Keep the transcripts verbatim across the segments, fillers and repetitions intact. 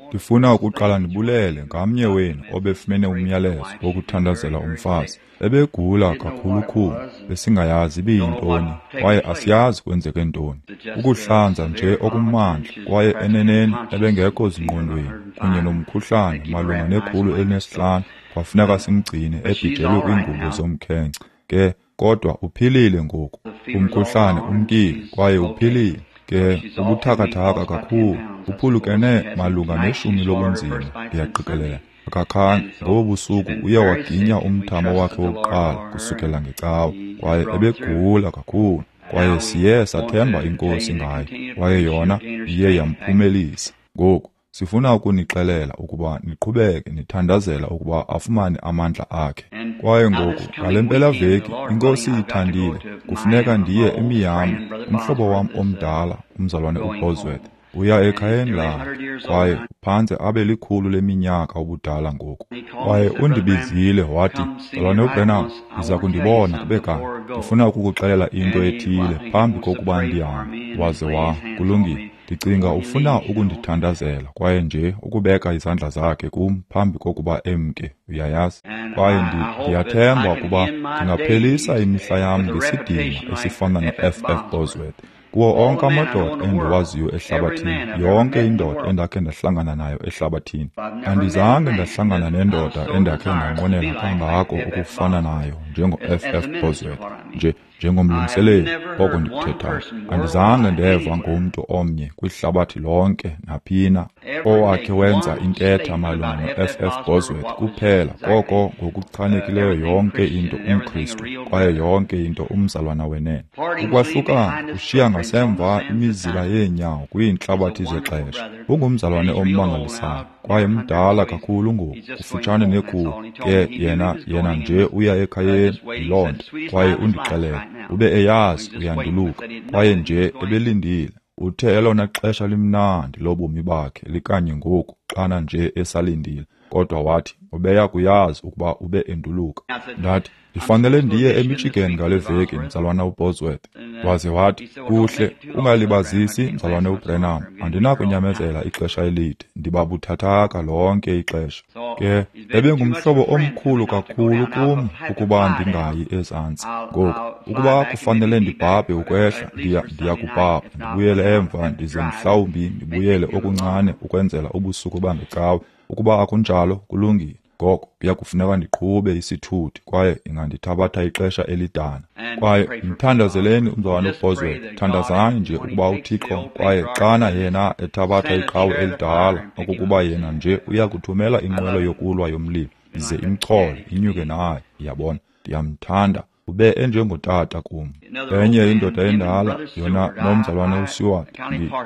Ndifuna ukuqala ndibulele ngamnye wenu obefumene umyalezo wokuthandazela umfazi. Ebegula kakhulukhulu, besingayazi ibiyintoni, kwaye asiyazi kwenzeke ntoni. Ukuhlanza nje okumandla, kwaye eneneni ebengekho zingqondweni, kunye nomkhuhlane malunga nekhulu elinesihlanu, kwafuneka simgcine ebhijelwe kwiingubo zomkhenkce. Ke, kodwa uphilile ngoku. Umkhuhlane umkile, kwaye uphilile. Ke, ubuthakathaka kakhulu, uphulukene malunga neshumi lobunzima, ndiyaqikelela. Akakhange, ngobo busuku uye waginya umthamo wakhe wokuqala kusukela ngecawa, kwaye ebegula kakhulu, kwaye siye sathemba iNkosi ngaye, kwaye yona iye yamphumelisa. Ngoku, sifuna ukunixelela ukuba niqhubeke nithandazela ukuba afumane amandla akhe. Kwaye ngoku, ngale mpelaveki, iNkosi ithandile, kufuneka ndiye eMiami, umhlobo wam omdala, umzalwane uBosworth, uya ekhayeni lakhe, kwaye uphantse abe likhulu leminyaka ubudala ngoku. Kwaye undibizile wathi, Mzalwane uBranham, ndiza kundibona kube kanye. Ndifuna ukukuxelela into ethile phambi kokuba ndihambe. Waze wa, kulungile. Ndicinga ufuna ukundithandazela kwaye nje ukubeka izandla zakhe kum phambi kokuba emke, uyayazi. Kwaye ndiyathemba ukuba ndingaphelisa imihla yam ngesidima esifana no-F F Bosworth. Kuwo onke amadoda endiwaziyo ehlabathini, yonke indoda endakhe ndahlangana nayo ehlabathini, andizange ndahlangana nendoda endakhe ndanqwenela kangako ukufana nayo njengo-F F Bosworth, nje njengomlungiseleli, oko ndikuthethayo. Andizange ndeva ngomntu omnye kwihlabathi lonke naphina owakhe wenza intetha malunga no-F F Bosworth kuphela koko ngokuchanekileyo yonke into umKristu kwaye yonke into umzalwana wenene. Ukwahlukana kushiya ngasemva imizila yeenyawo kwiintlabathi zexesha. Ungumzalwane ommangalisayo kwaye mdala kakhulu ngoku, kufutshane nekhulu. Ke yena yena nje uya ekhayeni yiloo nto, kwaye undixelele ube eyazi uyanduluka, kwaye nje ebelindile. Uthe elona xesha limnandi lobomi bakhe likanye ngoku xana nje esalindile, kodwa wathi ubeya kuyazi ukuba ube enduluka. Ndathi, ndifanele ndiye eMichigan ngale veki, mzalwana uBosworth. Waze wathi, kuhle, ungalibazisi, mzalwane uBranham, andinakunyamezela ixesha elide, ndiba buthathaka lonke ixesha. Ke, ebengumhlobo omkhulu kakhulu kum ukuba ndingayi ezantsi. Ngoku, ukuba kufanele ndibhabhe ukwehla, ndiya ndiyakubhabha, ndibuyele emva, ndize mhlawumbi ndibuyele okuncane ukwenzela ubusuku bangecawe. Ukuba akunjalo, kulungile. Ngoko kuya kufuneka ndiqhube isithuthi kwaye ingandithabatha ixesha elidana. Kwaye mthandazeleni umzalwane uBosworth, thandazani nje ukuba uThixo, kwaye xana yena ethabatha iqhawe elidala, okokuba yena nje uya kuthumela inqwelo yokulwa yomlilo ize imchole inyuke naye. Yabona, ndiyamthanda, ube enjengotata kum. Enye indoda endala, yona nomzalwane uSeward,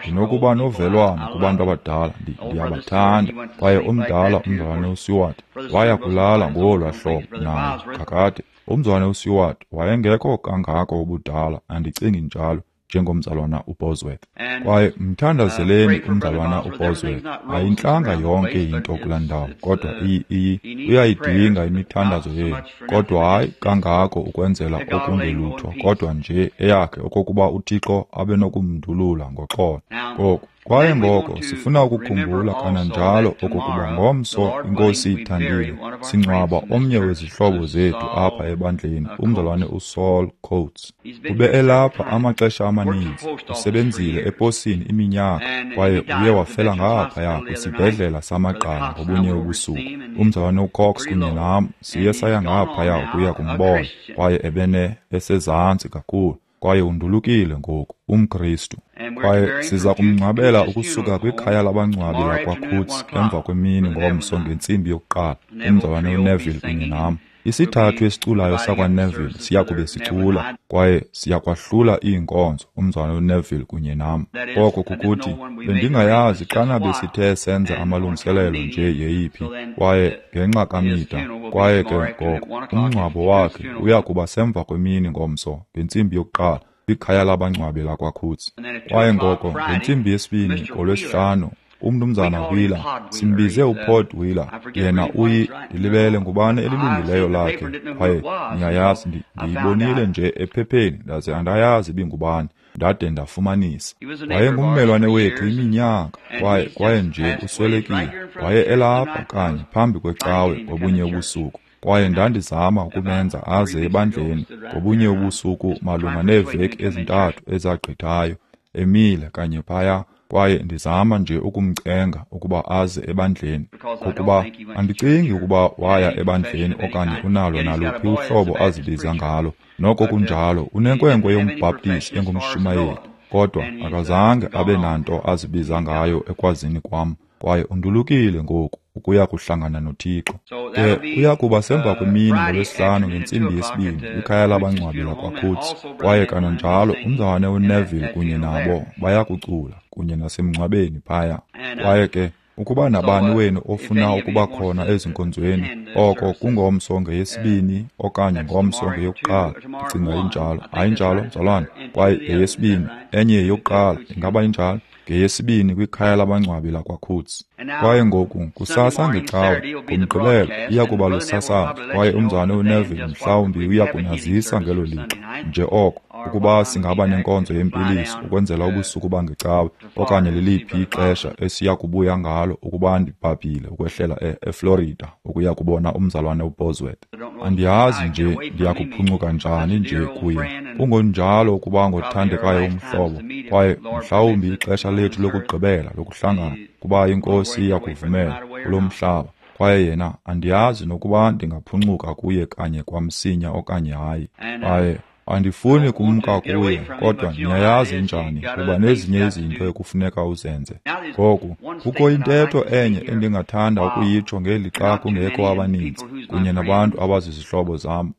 ndinokuba novelwano kubantu abadala, ndiyabathanda. Kwaye omdala umzalwane uSeward waya kulala ngolwa hlobo naye kakade. Umzalwane uSeward wayengekho kangako ubudala, andicingi njalo, njengomzalwana uBosworth. Kwaye mthandazeleni umzalwana uBosworth. Ayintlanga yonke into kulaa ndawo, kodwa iyi uyayidinga imithandazo yenu, kodwa hayi kangako ukwenzela okungelutho, kodwa nje eyakhe okokuba uThixo abe nokumndulula ngoxolo. Ngoku, kwaye ngoko sifuna ukukhumbula kananjalo okokuba ngomso iNkosi ithandile singcwaba omnye wezihlobo zethu apha ebandleni, umzalwane uSaul Coates. Ube elapha amaxesha amaninzi, usebenzile eposini iminyaka, kwaye uye wafela ngaphaya kwisibhedlela samagqala ngobunye ubusuku. Umzalwane uCox kunye nam siye saya ngaphaya ukuya kumbona, kwaye ebene esezantsi kakhulu, kwaye undulukile ngoku, umKristu. Kwaye siza kumngcwabela ukusuka kwikhaya labangcwabi lakwaCoates emva kwemini ngomso ngentsimbi yokuqala, umzalwane uNeville kunye nam. Isithathu esiculayo sakwaNeville siya kube sicula, kwaye siyakwahlula iinkonzo, umzalwane uNeville kunye nam. Oko kukuthi, bendingayazi xana besithe senza amalungiselelo nje yeyiphi, kwaye ngenxa kaMida, kwaye ke ngoko umngcwabo wakhe uya kuba semva kwemini ngomso ngentsimbi yokuqala kwikhaya labangcwabi lakwaCoates. Kwaye ngoko ngentsimbi yesibini ngolwesihlanu, umnumzana Wheeler, simbize uPod Wheeler, yena uyi ndilibele ngubani elilungileyo lakhe, kwaye niyayazi, ndiyibonile nje ephepheni ndaze andayazi ibingubani. ndade ndafumanisa. Wayengummelwane wethu iminyaka, kwaye kwaye nje uswelekile. Waye elapha kanye phambi kwecawe ngobunye ubusuku, kwaye ndandizama ukumenza aze ebandleni ngobunye ubusuku malunga neeveki ezintathu ezagqithayo, emile kanye phaya, kwaye ndizama nje ukumcenga ukuba aze ebandleni, ngokuba andicingi ukuba waya ebandleni okanye unalo naluphi uhlobo azibiza ngalo. Noko kunjalo, unenkwenkwe yombhaptizi engumshumayeli, kodwa akazange abe nanto azibiza ngayo ekwazini kwam, kwaye undulukile ngoku ukuya kuhlangana noThixo. Ke uya kuba semva kwemini ngoLwesihlanu ngentsimbi yesibini kwikhaya labangcwabi lakwaCoutts, kwaye kananjalo umzalwane uNeville kunye nabo bayakucula kunye nasemngcwabeni phaya. Kwaye ke ukuba nabani wenu ofuna ukuba khona ezinkonzweni, oko kungomso ngeyesibini okanye ngomso ngeyokuqala, ndicinga injalo. Hayi njalo, mzalwane? Kwaye yeyesibini, enye yeyokuqala, ingaba injalo? Ngeyesibini kwikhaya labangcwabi lakwaCoutts. Kwaye ngoku kusasa ngecawe, ngoMgqibelo iya kuba lusasazo, kwaye umzalwane uNeville mhlawumbi uya kunazisa ngelo lixa nje oko ukuba singaba nenkonzo yempiliso ukwenzela ubusuku bangecawe, okanye liliphi ixesha esiya kubuya ngalo ukuba ndibhabhile ukwehlela eFlorida ukuya kubona umzalwane uBosworth. Andiyazi nje ndiyakuphuncuka njani nje kuye. Kungonjalo ukuba ngothandekayo umhlobo, kwaye mhlawumbi ixesha lethu lokugqibela lokuhlangana, kuba iNkosi iyakuvumela kulo mhlaba. Kwaye yena andiyazi nokuba ndingaphuncuka kuye kanye kwamsinya okanye hayi. Kwaye andifuni kumka kuye, kodwa niyayazi njani kuba nezinye izinto ekufuneka uzenze. Ngoku kukho intetho enye endingathanda ukuyitsho ngeli xa kungekho abaninzi kunye nabantu abazizihlobo zam.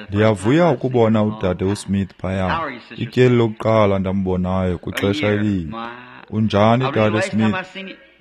Ndiyavuya ukubona udade uSmith phaya, ityeli lokuqala ndambonayo kwixesha elide. Unjani, dade Smith?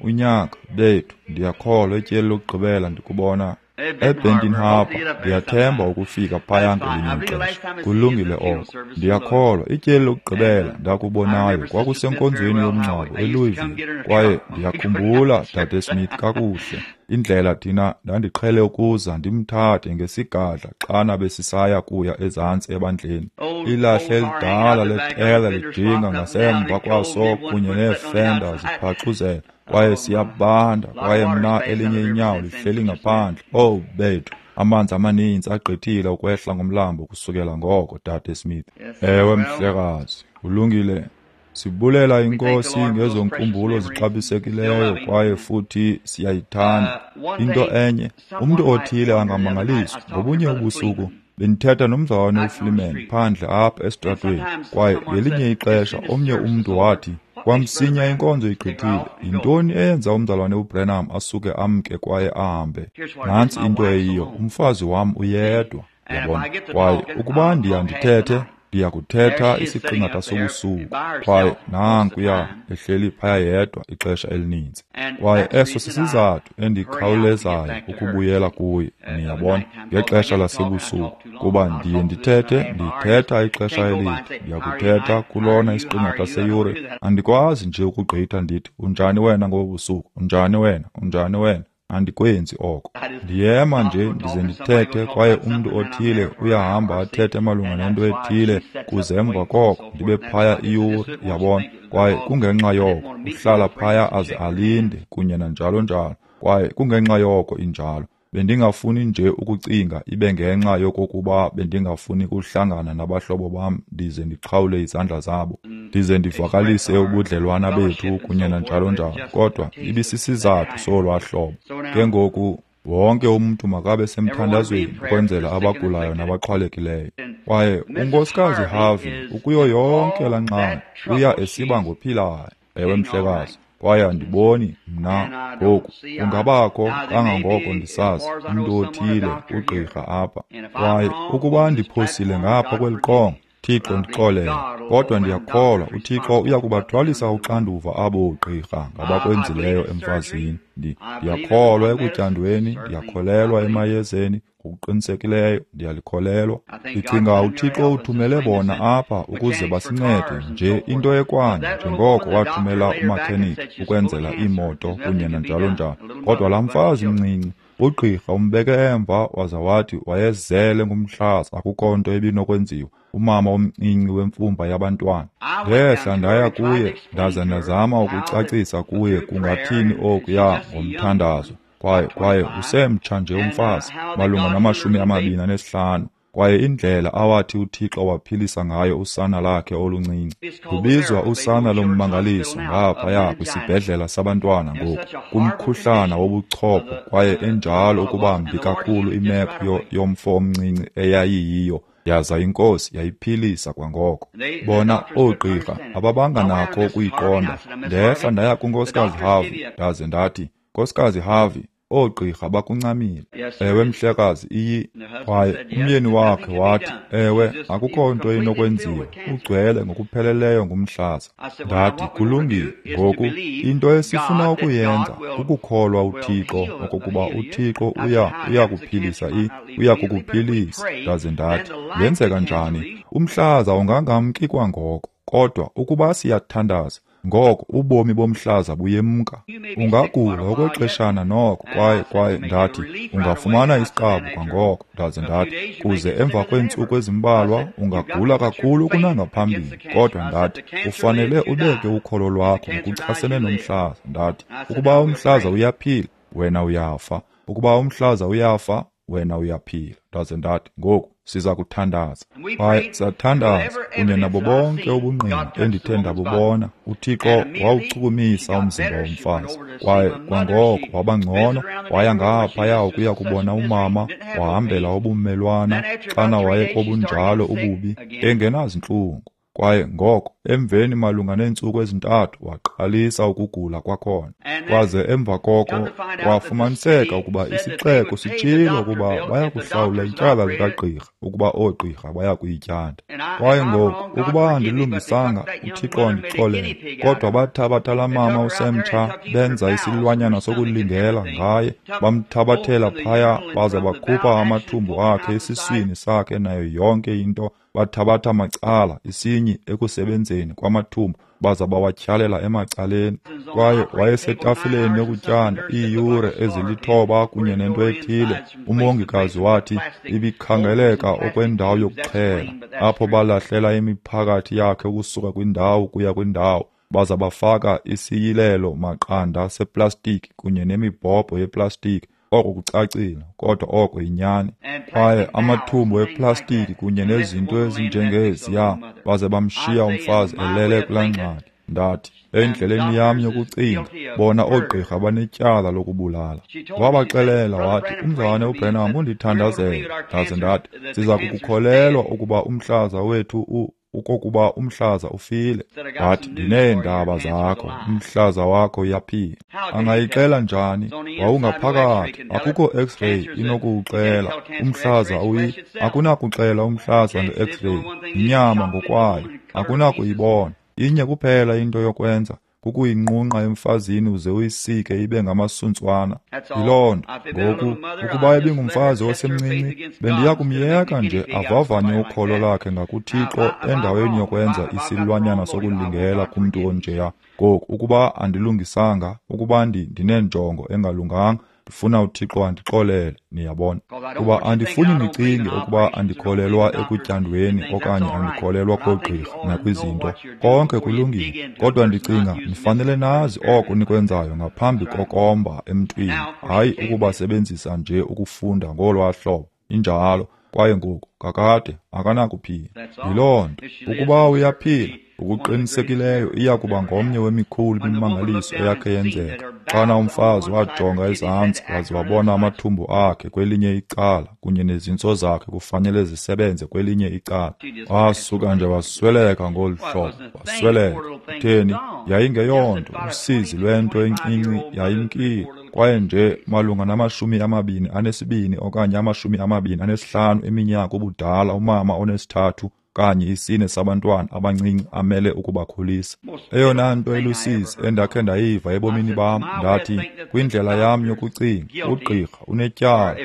Unyaka bethu, ndiyakholwa ityeli lokugqibela ndikubona eBenton Harbor. Ndiyathemba ukufika phaya ngelinye ixesha. Kulungile oko. Ndiyakholwa ityeli lokugqibela ndakubonayo kwakusenkonzweni yomngcwabo eLouisville, kwaye ndiyakhumbula dade Smith kakuhle indlela thina ndandiqhele ukuza ndimthathe ngesigadla xana besisaya kuya ezantsi ebandleni. Ilahle elidala letela lijinga ngasemva kwaso kunye neefenda ziphaxuzela, kwaye siyabanda, kwaye mna elinye inyawo lihleli ngaphandle. Oh bethu, amanzi amaninzi agqithile ukwehla ngomlambo kusukela ngoko, dade Smith. Ewe mhlekazi, ulungile. Sibulela iNkosi ngezo nkumbulo zixabisekileyo, kwaye futhi siyayithanda. Into enye, umntu othile angamangaliswa. Ngobunye ubusuku bendithetha nomzalwane uFleeman phandle apha esitratweni, kwaye ngelinye ixesha omnye umntu wathi, kwamsinya inkonzo igqithile, yintoni eyenza umzalwane uBranham asuke amke kwaye ahambe? Nantsi into eyiyo, umfazi wam uyedwa, yabona. Kwaye ukuba ndiya ndithethe, ndiyakuthetha isiqingatha sobusuku, kwaye nankuya ehleli phaya yedwa ixesha elininzi. Kwaye eso sisizathu endikhawulezayo ukubuyela kuye, niyabona, ngexesha lasebusuku, kuba ndiye ndithethe, ndithetha ixesha elide, ndiyakuthetha kulona isiqingatha seyure. Andikwazi nje ukugqitha ndithi, unjani wena ngobu busuku, unjani wena, unjani wena. Andikwenzi oko. Ndiyema nje ndize ndithethe, kwaye umntu othile uyahamba athethe malunga nento ethile, kuze emva koko ndibe phaya iyure, yabona. Kwaye kungenxa yoko uhlala phaya aze alinde kunye nanjalo njalo, kwaye kungenxa yoko injalo. Bendingafuni nje ukucinga ibe ngenxa yokokuba bendingafuni kuhlangana nabahlobo bam ndize ndiqhawule izandla zabo, ndize ndivakalise ubudlelwana bethu kunye nanjalo njalo, kodwa ibisisizathu solwaa hlobo. Ke ngoku wonke umntu makabe semthandazweni ukwenzela abagulayo nabaxhwalekileyo. Kwaye uNkosikazi Harvey ukuyo yonke laa ngxaki uya esiba ngophilayo. Ewe mhlekazi. Kwaye andiboni mna ngoku kungabakho kangangoko ndisazi umntu othile ugqirha apha. Kwaye ukuba ndiphosile ngapha kweli qonga, Thixo ndixolele, kodwa ndiyakholwa uThixo uyakubathwalisa uxanduva abo gqirha ngabakwenzileyo emfazini. Ndiyakholwa ekutyandweni, ndiyakholelwa emayezeni, ngokuqinisekileyo ndiyalikholelwa. Ndicinga uThixo uthumele bona apha ukuze basincede nje into ekwanye njengoko wathumela umakhenikhi ukwenzela iimoto kunye nanjalo njalo. Kodwa laa mfazi mncinci Ugqirha umbeke emva waza wathi wayezele ngumhlaza, akukho nto ebinokwenziwa. Umama omncinci wemfumba yabantwana. Ndehla ndaya kuye ndaza ndazama ukucacisa kuye kungathini okuya ngomthandazo. Kwaye kwaye usemtsha nje umfazi, malunga namashumi amabini anesihlanu. Kwaye indlela awathi uThixo waphilisa ngayo usana lakhe oluncinci. Lubizwa usana lommangaliso ngaphaya kwisibhedlela sabantwana ngoku, kumkhuhlana wobuchopho, kwaye enjalo ukuba mbi kakhulu imeko yomfo omncinci eyayiyiyo. Yaza iNkosi yayiphilisa kwangoko. Bona oogqirha ababanga nakho ukuyiqonda. Ndehla ndaya kuNkosikazi Harvey, ndaze ndathi, Nkosikazi Harvey, oogqirha bakuncamile. Ewe mhlekazi, iyi. Kwaye umyeni wakhe wathi, ewe, akukho nto inokwenziwa, ugcwele ngokupheleleyo ngumhlaza. Ndathi, kulungile, ngoku into esifuna ukuyenza kukukholwa uThixo okokuba uThixo uya uyakuphilisa i uyakukuphilisa. Ndaze ndathi, yenzeka njani? Umhlaza ungangamki kwangoko, kodwa ukuba siyathandaza, ngoko ubomi bomhlaza buyemka. Ungagula okwexeshana noko, kwaye kwaye ndathi ungafumana isiqabu kwangoko. Ndaze ndathi kuze emva kweentsuku ezimbalwa ungagula kakhulu kunangaphambili, kodwa ndathi ufanele ubeke ukholo lwakho ngokuchasene nomhlaza. Ndathi ukuba umhlaza uyaphila, wena uyafa. Ukuba umhlaza uyafa, wena uyaphila. Ndaze ndathi ngoku siza kuthandaza. Kwaye sathandaza kunye nabo bonke ubungqina endithe ndabubona. UThixo wawuchukumisa umzimba womfazi, kwaye kwangoko waba ngcono. Waya ngaphaya ukuya kubona umama, wahambela ubumelwana xana waye kobunjalo ububi, engenazintlungu. Kwaye ngoko emveni malunga neentsuku ezintathu waqalisa ukugula kwakhona. Kwaze emva koko kwafumaniseka ukuba isixeko sitshilo ukuba bayakuhlawula ityala likagqirha ukuba oogqirha bayakuyityanda. Kwaye ngoku ukuba andilungisanga, uThixo andixolele, kodwa bathabatha laa mama usemtsha benza isilwanyana sokulingela ngaye, bamthabathela phaya baze bakhupha amathumbu akhe esiswini sakhe nayo yonke into. Bathabatha macala isinyi ekusebenzeni kwamathumbu baza bawatyhalela emacaleni. Kwaye wayesetafileni yokutyanda iiyure ezilithoba kunye nento ethile. Umongikazi wathi ibikhangeleka okwendawo yokuxhela, apho balahlela imiphakathi yakhe ukusuka kwindawo kuya kwindawo, baza bafaka isiyilelo maqanda seplastiki kunye nemibhobho yeplastiki. Oko kucacile, kodwa oko yinyani. Kwaye amathumbu eplastiki kunye nezinto ezinjengeziya, baze bamshiya umfazi elele kulaa ngxaki. Ndathi, endleleni yam yokucinga, bona oogqirha banetyala lokubulala. Wabaxelela wathi, umzalwane uBranham undithandazele. Ndaze ndathi, siza kukukholelwa ukuba umhlaza wethu u ukokuba umhlaza ufile. Wathi, ndineendaba zakho, umhlaza wakho uyaphila. Angayixela njani? Wawungaphakathi, akukho x-ray inokuwuxela umhlaza uyi, akunakuxela umhlaza nge-x-ray, yinyama ngokwayo, akunakuyibona. Inye kuphela into yokwenza, kukuyinqunqa emfazini uze uyisike ibe ngamasuntswana. Yiloo nto. Ngoku, ukuba ebingumfazi osemncinci, bendiya kumyeka nje avavanye ukholo lakhe ngakuThixo endaweni yokwenza isilwanyana sokulingela kumntu onjeya. Ngoku, ukuba andilungisanga, ukuba ndinenjongo engalunganga, ndifuna uThixo andixolele, niyabona. Kuba andifuni nicinge ukuba andikholelwa ekutyandweni okanye andikholelwa koogqirha nakwizinto. Konke kulungile, kodwa ndicinga nifanele nazi oko nikwenzayo ngaphambi kokomba emntwini, hayi ukubasebenzisa nje ukufunda ngolwaa hlobo. Injalo. Kwaye ngoku kakade akanakuphila. Yiloo nto. Ukuba uyaphila, ngokuqinisekileyo iya kuba ngomnye wemikhulu imimangaliso eyakhe yenzeka. Xana umfazi wajonga ezantsi waze wabona amathumbu akhe kwelinye icala kunye nezintso zakhe kufanele zisebenze kwelinye icala, wasuka nje wasweleka ngolu hlobo, wasweleka. Kutheni? Yayingeyonto, usizi lwento encinci yayimkile. Kwaye nje malunga namashumi amabini anesibini okanye amashumi amabini anesihlanu eminyaka ubudala, umama onesithathu kanye isine sabantwana abancinci amele ukubakhulisa. Eyona nto elusizi endakhe ndayiva ebomini bam, ndathi kwindlela yam yokucinga, ugqirha unetyala.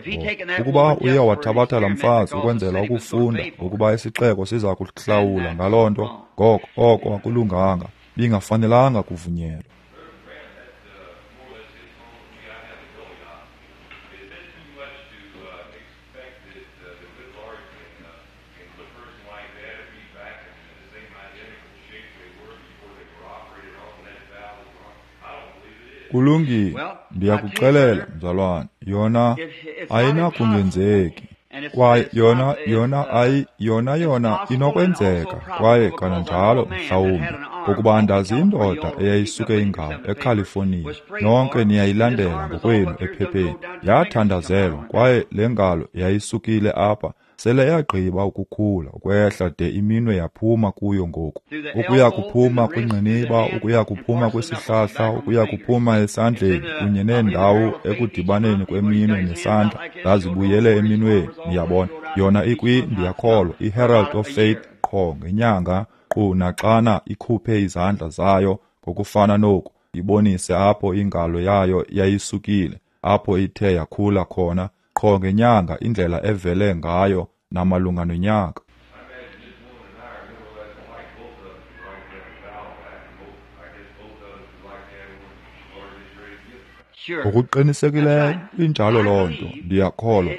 Ukuba uye wathabatha laa mfazi ukwenzela ukufunda ngokuba isixeko siza kuhlawula ngaloo nto, ngoko oko akulunganga, bingafanelanga kuvunyelwa. Kulungile, ndiyakuxelela mzalwane, yona ayinakungenzeki. Kwaye yona yona ayi yona yona inokwenzeka kwaye kananjalo mhlawumbi ngokuba ndazi indoda eyayisuke ingalo eCalifornia, nonke niyayilandela ngokwenu ephepheni. Yathandazelwa kwaye le ngalo yayisukile apha sele yagqiba ukukhula ukwehla de iminwe yaphuma kuyo ngoku, ukuya kuphuma kwingqiniba, ukuya kuphuma kwisihlahla, ukuya kuphuma esandleni kunye neendawo ekudibaneni kweminwe nesandla zazibuyele eminweni. Niyabona, yona ikwi, ndiyakholwa, iHerald of Faith qho ngenyanga, qu naxana ikhuphe izandla zayo ngokufana noku, ibonise apho ingalo yayo yayisukile, apho ithe yakhula khona qho ngenyanga, indlela evele ngayo namalunga nonyaka. Ngokuqinisekileyo injalo loo nto, ndiyakholwa.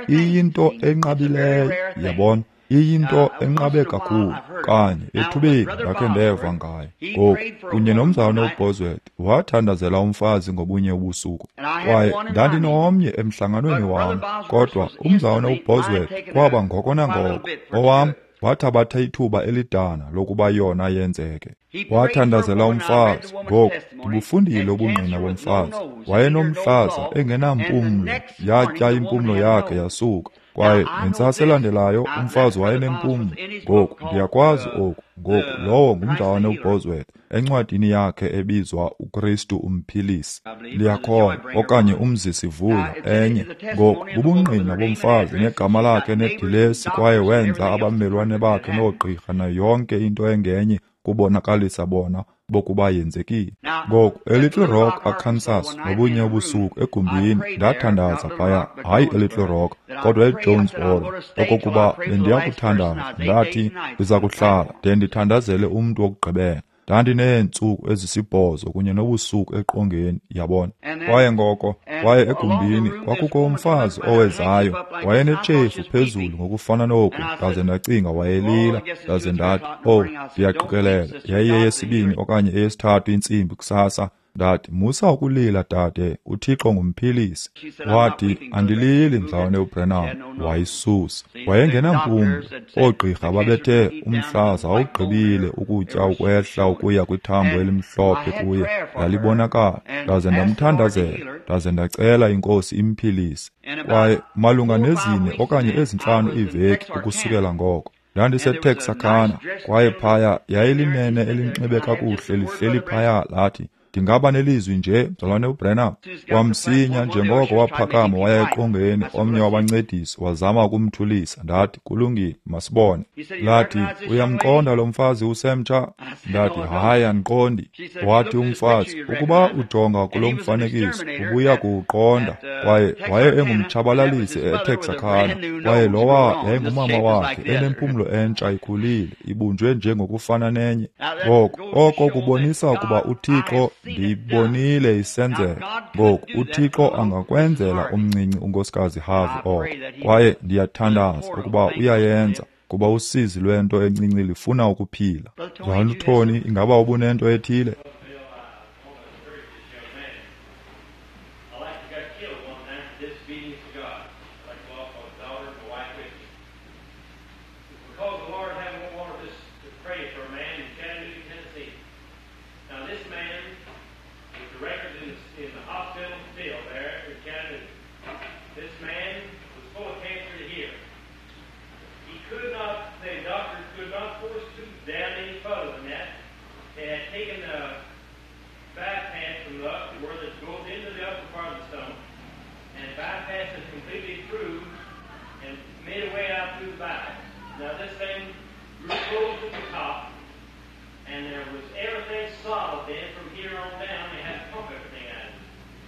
Iyinto enqabileyo, yabona, iyinto enqabe kakhulu. Kanye ethubeni ndakhe ndeva ngayo. Ngoku kunye nomzalwane uBosworth wathandazela umfazi ngobunye ubusuku, kwaye ndandinomnye emhlanganweni wam, kodwa umzalwane uBosworth kwaba ngoko nangoko owam wathabatha ithuba elidana lokuba yona yenzeke. Wathandazela umfazi. Ngoku ndibufundile ubungqina bomfazi. Wayenomhlaza engenampumlo, yatya impumlo yakhe yasuka. Kwaye ngentsasa elandelayo umfazi wayenempumlo. Ngoku ndiyakwazi oku. Ngoku lowo ngumzalwane uBosworth encwadini yakhe ebizwa uKristu Umphilisi, ndiyakholwa, okanye Umzisivuyo, enye. Ngoku bubungqina bomfazi negama lakhe nedilesi, kwaye wenza abamelwane bakhe noogqirha nayo yonke into engenye kubonakalisa bona bokuba yenzekile. Ngoku eLittle Rock, Arkansas, ngobunye ubusuku egumbini ndathandaza phaya, hayi eLittle Rock, kodwa eJonesboro, okokuba bendiyakuthandaza. Ndathi ndiza kuhlala de ndithandazele umntu wokugqibela. Ndandineentsuku ezisibhozo kunye nobusuku eqongeni, yabona. Kwaye ngoko, kwaye egumbini kwakukho umfazi owezayo, wayenetshefu phezulu ngokufana noku, ndaze ndacinga wayelila, ndaze ndathi, oh, ndiyaqikelela yayiyeyesibini okanye eyesithathu intsimbi kusasa. Ndathi, musa ukulila dade, uThixo ngumphilisi. Wathi, andilili mzalwane uBrenham. Wayisusa. Wayengenampumlo. Oogqirha babethe umhlaza awugqibile ukutya ukwehla ukuya kwithambo elimhlophe kuye, lalibonakala. Ndaze ndamthandazela, ndaze ndacela iNkosi imphilise. Kwaye malunga nezine okanye ezintlanu iiveki ukusukela ngoko, ndandiseTexarkana, kwaye phaya yayilinene elinxibe kakuhle lihleli phaya, lathi, ndingaba nelizwi nje mzalwane uBrenham. Kwamsinya njengoko waphakama waya eqongeni, omnye wabancedisi wazama ukumthulisa. Ndathi, kulungile, masibone. Lathi, uyamqonda lo mfazi usemtsha? Ndathi, hayi, andiqondi. Wathi umfazi, ukuba ujonga kulo mfanekiso ubuya kuwuqonda. Kwaye waye engumtshabalalisi eTexarkana, kwaye lowa yayingumama wakhe enempumlo entsha ikhulile, ibunjwe njengokufana nenye. Ngoko oko kubonisa ukuba uThixo, ndiyibonile isenzeka. Ngoku uThixo angakwenzela umncinci unkosikazi Harvey oko, kwaye ndiyathandaza ukuba uyayenza, kuba usizi lwento encinci lifuna ukuphila. Mzalwana uTony, ingaba ubunento ethile?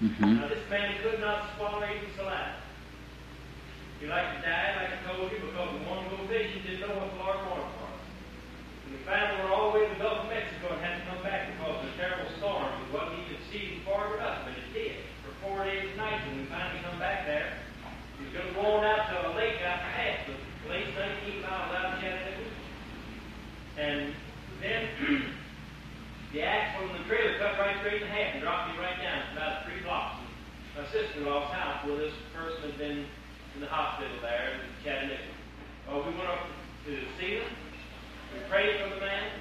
Mm-hmm. Now this man could not swallow even saliva. He like to die, like I told you, because the one location didn't know what the Lord wanted for us. And we finally were all the way to the Gulf of Mexico and had to come back because of a terrible storm. It wasn't even season forward up, but it did for four days and nights. And we finally come back there. He was going to go on out to a lake out past the place, nineteen miles out of Chattanooga. And then The axle in the trailer cut right straight in half and dropped me right down about three blocks. My sister-in-law's house where this person had been in the hospital there in Chattanooga. Well, we went up to see them. We prayed for the man,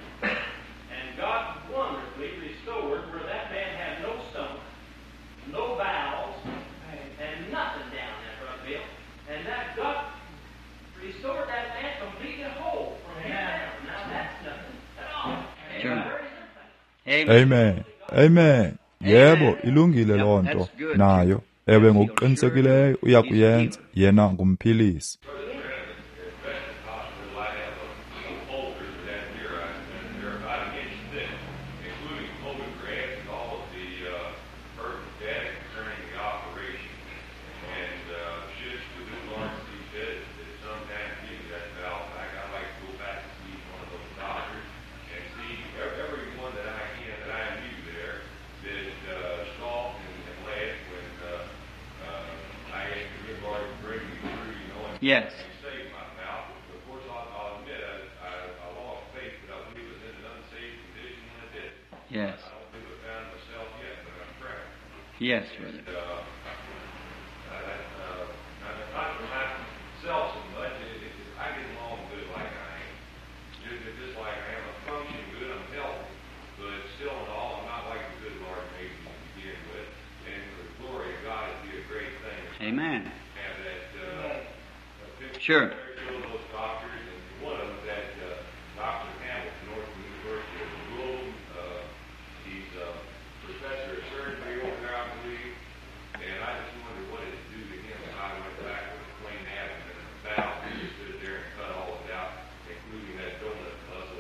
and God wonderfully restored where that man had no stomach, no bowels, and nothing down there, Brother Bill. And that God restored that man completely whole from here down. Now that's nothing at all. Sure. Amen. Amen. Yebo, ilungile loo nto nayo. Ewe, ngokuqinisekileyo uyakuyenza. Yena ngumphilisi. Yes. Yes. Yes, brother. Amen. Sure.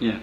Yeah.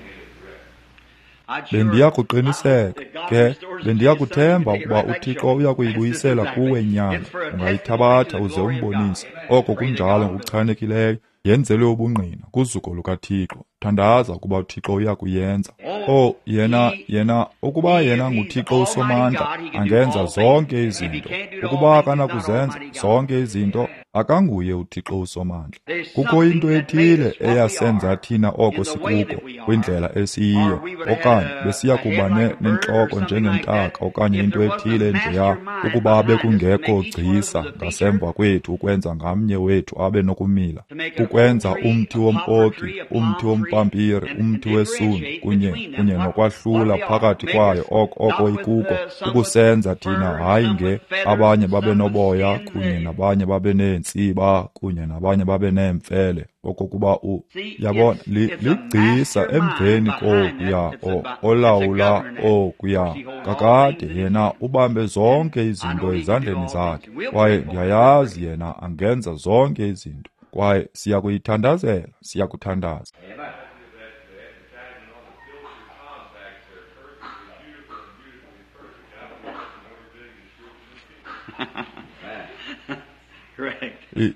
Bendiyakuqiniseka ke, bendiyakuthemba ukuba uThixo uyakuyibuyisela kuwe nyana. Ungayithabatha uze umbonise. Oko kunjalo ngokuchanekileyo. Yenzelwe ubungqina kuzuko lukaThixo. Thandaza ukuba uThixo uyakuyenza. Oh, yena yena ukuba yena nguThixo uSomandla, angenza zonke izinto. Ukuba akanakuzenza zonke izinto, akanguye uThixo uSomandla. Kukho into ethile eyasenza thina oko sikuko kwindlela esiyiyo, okanye besiya kuba nentloko njengentaka okanye into ethile njeya, ukuba bekungekho gcisa ngasemva kwethu ukwenza ngamnye wethu abe nokumila, ukwenza umthi wom-oki, umthi wompampiri, umthi wesundu, kunye kunye nokwahlula phakathi kwayo oko oko ikuko, ukusenza thina hayi nge abanye babe noboya kunye nabanye babe neentsiba kunye nabanye babe neemfele, okokuba u yabona ligcisa emveni kokuya olawula okuya kakade yena ubambe zonke izinto ezandleni zakhe, kwaye ndiyayazi yena angenza zonke izinto, kwaye siyakuyithandazela, siyakuthandaza.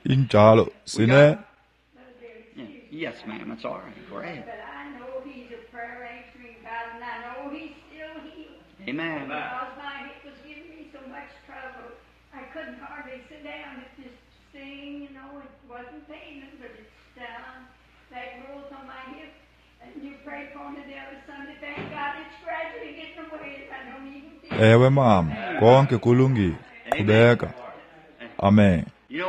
Injalo sine. Yes, ma'am, that's all right. Go ahead. But I know he's a prayer answering God, and I know he's still healed. Amen. Because my hip was giving me so much trouble, I couldn't hardly sit down. It just sting, you know, it wasn't paining, but it's down. That growth on my hip, and you prayed for me the other Sunday. Thank God it's gradually getting away. I don't even feel. Ewe mama, konke kulungile. Qhubeka. Amen.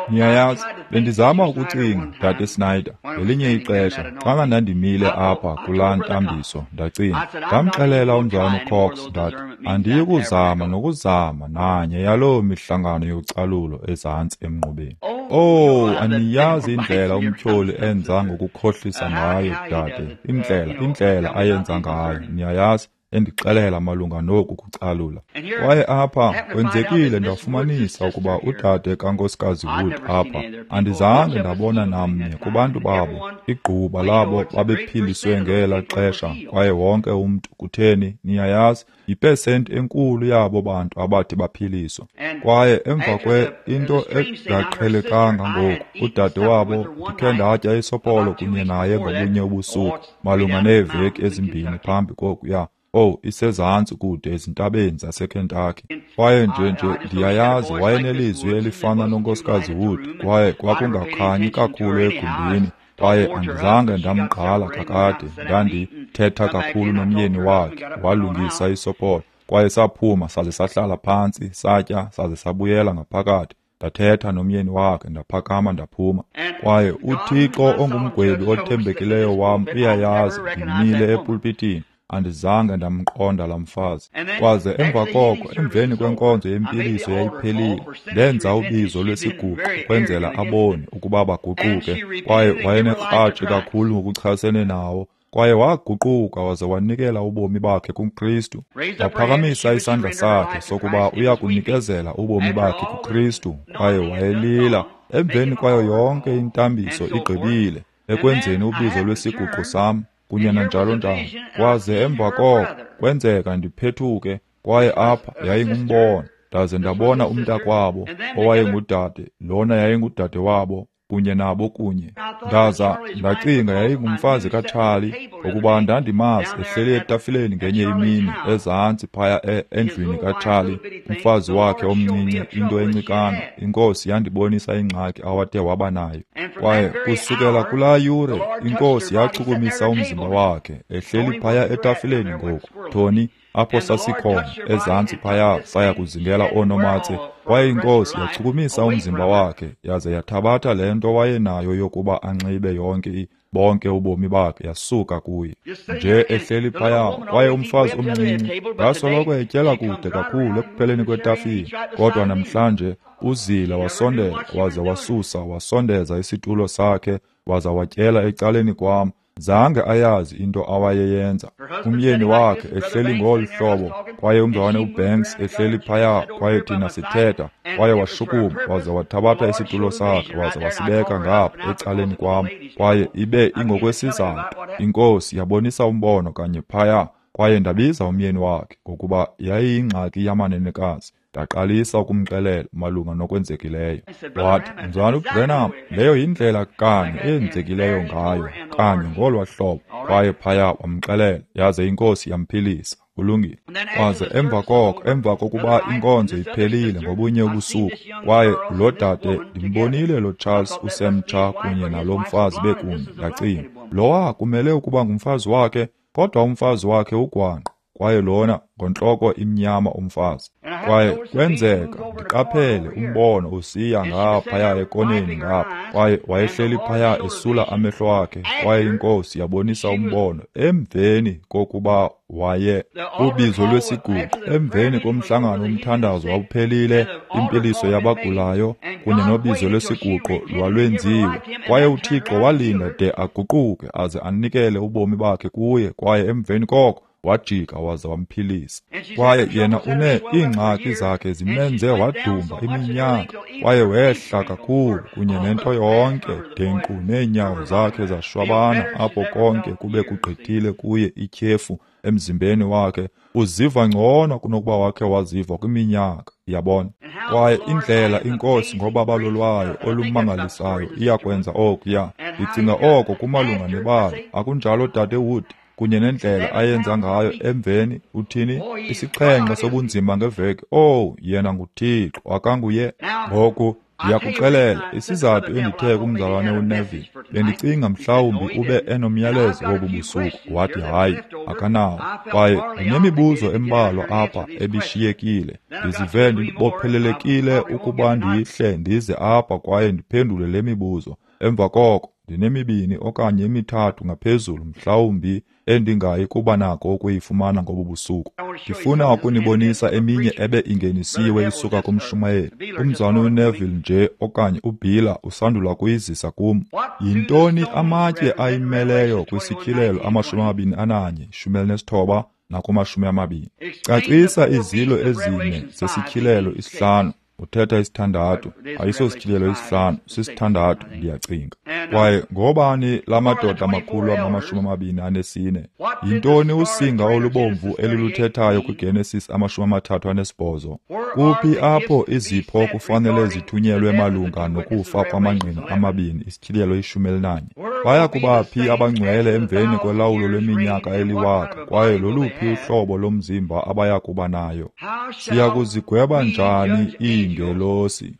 Niyayazi, bendizama ukucinga, Dade Snyder, ngelinye ixesha, xa ndandimile apha kulaa ntambiso, ndacinga, ndamxelela umzalwana uCox, ndathi, andiyi kuzama nokuzama nanye yaloo mihlangano yocalulo ezantsi emnqubeni. Oh, aniyazi indlela umtyholi enza ngokukhohlisa ngayo, dade, indlela, indlela ayenza ngayo, niyayazi, endixelela malunga noku kucalula. Kwaye apha kwenzekile ndafumanisa ukuba udade kaNkosikazi Wood apha, andizange ndabona namnye kubantu babo, igquba labo babephiliswe ngela xesha, kwaye wonke umntu, kutheni, niyayazi, yipesenti enkulu yabo bantu abathi baphiliswa. Kwaye emva kwe into engaqhelekanga ngoku, udade wabo ndikhe ndatya isopolo kunye naye ngobunye ubusuku, malunga neeveki ezimbini phambi kokuya. Oh, isezantsi kude ezintabeni zaseKentucky. Kwaye nje nje ndiyayazi wayenelizwi elifana noNkosikazi Wood, kwaye kwakungakhanyi kakhulu egumbini, Kwaye andizange ndamgqala kakade, ndandithetha kakhulu nomyeni wakhe, walungisa isopolo. Kwaye saphuma saze sahlala phantsi, satya, saze sabuyela ngaphakathi. Ndathetha nomyeni wakhe, ndaphakama ndaphuma. Kwaye uThixo ongumgwebi othembekileyo wam uyayazi, ndimile epulpitini. Andizange ndamqonda laa mfazi. Kwaze emva koko, emveni kwenkonzo yempiliso yayiphelile, ndenza ubizo lwesiguqo ukwenzela aboni ukuba baguquke. Kwaye wayenekratshi kakhulu ngokuchasene nawo. Kwaye waguquka waze wanikela ubomi bakhe kuKristu. Waphakamisa isandla sakhe sokuba uya kunikezela ubomi bakhe kuKristu. Kwaye wayelila emveni kwayo yonke intambiso igqibile ekwenzeni ubizo lwesiguqo sam kunye nanjalo njalo. Kwaze emva koko kwenzeka ndiphethuke, kwaye apha yayingumbono. Ndaze ndabona umntakwabo owayengudade, lona yayingudade wabo kunye nabo kunye. Ndaza ndacinga yayingumfazi kaCharlie, ngokuba ndandimazi ehleli etafileni ngenye imini ezantsi phaya endlwini kaCharlie, umfazi wakhe omncinci, into encikana. Inkosi yandibonisa ingxaki awathe waba nayo. Kwaye kusukela kulaa yure inkosi yachukumisa umzimba wakhe ehleli phaya etafileni ngoku. Tony, apho sasikhona ezantsi phaya saya kuzingela oonomatse. Kwaye inkosi yachukumisa umzimba wakhe yaze yathabatha le nto wayenayo yokuba anxibe yonke bonke ubomi bakhe, yasuka kuye nje ehleli phaya. Kwaye umfazi omncinci ngasoloko etyela kude kakhulu ekupheleni kwetafile, kodwa namhlanje uzila wasondela waze wasusa wasondeza isitulo sakhe waza watyela ecaleni kwam. Zange ayazi into awayeyenza. Umyeni wakhe ehleli ngolu hlobo, kwaye umzalwane uBanks ehleli phaya, kwaye thina sithetha. Kwaye washukuma waze wathabatha isitulo sakhe waze wasibeka ngapha ecaleni kwam. Kwaye ibe ingokwesizathu inkosi yabonisa umbono kanye phaya. Kwaye ndabiza umyeni wakhe ngokuba yayiyingxaki yamanenekazi. Ndaqalisa ukumxelela malunga nokwenzekileyo. Wathi, Mzalwana uBranham, leyo yindlela kanye eyenzekileyo ngayo, kanye ngolwa hlobo. Kwaye phaya wamxelela, yaze inkosi yamphilisa. Kulungile. Kwaze emva koko, emva kokuba inkonzo iphelile ngobunye ubusuku, kwaye lo dade ndimbonile lo Charles usemtsha kunye nalo mfazi bekunye. Ndacinga, lowa kumele ukuba ngumfazi wakhe, kodwa umfazi wakhe ugwangqa. Kwaye lona ngontloko imnyama umfazi. Kwaye kwenzeka ndiqaphele umbono usiya ngaphaya ekoneni ngapha. Kwaye wayehleli phaya esula amehlo akhe. Kwaye inkosi yabonisa umbono emveni kokuba waye ubizo lwesiguqo, emveni komhlangano umthandazo wawuphelile, impiliso yabagulayo kunye nobizo lwesiguqo lwalwenziwe. Kwaye uThixo walinda de aguquke aze anikele ubomi bakhe kuye. Kwaye emveni koko wajika waza wamphilisa. Kwaye yena une iingxaki zakhe zimenze wadumba iminyaka. Kwaye wehla kakhulu kunye nento yonke de nkqu neenyawo zakhe zashwabana apho konke kube kugqithile kuye ityhefu emzimbeni wakhe. Uziva ngcono kunokuba wakhe waziva kwiminyaka, yabona. Kwaye indlela inkosi ngobabalo lwayo olumangalisayo iyakwenza okuya. Ndicinga oko kumalunga nebali, akunjalo Dade Wood? Kunye nendlela ayenza ngayo emveni uthini isixhenxe sobunzima ngeveki. Oh, yena nguThixo, akanguye. Ngoku ndiyakuxelela isizathu endithe kumzalwane uNeville, bendicinga mhlawumbi ube enomyalezo wobu busuku. Wathi hayi, akanawo. Kwaye ndinemibuzo embalwa apha ebishiyekile. Ndizive ndibophelelekile ukuba ndihle ndize apha kwaye ndiphendule le mibuzo. Emva koko ndinemibini okanye emithathu ngaphezulu mhlawumbi endingayi kuba nako ukuyifumana ngobu busuku. Ndifuna ukunibonisa eminye ebe ingenisiwe isuka kumshumayeli. Umzalwane uNeville nje okanye uBilla usandula kuyizisa kum. Yintoni amatye ayimeleyo kwisityhilelo amashumi amabini ananye, shumi elinesithoba nakumashumi amabini? Cacisa izilo ezine zesityhilelo isihlanu. Uthetha isithandathu, ayisosityhilelo isihlanu, sisithandathu ndiyacinga. Kwaye ngobani la madoda amakhulu angamashumi amabini anesine? Yintoni usinga olubomvu eliluthethayo kwiGenesis amashumi amathathu anesibhozo? Kuphi apho izipho kufanele zithunyelwe malunga nokufa kwamangqina amabini, isityhilelo ishumi elinanye? Baya kuba phi abangcwele emveni kolawulo lweminyaka eliwaka, kwaye loluphi uhlobo lomzimba abaya kuba nayo? Siya kuzigweba njani iingelosi?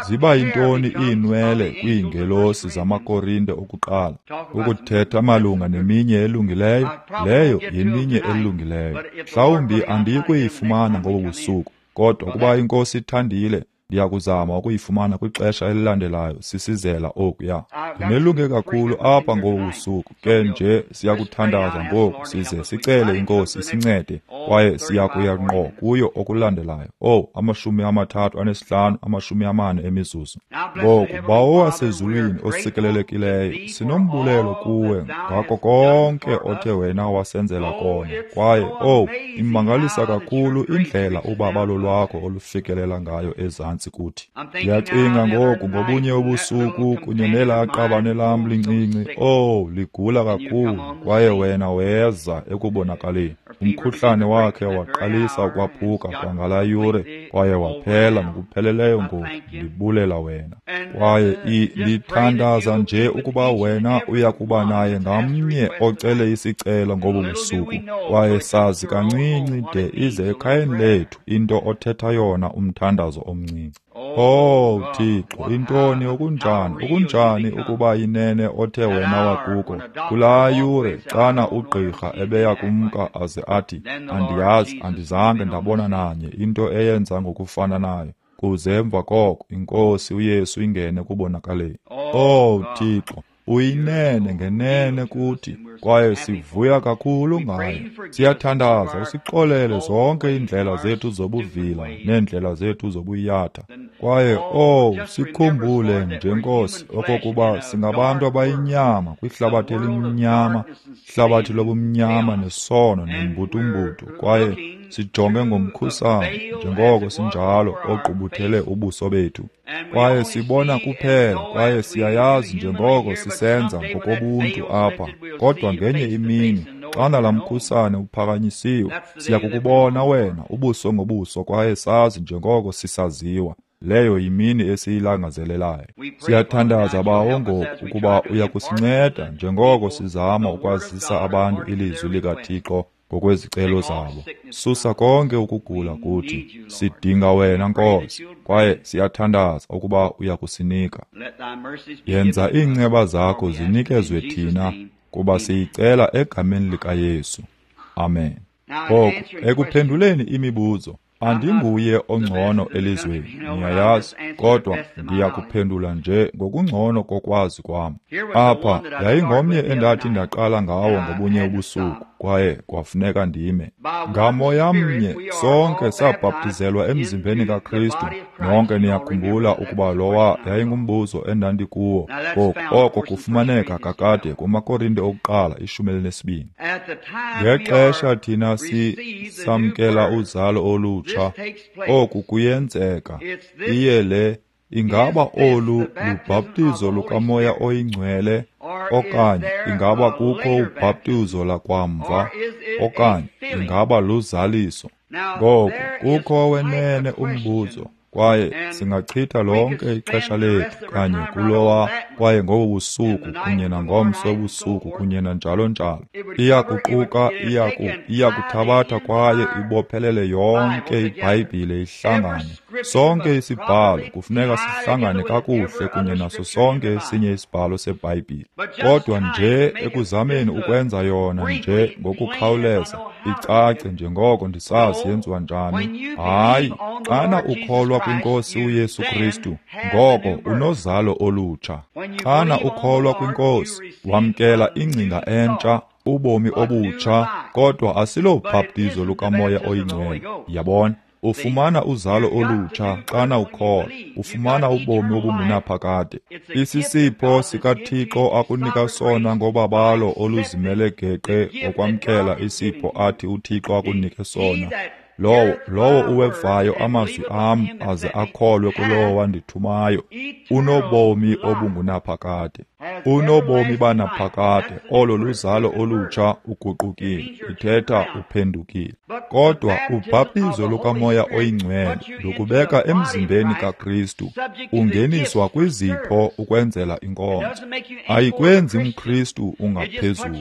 Ziba yintoni iinwele kwiingelosi zamaKorinte okuqala? Ukuthetha malunga neminye elungileyo, leyo yeminye elungileyo. Mhlawumbi andiyi kuyifumana ngobu busuku, kodwa ukuba iNkosi ithandile, ndiyakuzama ukuyifumana kwixesha elilandelayo sisizela okuya. Ndinelunge kakhulu apha ngobu busuku, ke nje siyakuthandaza ngoku size sicele iNkosi isincede, kwaye siyakuya ngqo kuyo okulandelayo. Oh, amashumi amathathu anesihlanu, amashumi amane emizuzu. Ngoku, Bawo wasezulwini osikelelekileyo, sinombulelo kuwe ngako konke othe wena wasenzela kona. Kwaye, oh, imangalisa kakhulu indlela ubabalo lwakho olufikelela ngayo ezantsi kuthi. Ndiyacinga ngoku ngobunye ubusuku kunye nelaa qabane lam lincinci, oh, ligula kakhulu, kwaye wena weza ekubonakaleni. Umkhuhlane wakhe waqalisa ukwaphuka kwangalaa yure, kwaye waphela ngokupheleleyo ngoku. Ndibulela wena. Kwaye ndithandaza nje ukuba wena uya kuba naye ngamnye ocele isicelo ngobu busuku, kwaye sazi kancinci de ize ekhayeni lethu into othetha yona umthandazo omncinci. Oh Thixo, intoni okunjani, okunjani ukuba inene othe wena wakuko kulaa yure xana ugqirha ebeya kumka aze athi, andiyazi, andizange ndabona nanye into eyenza ngokufana nayo, kuze emva koko iNkosi uYesu ingene kubonakaleni. Oh Thixo, uyinene ngenene kuthi, kwaye sivuya kakhulu ngayo. Siyathandaza usixolele zonke iindlela zethu zobuvila neendlela zethu zobuyatha. Kwaye, oh, sikhumbule nje Nkosi okokuba singabantu abayinyama kwihlabathi elimnyama, ihlabathi lobumnyama nesono nembutumbutu, kwaye sijonge ngomkhusane njengoko sinjalo ogqubuthele ubuso bethu. Kwaye sibona kuphela, kwaye siyayazi njengoko sisenza ngokobuntu apha, kodwa ngenye imini xana laa mkhusane uphakanyisiwe, siya kukubona wena ubuso ngobuso, kwaye sazi njengoko sisaziwa. Leyo yimini esiyilangazelelayo. Siyathandaza Bawo ngoku ukuba uya kusinceda njengoko sizama ukwazisa abantu ilizwi likaThixo ngokwezicelo zabo. Susa konke ukugula kuthi. Sidinga wena Nkosi, kwaye siyathandaza ukuba uya kusinika. Yenza iinceba zakho zinikezwe thina, kuba siyicela egameni likaYesu. Amen. Ngoku, ekuphenduleni imibuzo, andinguye ongcono elizweni, niyayazi, kodwa ndiyakuphendula nje ngokungcono kokwazi kwam. Apha yayingomnye endathi ndaqala ngawo ngobunye ubusuku, kwaye kwafuneka ndime. Ngamoya mnye sonke sabhaptizelwa emzimbeni kaKristu. Nonke niyakhumbula ukuba lowa yayingumbuzo endandikuwo. Ngoku oko kufumaneka kakade kumaKorinte okuqala ishumi elinesibini. Ngexesha thina sisamkela uzalo olutsha, oku kuyenzeka. Iye le, ingaba olu lubhaptizo lukaMoya oyiNgcwele, okanye ingaba kukho ubhaptizo lakwamva, okanye ingaba luzaliso? Ngoku kukho wenene umbuzo, kwaye singachitha lonke ixesha lethu kanye kulowa, kwaye ngobu busuku kunye nangomso busuku kunye nanjalo njalo. Iyakuquka, iyaku iyakuthabatha kwaye ibophelele yonke iBhayibhile ihlangane. Sonke isibhalo kufuneka sihlangane kakuhle kunye naso sonke esinye isibhalo seBhayibhile. Kodwa nje ekuzameni ukwenza yona nje ngokukhawuleza icace njengoko ndisazi yenziwa njani, hayi, xana ukholwa kwiNkosi uYesu Kristu, ngoko unozalo olutsha. Xana ukholwa kwiNkosi, wamkela ingcinga entsha, ubomi obutsha, kodwa asilobhaptizo lukaMoya oyiNgcwele. Yabona? Ufumana uzalo olutsha xana ukholwa, ufumana ubomi obungunaphakade. Isisipho sikaThixo akunika sona ngobabalo oluzimele geqe ngokwamkela isipho athi uThixo akunike sona. Lowo lowo uwevayo amazwi am aze akholwe kulowo wandithumayo, unobomi obungunaphakade. Unobomi banaphakade. Olo luzalo olutsha, uguqukile, ithetha uphendukile. Kodwa ubhaptizo lukaMoya oyiNgcwele lukubeka emzimbeni kaKristu, ungeniswa kwizipho ukwenzela inkonzo. Ayikwenzi mKristu ungaphezulu,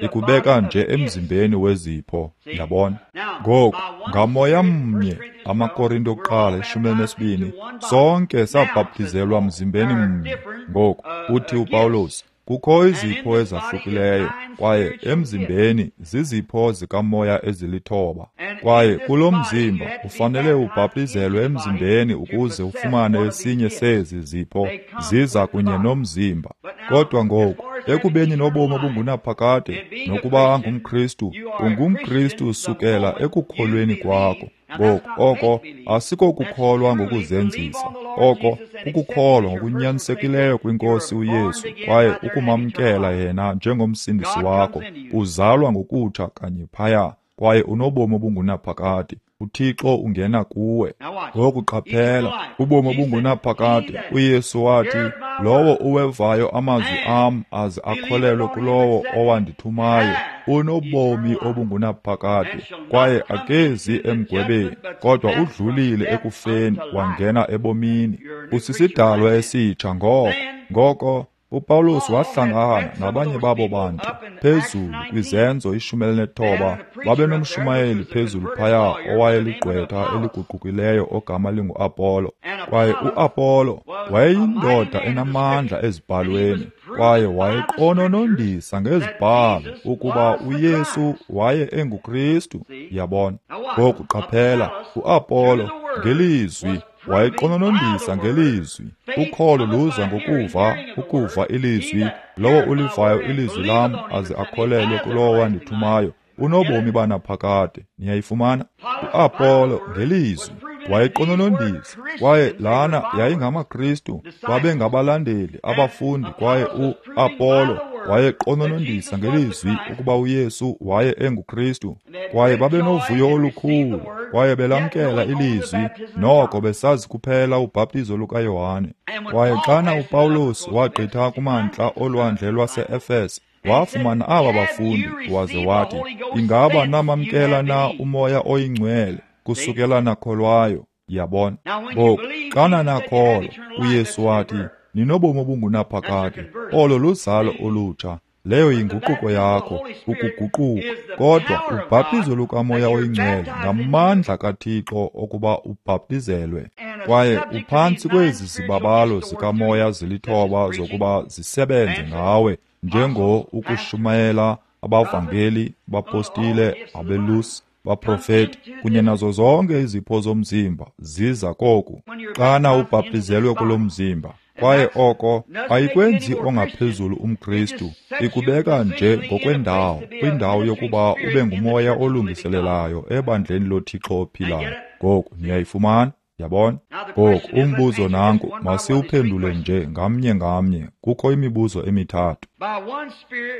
ikubeka nje emzimbeni wezipho. Yabona? Ngoku ngamoya mnye, AmaKorinto okuqala ishumi elinesibini, sonke sabhaptizelwa mzimbeni mnye. Ngoku uthi uPawulos, kukho izipho ezahlukileyo, kwaye emzimbeni zizipho zikamoya ezilithoba. Kwaye kulo mzimba ufanele ubhaptizelwe emzimbeni ukuze ufumane esinye sezi zipho, ziza kunye nomzimba. Kodwa ngoku, ekubeni nobomi obungunaphakade, nokuba ngumKristu, ungumKristu sukela ekukholweni kwakho. Ngoku oko asikokukholwa ngokuzenzisa, oko kukukholwa ngokunyanisekileyo kwinkosi uYesu, kwaye ukumamkela yena njengomsindisi wakho. Uzalwa ngokutsha kanye phaya, kwaye unobomi obungunaphakade. uThixo ungena kuwe. Ngoku qaphela, ubomi obungunaphakade. uYesu wathi, lowo uwevayo amazwi am aze akholelwe kulowo owandithumayo unobomi obungunaphakade, kwaye akezi emgwebeni, kodwa udlulile ekufeni wangena ebomini. Usisidalwa esitsha ngoko. Ngoko uPawulos wahlangana nabanye babo bantu phezulu kwiZenzo ishumi elinethoba. Babenomshumayeli phezulu phaya owayeligqwetha eliguqukileyo ogama linguApollo. Kwaye uApollo wayeyindoda enamandla ezibhalweni, kwaye wayeqononondisa ngezibhalo ukuba uYesu waye enguKristu. Yabona? Ngoku qaphela, uApollo ngelizwi wayeqononondisa ngelizwi. Ukholo luza ngokuva, ukuva ilizwi. Lowo ulivayo ilizwi lam aze akholelwe kulowo wandithumayo unobomi banaphakade. Niyayifumana? uApollo ngelizwi wayeqononondisa, kwaye lana yayingamaKristu, babengabalandeli, abafundi, kwaye uApollo wayeqononondisa ngelizwi ukuba uYesu waye enguKristu. Kwaye babenovuyo olukhulu, kwaye belamkela ilizwi, noko besazi kuphela ubhaptizo lukaYohane. Kwaye xana uPawulos wagqitha kumantla olwandle lwase-Efese, wafumana aba bafundi, waze wathi, ingaba namamkela na umoya oyingcwele kusukela nakholwayo? Yabona? Ngoku xana nakholwa, uYesu wathi, ninobomi obungunaphakade. Olo luzalo olutsha. Leyo yinguquko yakho, ukuguquka. Kodwa ubhaptizo lukamoya oyingcwele ngamandla kaThixo okuba ubhaptizelwe. Kwaye uphantsi kwezi zibabalo zikamoya zilithoba zokuba zisebenze ngawe, njengo ukushumayela, abavangeli, bapostile, abelusi, baprofeti, kunye nazo zonke izipho zomzimba ziza koku. Xana ubhaptizelwe kulo mzimba, kwaye oko ayikwenzi ongaphezulu umKristu, ikubeka nje ngokwendawo, kwindawo yokuba ube ngumoya olungiselelayo ebandleni loThixo ophilayo. Ngoku niyayifumana? Yabona? Ngoku umbuzo nanku, masiwuphendule nje ngamnye ngamnye. Kukho imibuzo emithathu.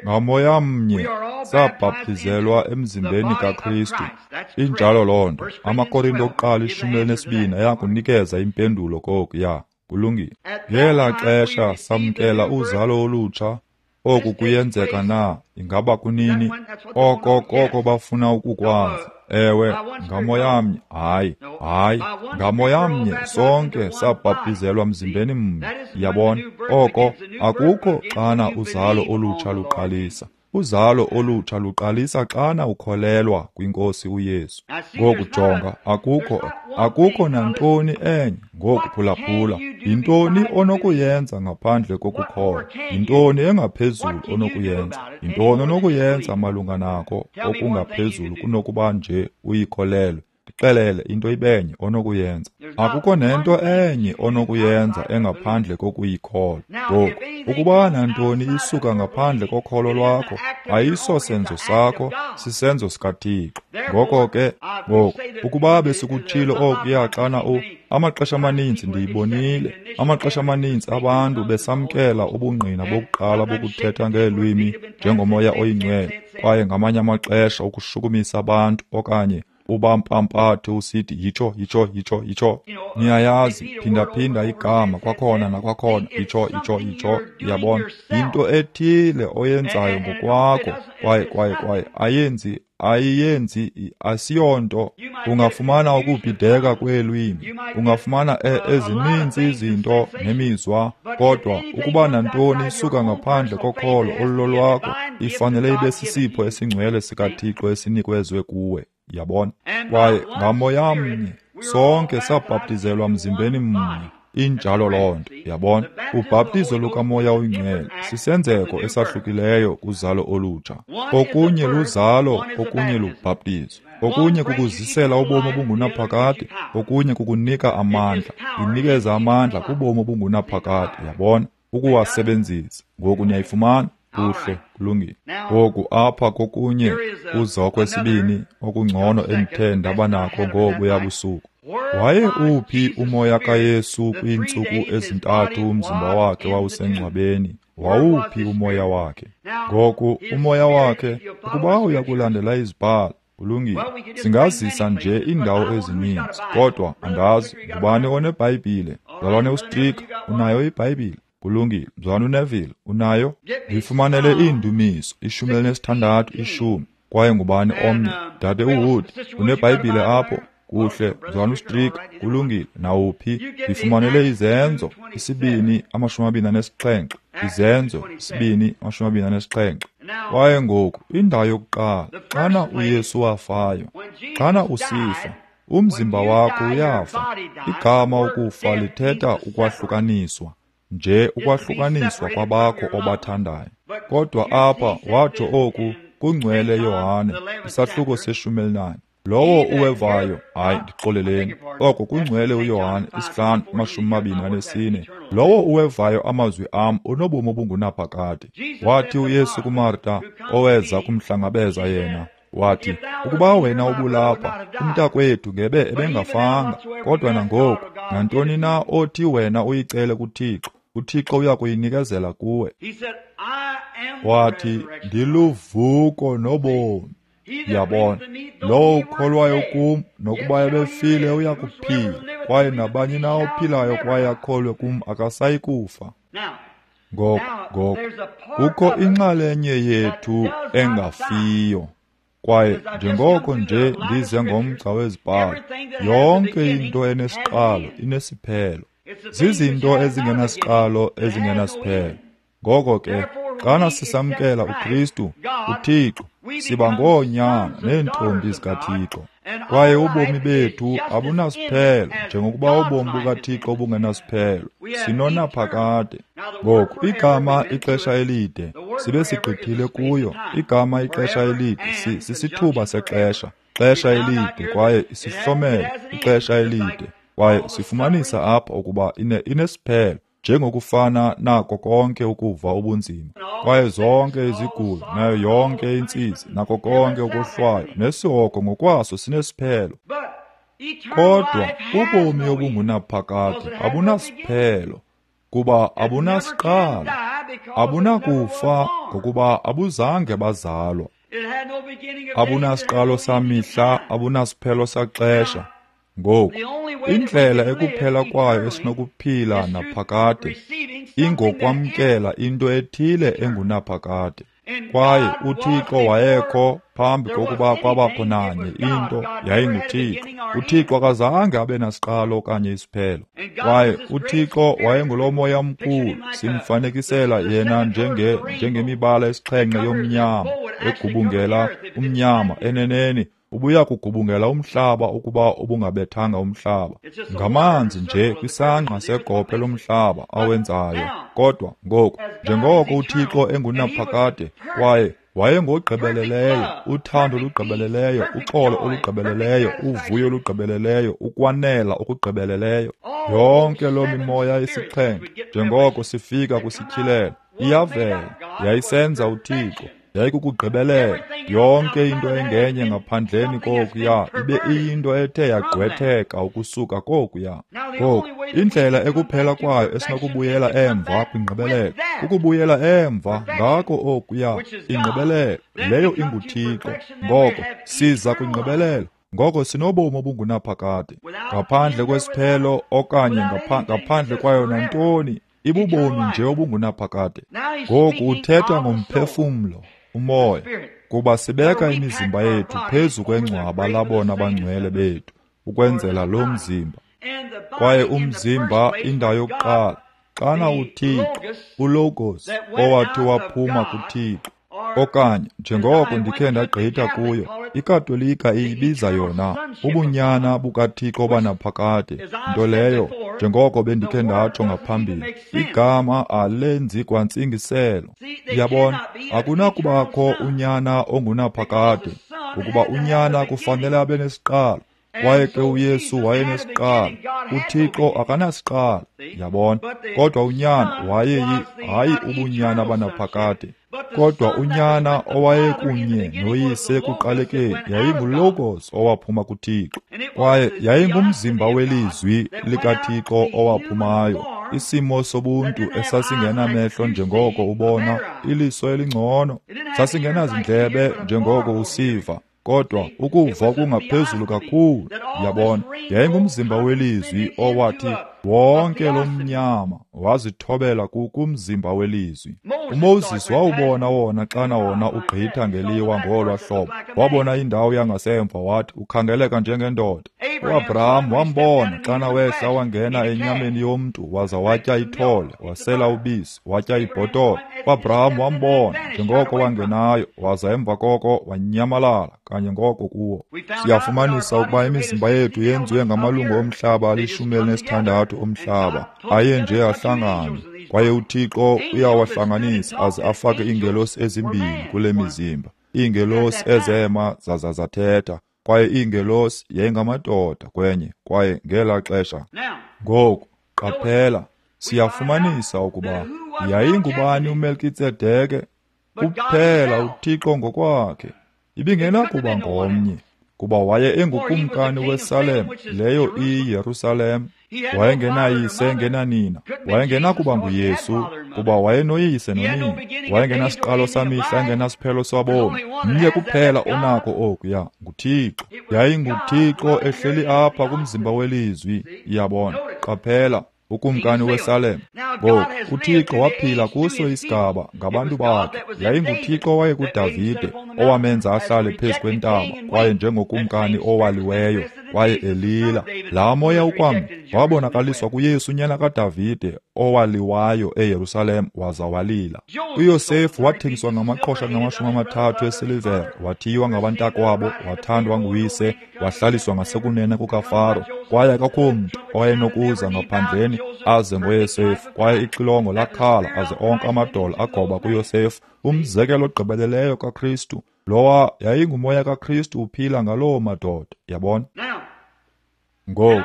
Ngamoya mnye sabhaptizelwa emzimbeni kaKristu. Injalo loo nto. AmaKorinto okuqala ishumi elinesibini ayakunikeza impendulo koku. Ya, kulungile. Ngela xesha samkela uzalo olutsha. Oku kuyenzeka na? Ingaba kunini? Oko koko bafuna ukukwazi. Ewe, ngamoya mnye. Hayi, hayi, ngamoya mnye sonke sabhaptizelwa mzimbeni mnye. Yabona? Oko akukho xana uzalo olutsha luqalisa. Uzalo olutsha luqalisa xana ukholelwa kwinkosi uYesu. Ngoku jonga, akukho akukho nantoni enye. Ngoku phulaphula, yintoni onokuyenza ngaphandle kokukholwa? Yintoni engaphezulu onokuyenza? Yintoni onokuyenza malunga nako okungaphezulu kunokuba nje uyikholelwe? Ndixelele into ibenye onokuyenza. Akukho nento enye onokuyenza engaphandle kokuyikholwa. Ngoku, ukuba nantoni isuka ngaphandle kokholo lwakho, ayisosenzo sakho, sisenzo sikaThixo. Ngoko ke, ngoku, ukuba besikutshilo okuya xana u amaxesha amaninzi ndiyibonile, amaxesha amaninzi abantu besamkela ubungqina bokuqala bokuthetha ngeelwimi njengomoya oyingcwele, kwaye ngamanye amaxesha ukushukumisa abantu okanye ubampampathe usithi yitsho, yitsho, yitsho, yitsho. Niyayazi, phindaphinda igama kwakhona nakwakhona, yitsho, yitsho, yitsho. Yabona? Yinto ethile oyenzayo ngokwakho, kwaye kwaye kwaye ayenzi ayiyenzi asiyonto. Ungafumana ukubhideka kweelwimi, ungafumana ezininzi izinto nemizwa, kodwa ukuba nantoni isuka ngaphandle kokholo olulolwakho, ifanele ibe sisipho esingcwele sikaThixo esinikezwe kuwe. Yabona? Kwaye ngamoya mnye Sonke sabhaptizelwa mzimbeni mnye. Injalo loo nto, yabona. Ubhaptizo lukaMoya oyiNgcwele sisenzeko esahlukileyo kuzalo olutsha. Okunye luzalo, okunye lubhaptizo. Okunye kukuzisela ubomi obungunaphakade, okunye kukunika amandla. Inikeza amandla kubomi obungunaphakade, yabona, ukuwasebenzisa. Ngoku niyayifumana? Kuhle, kulungile. Ngoku apha kokunye kuza okwesibini okungcono endithe ndaba nako ngobuya busuku. Waye uphi umoya kaYesu kwiintsuku ezintathu umzimba wakhe wawusengcwabeni? Wawuphi umoya wakhe? Ngoku umoya wakhe, ukuba uyakulandela izibhalo, kulungile. Singazisa nje iindawo ezininzi, kodwa andazi ngubani oneBhayibhile. Mzalwane uStrick, unayo iBhayibhile? Kulungile. Mzalwane uNeville, unayo? Ndifumanele iindumiso, ishumi elinesithandathu, ishumi. Kwaye ngubani omnye? Dade uWood, uneBhayibhile apho? Kuhle, mzalwane uStrick, kulungile. Nawuphi? Ndifumanele Izenzo, isibini, amashumi amabini anesixhenxe. Izenzo, isibini, amashumi amabini anesixhenxe. Kwaye ngoku, indawo yokuqala, xana uYesu wafayo, xana usifa, umzimba wakho uyafa. Igama ukufa lithetha ukwahlukaniswa, nje ukwahlukaniswa kwabakho obathandayo. Kodwa apha watsho oku kungcwele Yohane, isahluko seshumi elinanye. Lowo uwevayo, hayi, ndixoleleni, oko kungcwele uYohane isihlanu amashumi amabini anesine. Lowo uwevayo amazwi am unobomi obungunaphakade. Wathi uYesu kuMarta, oweza kumhlangabeza yena, wathi, ukuba wena ubulapha, umntakwethu ngebe ebengafanga. Kodwa nangoku, nantoni na othi wena uyicele kuThixo, uThixo uya kuyinikezela kuwe. Wathi, ndiluvuko nobomi. Yabona, lowo ukholwayo kum, nokuba ebefile uya kuphila, kwaye nabani na ophilayo kwaye akholwe kum akasayi kufa. Ngoko, ngoko, kukho inxalenye yethu engafiyo. Kwaye njengoko nje ndize ngomgca wezibhalo, yonke into enesiqalo inesiphelo. Zizinto ezingenasiqalo ezingenasiphelo. Ngoko ke, xana sisamkela uKristu, uThixo, siba ngoonyana neentombi zikaThixo. Kwaye ubomi bethu abunasiphelo, njengokuba ubomi bukaThixo bungenasiphelo. Sinonaphakade. Ngoku, igama ixesha elide, sibe sigqithile kuyo. Igama ixesha elide, sisithuba sexesha, xesha elide, kwaye isihlomelo, ixesha elide. Kwaye sifumanisa apha ukuba ine inesiphelo, njengokufana nako konke ukuva ubunzima, kwaye zonke izigulo, nayo yonke intsizi, nako konke ukohlwaywa, nesihogo ngokwaso sinesiphelo. Kodwa ubomi obungunaphakade abunasiphelo, kuba abunasiqalo, abunakufa ngokuba abuzange bazalwa. Abunasiqalo samihla, abunasiphelo saxesha. Ngoku, indlela ekuphela kwayo esinokuphila naphakade ingokwamkela into ethile engunaphakade. Kwaye uThixo wayekho phambi kokuba kwabakho nanye into, yayinguThixo. UThixo akazange abe nasiqalo okanye isiphelo. Kwaye uThixo wayengulo moya mkhulu, simfanekisela yena njenge njengemibala esixhenxe yomnyama egubungela umnyama. Eneneni ubuya kugubungela umhlaba ukuba ubungabethanga umhlaba. Ngamanzi nje kwisangqa segophe lomhlaba awenzayo. Kodwa ngoku, njengoko uThixo engunaphakade, kwaye wayengogqibeleleyo, uthando olugqibeleleyo, uxolo olugqibeleleyo, uvuyo olugqibeleleyo, ukwanela okugqibeleleyo, yonke loo mimoya isixhenxe, njengoko sifika kwisityhilelo, iyavela, yayisenza uThixo. Yayikukugqibelela. Yonke into engenye ngaphandleni kokuya ibe iyinto ethe yagqwetheka ukusuka kokuya. Ngoku, indlela ekuphela kwayo esinokubuyela emva kwingqibelelo, kukubuyela emva ngako okuya, ingqibelelo leyo inguThixo. Ngoko siza kwingqibelelo, ngoko sinobomi obungunaphakade, ngaphandle kwesiphelo okanye ngaphandle kwayo nantoni, ibubomi nje obungunaphakade. Ngoku uthetha ngomphefumlo, umoya, kuba sibeka imizimba yethu phezu kwengcwaba labona bangcwele bethu, ukwenzela lo mzimba. Kwaye umzimba, indawo yokuqala, xana uThixo, uLogos, owathi waphuma kuThixo, Okanye, njengoko ndikhe ndagqitha kuyo, iKatolika iyibiza yona ubunyana bukaThixo banaphakade, nto leyo, njengoko bendikhe ndatsho ngaphambili, igama alenzi kwantsingiselo. Yabona, akunakubakho unyana ongunaphakade, ngokuba unyana kufanele abe nesiqalo. Kwaye ke uYesu wayenesiqalo, uThixo akanasiqalo, yabona. Kodwa unyana wayeyi hayi ubunyana banaphakade, kodwa unyana owayekunye noyise ekuqalekeni yayinguLogos owaphuma kuThixo, kwaye yayingumzimba welizwi likaThixo owaphumayo, isimo sobuntu esasingenamehlo njengoko ubona, iliso elingcono, sasingenazindlebe njengoko usiva, kodwa ukuva kungaphezulu kakhulu. Yabona, yayingumzimba welizwi owathi wonke lo mnyama wazithobela kumzimba welizwi. UMoses wawubona wona xana wona ugqitha ngeliwa ngolwa hlobo, wabona indawo yangasemva wathi ukhangeleka njengendoda. UAbraham wambona xana wehla wangena enyameni yomntu waza watya ithole, wasela ubisi, watya ibhotolo. UAbraham wambona njengoko wangenayo, waza emva koko wanyamalala kanye ngoko kuwo. Siyafumanisa ukuba imizimba yethu yenziwe ngamalungu omhlaba alishumi elinesithandathu omhlaba aye nje ahlangane, kwaye uThixo uyawahlanganisa aze afake iingelosi ezimbini kule mizimba, iingelosi ezema zaza zathetha, kwaye iingelosi yayingamadoda kwenye, kwaye ngelaa xesha. Ngoku qaphela, siyafumanisa ukuba yayingubani uMelkitsedeke? Kuphela uThixo ngokwakhe. Ibingenakuba ngomnye, kuba waye engukumkani weSalem, leyo iyiYerusalem. Wayengenayise engenanina, wayengenakuba nguYesu, kuba wayenoyise nonina. Wayengenasiqalo samihla, engenasiphelo sabomi. Mnye kuphela onako okuya, nguThixo. YayinguThixo ehleli apha kumzimba welizwi. Iyabona, qaphela, ukumkani weSalem. Ngoku uThixo waphila kuso isigaba ngabantu bakhe. YayinguThixo owayekuDavide, owamenza ahlale phezu kwentaba, kwaye njengokumkani owaliweyo, kwaye elila. Laa moya ukwamnye wabonakaliswa kuYesu unyana kaDavide, owaliwayo eYerusalem waza walila. UYosefu wathengiswa ngamaqhosha ngamashumi amathathu esilivere, wathiywa ngabantakwabo, wathandwa nguyise, wahlaliswa ngasekunene kukaFaro. Kwaye akukho mntu owayenokuza ngaphandleni aze ngoYosefu, kwaye ixilongo lakhala aze onke amadola agoba kuYosefu, umzekelo ogqibeleleyo kaKristu. Lowa yayingumoya kaKristu uphila ngaloo madoda, yabona. Ngoku,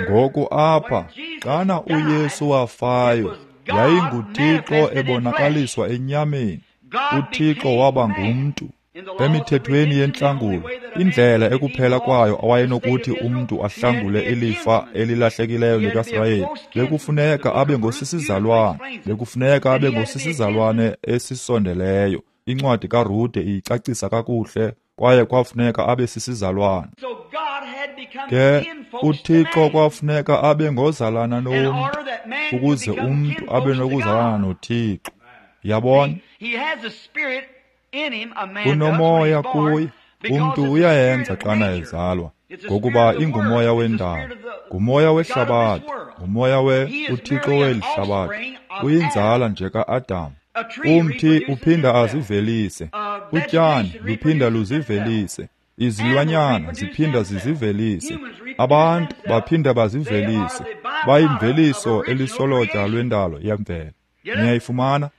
ngoku apha, xana uYesu wafayo, yayinguThixo ebonakaliswa enyameni. UThixo waba ngumntu. Emithethweni yentlangulo, indlela ekuphela kwayo awayenokuthi umntu ahlangule ilifa elilahlekileyo likaSirayeli, bekufuneka abe ngosisizalwane, bekufuneka abe ngosisizalwane esisondeleyo. Incwadi kaRute iyicacisa kakuhle, kwaye kwafuneka abe sisizalwane. Ke uThixo kwafuneka abe ngozalana nomntu, ukuze umntu abe nokuzalana noThixo. Yabona, unomoya kuye, umntu uyayenza xana ezalwa, ngokuba ingumoya wendalo, ngumoya wehlabathi, ngumoya we uThixo weli hlabathi, uyinzala nje ka-Adam. Umthi uphinda azivelise, utyani luphinda luzivelise, izilwanyana ziphinda zizivelise, abantu baphinda bazivelise, bayimveliso elisolotya lwendalo yemvelo. Niyayifumana?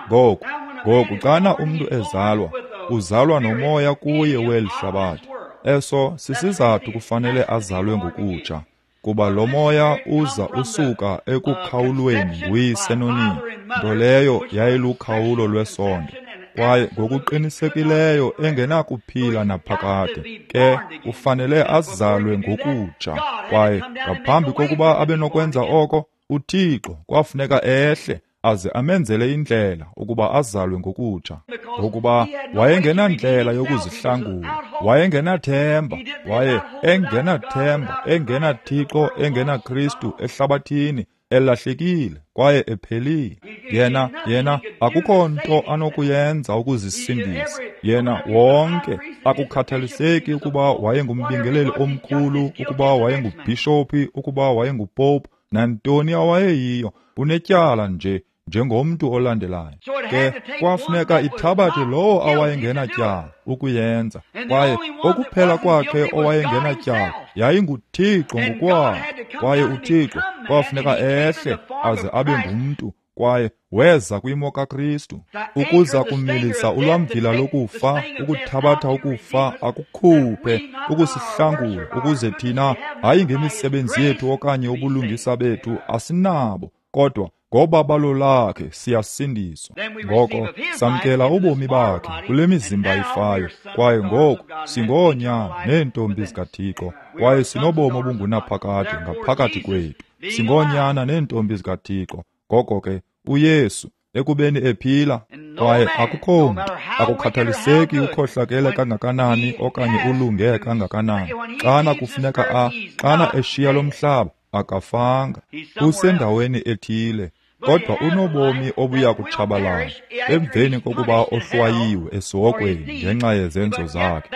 Ngoku, ngoku xana umntu ezalwa, uzalwa nomoya kuye weli hlabathi. Eso sisizathu kufanele azalwe ngokutsha, kuba lo moya uza usuka ekukhawulweni nguyise nonina, nto leyo yayilukhawulo lwesondo, kwaye ngokuqinisekileyo engenakuphila naphakade. Ke ufanele azalwe ngokutsha, kwaye ngaphambi kokuba abe nokwenza oko, uThixo kwafuneka ehle aze amenzele indlela ukuba azalwe ngokutsha, ngokuba wayengenandlela yokuzihlangula, wayengenathemba, waye engenathemba, engenaThixo, engenaKristu ehlabathini, elahlekile kwaye ephelile. Yena, yena akukho nto anokuyenza ukuzisindisa. Yena wonke, akukhathaliseki ukuba wayengumbingeleli omkhulu, ukuba wayengubhishophi, ukuba wayengupope, nantoni awayeyiyo, unetyala nje njengomntu olandelayo. Ke kwafuneka ithabathe lowo awayengenatyala ukuyenza, kwaye okuphela kwakhe owayengenatyala yayinguThixo ngokwakhe. Kwaye uThixo kwafuneka ehle aze abe ngumntu, kwaye weza kwimo kaKristu ukuza kumilisa ulwamvila lokufa, ukuthabatha ukufa akukhuphe, ukusihlangula, ukuze thina, hayi ngemisebenzi yethu okanye ubulungisa bethu, asinabo, kodwa ngobabalo lakhe siyasindiswa. Ngoko samkela ubomi bakhe kule mizimba ifayo, kwaye ngoku singoonyana neentombi zikaThixo, kwaye sinobomi obungunaphakade ngaphakathi kwethu. Singoonyana neentombi zikaThixo. Ngoko ke uYesu ekubeni ephila, kwaye akukho mntu, akukhathaliseki ukhohlakele kangakanani okanye ulunge kangakanani, xana kufuneka a xana eshiya lo mhlaba, akafanga, usendaweni ethile, kodwa unobomi obuya kutshabalala emveni kokuba ohlwayiwe esihogweni ngenxa yezenzo zakhe.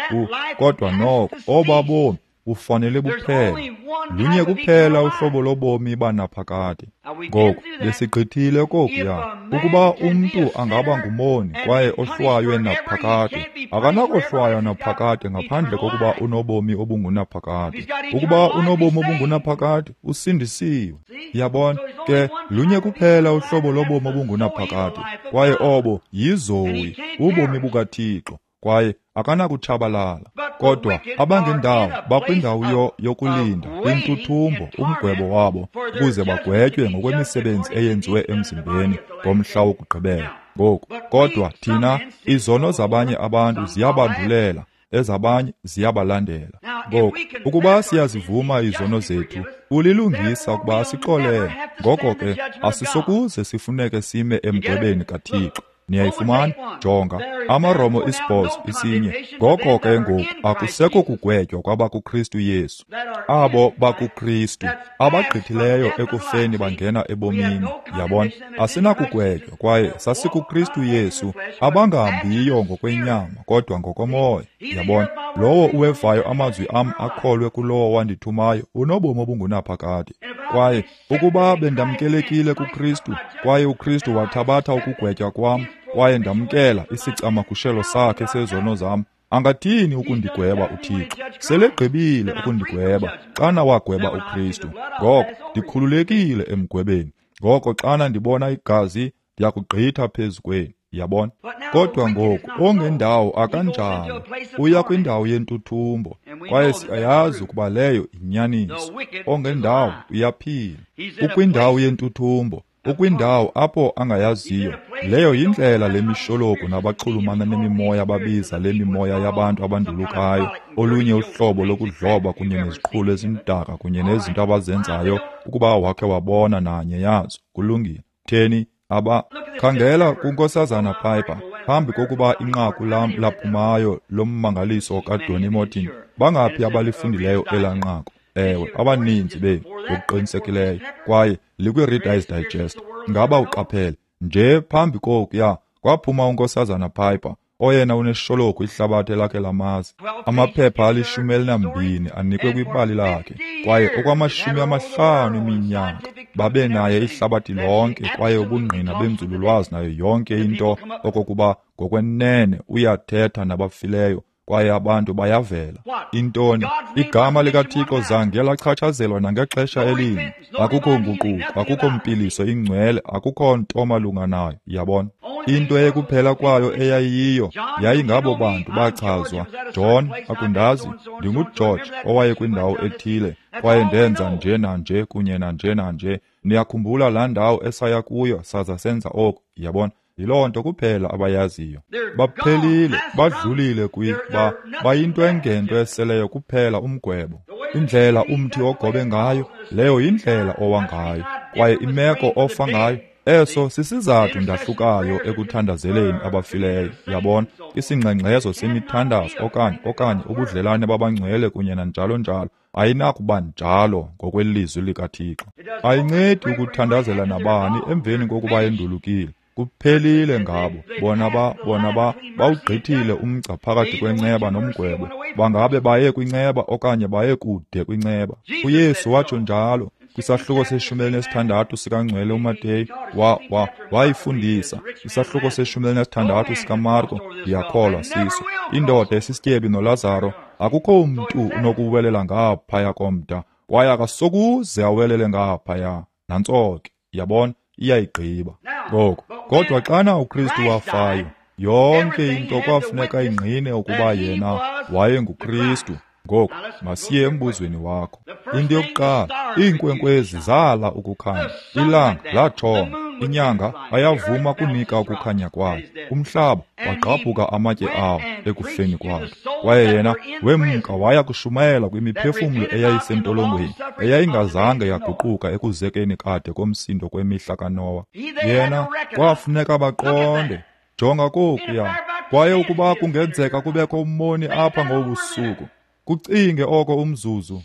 Kodwa noko oba bomi bufanele buphele. Lunye kuphela uhlobo lobomi banaphakade. Ngoku besigqithile kokuya. Ukuba umntu angaba ngumoni kwaye ohlwaywe naphakade, akanakohlwaywa naphakade ngaphandle kokuba unobomi obungunaphakade. Ukuba unobomi obungunaphakade, usindisiwe. Yabona ke, lunye kuphela uhlobo lobomi obungunaphakade, kwaye obo yiZoe, ubomi bukaThixo, kwaye akanakutshabalala. Kodwa abangendawo bakwindawo yokulinda, kwintuthumbo, umgwebo wabo, ukuze bagwetywe ngokwemisebenzi eyenziwe emzimbeni ngomhla wokugqibela. Ngoku, kodwa thina, izono zabanye abantu ziyabandulela, ezabanye ziyabalandela. Ngoku, ukuba siyazivuma izono zethu, ulilungisa ukuba asixolele. Ngoko ke, asisokuze sifuneke sime emgwebeni kaThixo. Niyayifumana? Jonga, amaRoma isibhozo isinye. Ngoko ke ngoku akusekho kugwetywa kwabakuKristu Yesu. Abo bakuKristu abagqithileyo ekufeni bangena ebomini. Yabona, asinakugwetywa kwaye sasikuKristu Yesu, abangahambiyo ngokwenyama kodwa ngokomoya. Yabona, lowo uwevayo amazwi am akholwe kulowo wandithumayo unobomi obungunaphakade. Kwaye ukuba bendamkelekile kuKristu, kwaye uKristu wathabatha ukugwetywa kwam, kwaye ndamkela isicamagushelo sakhe sezono zam, angathini ukundigweba uThixo? Selegqibile ukundigweba xana wagweba uKristu. Ngoko ndikhululekile emgwebeni. Ngoko xana ndibona igazi, ndiyakugqitha phezu kwenu. Yabona? Kodwa ngoku ongendawo akanjalo, uya kwindawo yentuthumbo, kwaye siyayazi ukuba leyo inyaniso. Ongendawo uyaphila, ukwindawo yentuthumbo, ukwindawo apho angayaziyo. Leyo yindlela lemishologu nabaxhulumana nemimoya babiza le mimoya yabantu abandulukayo, olunye uhlobo lokudloba kunye neziqhulo ezimdaka kunye nezinto abazenzayo, ukuba wakhe wabona nanye yazo. Kulungile. Theni? Aba khangela kuNkosazana Piper, phambi kokuba inqaku lam laphumayo lommangaliso kaDonny Morton. Bangaphi abalifundileyo elaa nqaku? Ewe, abaninzi benu ngokuqinisekileyo, kwaye likwi-Reader's Digest. Ngaba uqaphele nje phambi kokuya kwaphuma uNkosazana Piper, oyena uneshologu ihlabathi lakhe lamazi. Amaphepha alishumi elinambini anikwe kwibali lakhe, kwaye okwamashumi amahlanu eminyaka babe naye ihlabathi lonke, kwaye ubungqina benzululwazi nayo yonke into okokuba ngokwenene uyathetha nabafileyo, kwaye abantu bayavela. Intoni? Igama likaThixo zange lachatshazelwa nangexesha elinye. Akukho nguquko, akukho mpiliso ingcwele, akukho nto malunga nayo. Yabona? Into ekuphela kwayo eyayiyo yayingabo bantu bachazwa. John, akundazi, ndinguGeorge owaye kwindawo ethile, kwaye ndenza nje nanje kunye nanje nanje. Niyakhumbula laa ndawo esaya kuyo saza senza oku. Yabona? Yiloo nto kuphela abayaziyo. Baphelile, badlulile kwi ba bayinto engento eseleyo kuphela umgwebo. Indlela umthi ogobe ngayo, leyo yindlela owa ngayo, kwaye imeko ofa ngayo. Eso sisizathu ndahlukayo ekuthandazeleni abafileyo. Yabona, isingxengxezo semithandazo okanye okanye ubudlelane babangcwele kunye nanjalo njalo ayinakuba njalo ngokwelizwi likaThixo. Ayincedi ukuthandazela nabani emveni kokuba endulukile. Kuphelile ngabo. Bona ba bona ba bawugqithile umgca phakathi kwenceba nomgwebo. Bangabe baye kwinceba okanye baye kude kwinceba. UYesu watsho njalo. Kwisahluko seshumi elinesithandathu sikaNgcwele uMateyu, wa, wa, wayifundisa. Isahluko seshumi elinesithandathu sikaMarko, ndiyakholwa siso. Indoda esisityebi noLazaro, akukho mntu unokuwelela ngaphaya komda, kwaye akasokuze awelele ngaphaya. Nantso ke, yabona, iyayigqiba. Ngoko, kodwa xana uKristu wafayo, yonke into kwafuneka ingqine ukuba yena wayenguKristu. Ngoku, masiye embuzweni wakho. Into yokuqala, iinkwenkwezi zala ukukhanya, ilanga latshona, inyanga ayavuma kunika ukukhanya kwayo, umhlaba wagqabhuka amatye awo ekufeni kwakhe. Kwaye yena wemka waya kushumayela kwimiphefumlo eyayisentolongweni, eyayingazange yaguquka ekuzekeni kade komsindo kwemihla kaNowa. Yena kwafuneka baqonde. Jonga kokuya. Kwaye ukuba kungenzeka kubekho ummoni apha ngobusuku, kucinge oko umzuzu.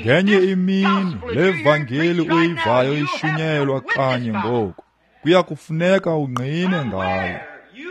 Ngenye imini le vangeli uyivayo ishunyelwa kanye ngoku, kuya kufuneka ungqine ngayo.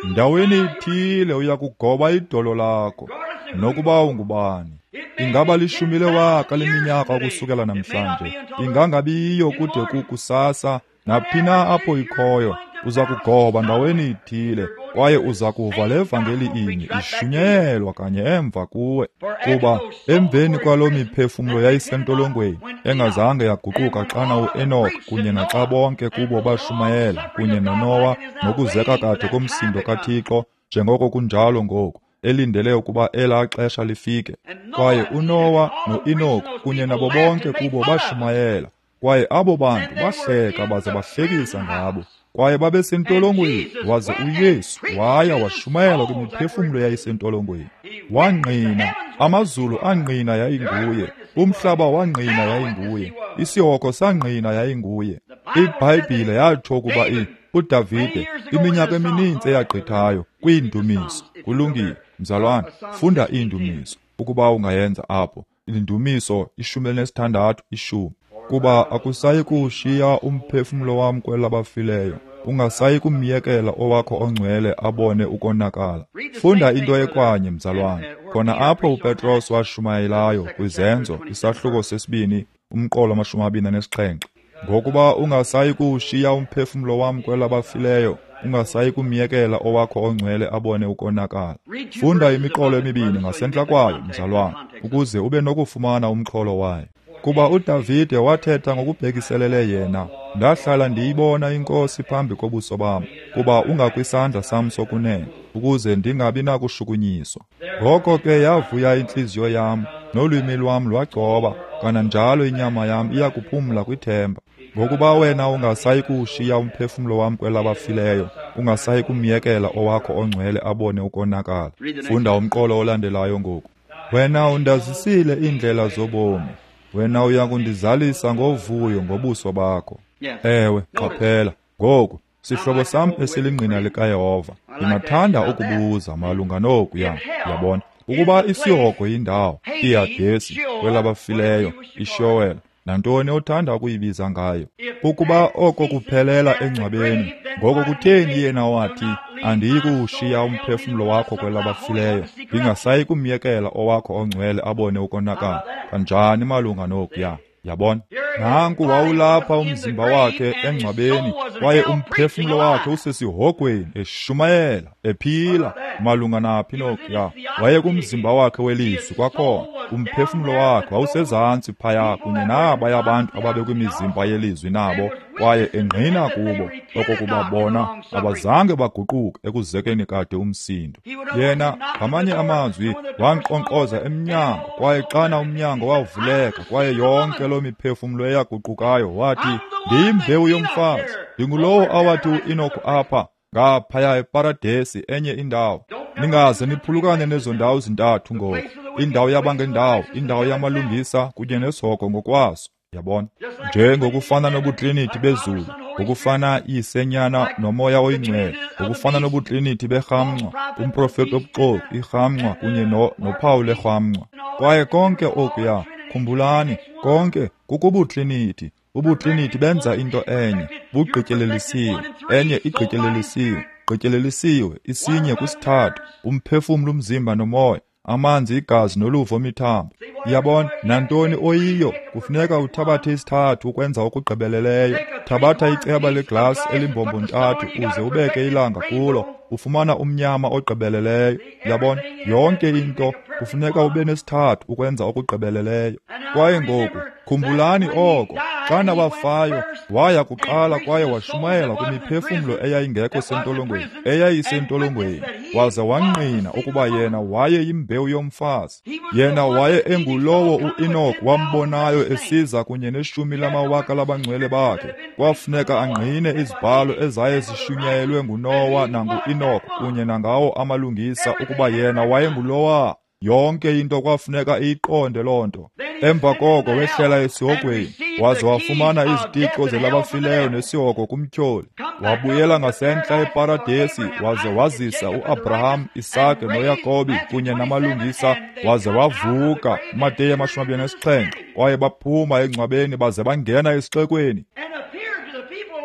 Ndaweni ithile uya kugoba idolo lakho, nokuba ungubani. Ingaba lishumi lewaka leminyaka ukusukela namhlanje, ingangabiyo kude kukusasa, naphi na apho ikhoyo, uza kugoba ndaweni ithile, kwaye uza kuva le vangeli inye ishunyelwa kanye emva kuwe. Kuba emveni kwaloo miphefumlo yayisentolongweni engazange yaguquka xana uEnoch kunye naxa bonke kubo bashumayela kunye noNowa nokuzeka kade komsindo kaThixo, njengoko kunjalo ngoku, elindele ukuba elaa xesha lifike. Kwaye uNowa noEnoch kunye nabo bonke kubo bashumayela, kwaye abo bantu bahleka baze bahlekisa ngabo. Kwaye babesentolongweni, waze uYesu waya washumayela kwimiphefumlo yayisentolongweni. Wangqina, amazulu angqina yayinguye, umhlaba wangqina yayinguye, isihogo sangqina yayinguye. IBhayibhile yatsho ukuba uDavide iminyaka emininzi eyagqithayo kwiindumiso. Kulungile, mzalwane, funda iindumiso ukuba ungayenza apho. Iindumiso ishumi elinesithandathu ishumi. Kuba akusayi kuwushiya umphefumlo wam kwelabafileyo, ungasayi kumyekela owakho ongcwele abone ukonakala. Funda into ekwanye, mzalwane, khona apho uPetros washumayelayo kwiZenzo isahluko sesibini umqolo amashumi amabini anesixhenxe. Ngokuba ungasayi kuwushiya umphefumlo wam kwelabafileyo, ungasayi kumyekela owakho ongcwele abone ukonakala. Funda imiqolo emibini ngasentla kwayo, mzalwane, ukuze ube nokufumana umxholo wayo. Kuba uDavide wathetha ngokubhekiselele yena, ndahlala ndiyibona iNkosi phambi kobuso bam, kuba ungakwisandla sam sokunene, ukuze ndingabi nakushukunyiswa. Ngoko ke yavuya intliziyo yam, nolwimi lwam lwagcoba, kananjalo inyama yam iyakuphumla kwithemba. Ngokuba wena ungasayi kuwushiya umphefumlo wam kwelabafileyo, ungasayi kumyekela owakho ongcwele abone ukonakala. Funda umqolo olandelayo ngoku. Wena undazisile iindlela zobomi, wena uya kundizalisa ngovuyo ngobuso bakho. Ewe, qaphela ngoku, sihlobo sam esilingqina likaYehova, ndingathanda ukubuza malunga nokuya, yabona, ukuba isihogo yindawo, iHadesi, kwelabafileyo, iShowela, nantoni othanda ukuyibiza ngayo. Ukuba oko kuphelela engcwabeni, ngoko kutheni yena wathi, andiyi kuwushiya umphefumlo wakho kwelabafileyo, ndingasayi kumyekela owakho ongcwele abone ukonakala? Kanjani malunga nokuya? Yabona, nanku wawulapha umzimba wakhe engcwabeni, kwaye umphefumlo wakhe usesihogweni, eshumayela, ephila. Malunga naphi nokuya? Waye kumzimba wakhe welizwi kwakhona, umphefumlo wakhe wawusezantsi phaya kunye nabaya abantu ababekwimizimba yelizwi nabo, kwaye engqina kubo okokuba bona abazange baguquke ekuzekeni kade umsindo. Yena, ngamanye amazwi, wankqonkqoza emnyango, kwaye xana umnyango wavuleka, kwaye yonke loo miphefumlo eyaguqukayo, wathi, ndiyimbewu yomfazi, ndingulowo awathi uEnoch apha ngaphaya eParadesi, enye indawo. Ningaze niphulukane nezo ndawo zintathu ngoku, indawo yabangendawo, indawo yamalungisa kunye nesihogo ngokwaso. Yabona, njengokufana nobutriniti bezulu, ngokufana isenyana nomoya oyingcwele, ngokufana nobutriniti berhamncwa, umprofeti obuxoki, irhamncwa kunye no, nophawu lerhamncwa. Kwaye konke okuya, khumbulani, konke kukubutriniti. Ubutriniti benza into enye, bugqityelelisiwe, enye igqityelelisiwe, gqityelelisiwe, isinye kwisithathu, umphefumlo, umzimba nomoya. amanzi, igazi noluvo mithambo. Yabona, nantoni oyiyo, kufuneka uthabathe isithathu ukwenza okugqibeleleyo. Thabatha iceba leglasi elimbombo ntathu uze ubeke ilanga kulo, ufumana umnyama ogqibeleleyo. Yabona, yonke into kufuneka ube nesithathu ukwenza okugqibeleleyo. Kwaye ngoku khumbulani oko, xana wafayo, waya kuqala kwaye washumayela kwimiphefumlo eyayingekho sentolongweni, eyayisentolongweni, waze wangqina ukuba yena waye yimbewu yomfazi. Yena waye engulowo uEnoch wambonayo esiza kunye neshumi lamawaka labangcwele bakhe. Kwafuneka angqine izibhalo ezaye zishunyayelwe nguNowa nanguEnoch kunye nangawo amalungisa ukuba yena wayengulowa. Yonke into kwafuneka iyiqonde loo nto. Emva koko wehlela esihogweni, waze wafumana izitixo zelabafileyo nesihogo kumtyholi. Wabuyela ngasentla eParadesi, waze wazisa uAbraham, Isake noYakobi kunye namalungisa, waze wavuka. Mateyu amashumi amabini anesixhenxe. Kwaye baphuma engcwabeni baze bangena esixekweni,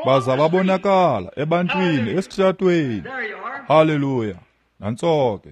baza babonakala ebantwini esitratweni. Haleluya! Nantso ke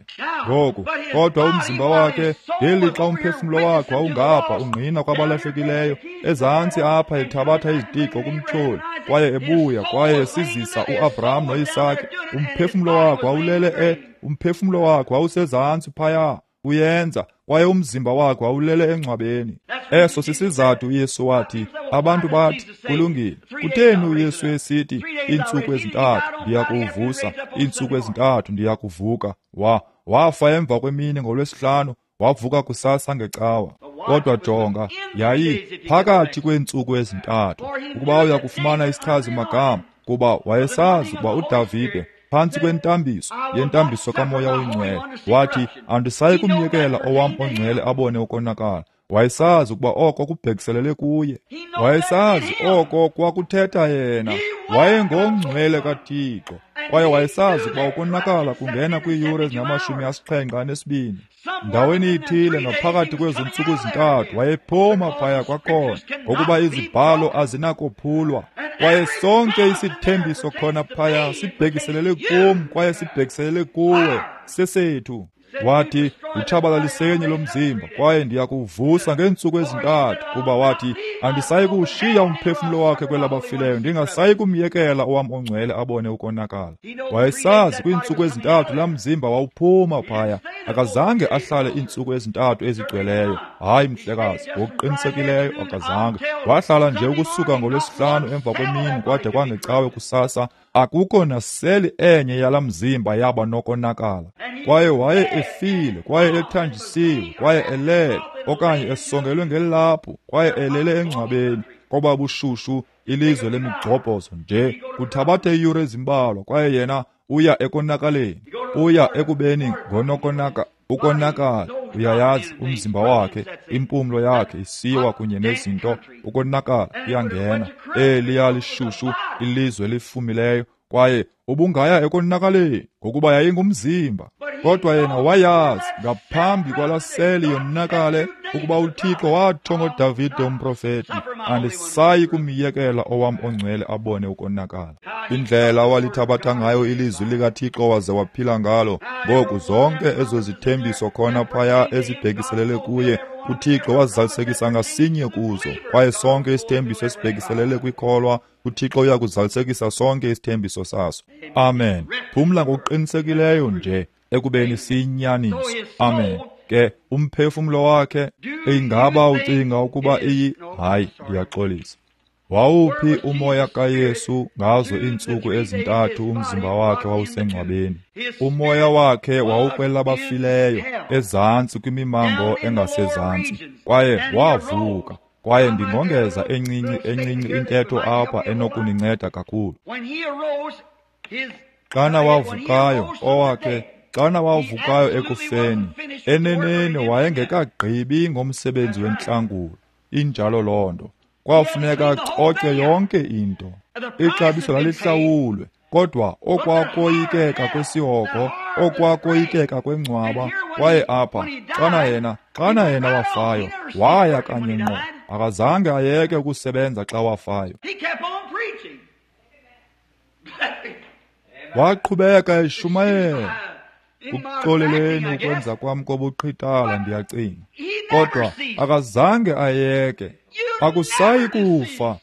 ngoku. Kodwa umzimba wakhe, ngelixa umphefumlo wakhe wawungapha ungqina kwabalahlekileyo, ezantsi apha ethabatha izitixo kumtyholi, kwaye ebuya kwaye esizisa uAbraham noIsake, umphefumlo wakhe wawulele e umphefumlo wakhe wawusezantsi phaya uyenza, kwaye umzimba wakhe wawulele engcwabeni. Eso sisizathu uYesu wathi, abantu bathi, kulungile, kutheni uYesu esithi iintsuku ezintathu ndiyakuvusa, iintsuku ezintathu ndiyakuvuka? Wa wafa emva kwemini ngolwesihlanu, wavuka kusasa ngecawa. Kodwa jonga, yayi phakathi kweentsuku ezintathu, ukuba uya kufumana isichazi magama, kuba wayesazi ukuba uDavide phantsi kwentambiso yentambiso kaMoya oyiNgcwele wathi, andisayi kumyekela owam ongcwele abone ukonakala. Wayesazi ukuba oko kubhekiselele kuye. Wayesazi oko kwakuthetha yena. Wayengongcwele kaThixo, kwaye wayesazi ukuba ukonakala kungena kwiiyure ezingamashumi asixhenxe anesibini. Ndaweni ithile ngaphakathi kwezo ntsuku zintathu wayephuma phaya kwakhona, ngokuba izibhalo azinakophulwa. Kwaye sonke isithembiso khona phaya sibhekiselele kum kwaye sibhekiselele kuwe, sesethu. Wathi, utshabalalisenye lo mzimba, kwaye ndiyakuvusa ngeentsuku ezintathu, kuba wathi, andisayi kuwushiya umphefumlo wakhe kwelabafileyo, ndingasayi kumyekela owam ongcwele abone ukonakala. Wayesazi kwiintsuku ezintathu laa mzimba wawuphuma phaya. Akazange ahlale iintsuku ezintathu ezigcweleyo. Hayi mhlekazi, ngokuqinisekileyo akazange. Wahlala nje ukusuka ngolwesihlanu emva kwemini kwade kwangecawe kusasa. Akukho naseli enye yalaa mzimba yaba nokonakala. Kwaye waye efile, kwaye ethanjisiwe, kwaye elele, okanye esongelwe ngelaphu, kwaye elele engcwabeni, koba bushushu ilizwe lemigxobhozo nje. Kuthabathe iiyure ezimbalwa, kwaye yena uya ekonakaleni, uya ekubeni ngonokonaka ukonakala. Uyayazi, umzimba wakhe, impumlo yakhe isiwa kunye nezinto, ukonakala kuyangena. Eliya lishushu ilizwe elifumileyo, kwaye ubungaya ekonakaleni ngokuba yayingumzimba. Kodwa yena wayazi ngaphambi kwalaseli yonakale ukuba uThixo watsho ngoDavide umprofeti, andisayi kumyekela owam ongcwele abone ukonakala. Indlela awalithabatha ngayo ilizwi likaThixo waze waphila ngalo. Ngoku zonke ezo zithembiso khona phaya ezibhekiselele kuye, uThixo wazalisekisa ngasinye kuzo. Kwaye sonke isithembiso esibhekiselele kwikholwa, uThixo uya kuzalisekisa sonke isithembiso saso. Amen. Phumla ngokuqinisekileyo nje ekubeni siyinyaniso. Amen. Ke umphefumlo wakhe, ingaba ucinga ukuba iyi? Hayi, ndiyaxolisa. Wawuphi umoya kaYesu ngazo iintsuku ezintathu umzimba wakhe wawusengcwabeni? Umoya wakhe wawukwelabafileyo, ezantsi kwimimango engasezantsi, kwaye wavuka. Kwaye ndingongeza encinci encinci intetho apha enokuninceda kakhulu. Xana wavukayo owakhe, xana wavukayo ekufeni, eneneni wayengekagqibi ngomsebenzi wentlangulo. Injalo loo nto. Kwafuneka acoce yonke into. Ixabiso lalihlawulwe, kodwa okwakoyikeka kwesihogo, okwakoyikeka kwengcwaba. Kwaye apha, xana yena, xana yena wafayo, waya kanye ngqo. Akazange ayeke ukusebenza xa wafayo. Waqhubeka eshumayela. Kuxoleleni ukwenza kwam kobuqhitala, ndiyacinga. Kodwa akazange ayeke. Akusayi kufa.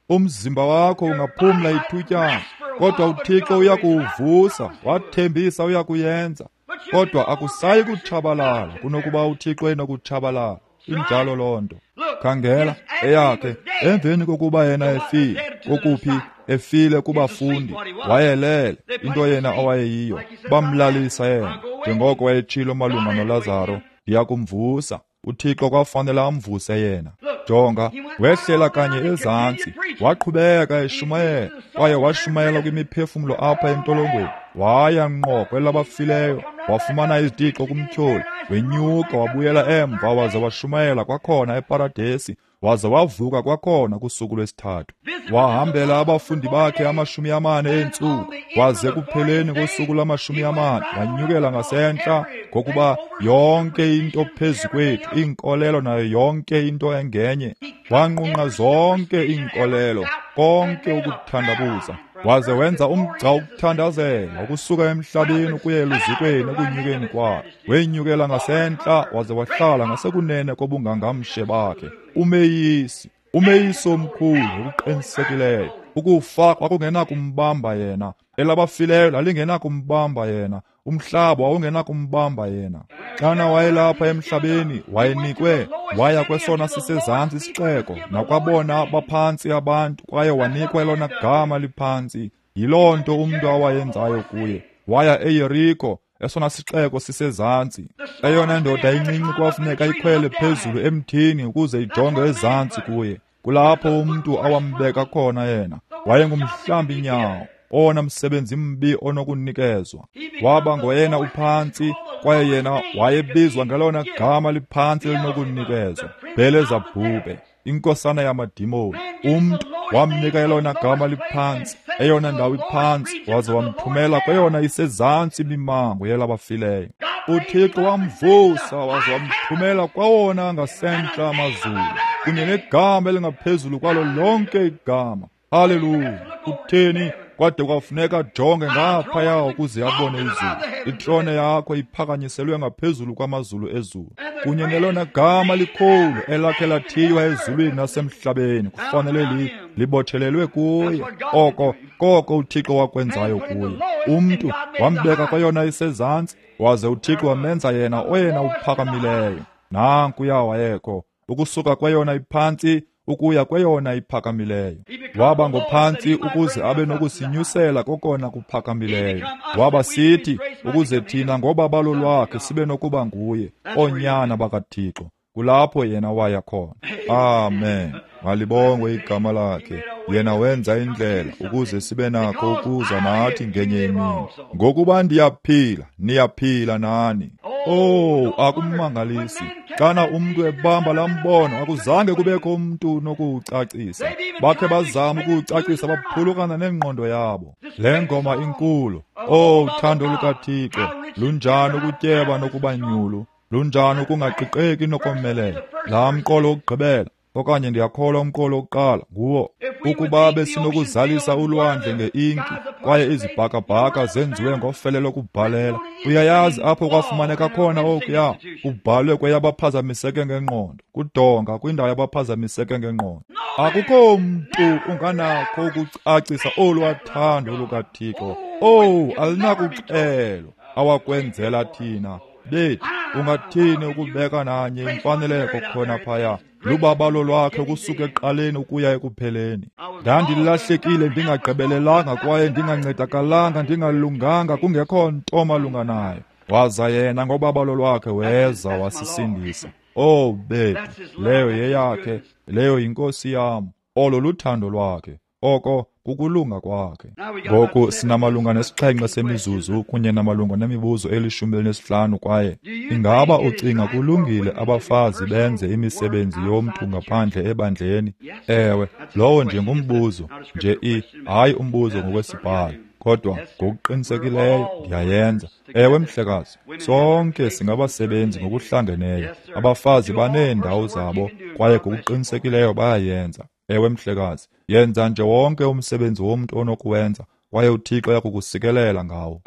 Umzimba wakho ungaphumla ithutyana, kodwa uThixo uyakuwuvusa. Wathembisa uyakuyenza. Kodwa akusayi kutshabalala kunokuba uThixo enokutshabalala. Injalo loo nto. Khangela eyakhe emveni kokuba yena efile, kokuphi efile kubafundi, wayelele into yena owayeyiyo. Bamlalisa yena njengoko wayetshilo malunga noLazaro, ndiyakumvusa. uThixo kwafanele amvuse yena. Jonga, wehlela kanye ezantsi, waqhubeka eshumayela, kwaye washumayela kwimiphefumlo apha entolongweni. Waya ngqo kwelabafileyo, wafumana izitixo kumtyholi, wenyuka wabuyela emva, waze washumayela kwakhona eparadesi, waze wavuka kwakhona kusuku lwesithathu. Wahambela abafundi bakhe amashumi amane eentsuku, waze kupheleni kosuku lwamashumi amane wanyukela ngasentla, ngokuba yonke into phezu kwethu, iinkolelo nayo yonke into engenye, wanqunqa zonke iinkolelo, konke ukuthandabuza, waze wenza umgca wokuthandazela ukusuka emhlabeni ukuya eluzukweni ekunyukeni kwakhe. Wenyukela ngasentla waze wahlala ngasekunene kobungangamshe bakhe. Umeyisi, umeyisi omkhulu ngokuqinisekileyo. Ukufa kwakungenakumbamba yena, elabafileyo lalingenakumbamba yena, umhlaba wawungenakumbamba yena. Xana wayelapha emhlabeni, wayenikwe, waya kwesona sisezantsi isixeko, nakwabona baphantsi abantu, kwaye wanikwa elona gama liphantsi. Yiloo nto umntu awayenzayo kuye. Waya eYeriko, esona sixeko sisezantsi. Eyona ndoda incinci kwafuneka ikhwele phezulu emthini ukuze ijonge ezantsi kuye. Kulapho umntu awambeka khona yena. Wayengumhlambi nyawo, owona msebenzi mbi onokunikezwa. Waba ngoyena uphantsi, kwaye yena wayebizwa ngelona gama liphantsi elinokunikezwa, Bhelezabhube, inkosana yamadimoni. Umntu wamnika elona gama liphantsi, eyona ndawo iphantsi, waze wamthumela kweyona isezantsi imimango yelabafileyo. uThixo wamvusa waze wamthumela kwawona ngasentla amazulu, kunye negama elingaphezulu kwalo lonke igama. Haleluya! Kutheni kwade kwafuneka ajonge ngaphaya ukuze abone izulu? Itrone yakho iphakanyiselwe ngaphezulu kwamazulu ezulu, kunye nelona gama likhulu elakhe lathiywa ezulwini nasemhlabeni kufanele li libotshelelwe kuye. Oko koko uThixo wakwenzayo kuye. Umntu wambeka kweyona isezantsi, waze uThixo wamenza yena oyena uphakamileyo. Nankuya wayekho, ukusuka kweyona iphantsi ukuya kweyona iphakamileyo. Waba ngophantsi ukuze abe nokusinyusela kokona kuphakamileyo. Waba sithi ukuze thina ngobabalo lwakhe sibe nokuba nguye, oonyana bakaThixo. Kulapho yena waya khona. Amen. Malibongwe igama lakhe. Yena wenza indlela ukuze sibe nakho ukuza nathi ngenye imini. Ngokuba ndiyaphila, niyaphila nani. Oh, akumangalisi xana umntu ebamba lambono, akuzange kubekho umntu nokuwucacisa. Bakhe bazama ukuwucacisa, baphulukana nengqondo yabo. Le ngoma inkulu, oh, uthando lukaThixo, lunjani ukutyeba nokubanyulu, lunjani ukungaqiqeki nokomelela. Laa mqolo wokugqibela, okanye ndiyakholwa umqolo wokuqala nguwo, ukuba besinokuzalisa ulwandle ngeinki kwaye izibhakabhaka zenziwe ngofele lokubhalela. Uyayazi apho kwafumaneka khona okuya kubhalwe kweyabaphazamiseke ngengqondo, kudonga kwindawo yabaphazamiseke ngengqondo. Akukho mntu unganakho ukucacisa olwathando lukaThixo. Oh, alinakuxelwa awakwenzela thina. Bethu, ungathini ukubeka nanye imfaneleko khona phaya? Lubabalo lwakhe ukusuka ekuqaleni ukuya ekupheleni. Ndandilahlekile, ndingagqibelelanga kwaye ndingancedakalanga, ndingalunganga, kungekho nto malunga nayo. Waza yena ngobabalo lwakhe weza wasisindisa. Oh bethu, leyo yeyakhe, leyo yinkosi yam. Olo luthando lwakhe, oko kukulunga kwakhe. Ngoku sinamalunga nesixhenxe semizuzu kunye namalunga nemibuzo elishumi elinesihlanu. Kwaye ingaba ucinga kulungile abafazi benze imisebenzi yomntu ngaphandle ebandleni? Ewe, lowo nje ngumbuzo nje, i hayi umbuzo ngokwesibhalo, kodwa ngokuqinisekileyo ndiyayenza. Ewe mhlekazi, sonke singabasebenzi ngokuhlangeneyo. Abafazi baneendawo zabo kwaye ngokuqinisekileyo bayayenza. Ewe mhlekazi, yenza nje wonke umsebenzi womntu onokuwenza, kwaye uThixo uyakukusikelela ngawo.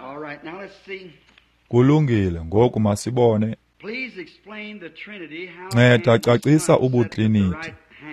Kulungile, ngoku masibone. Nceda cacisa ubutriniti.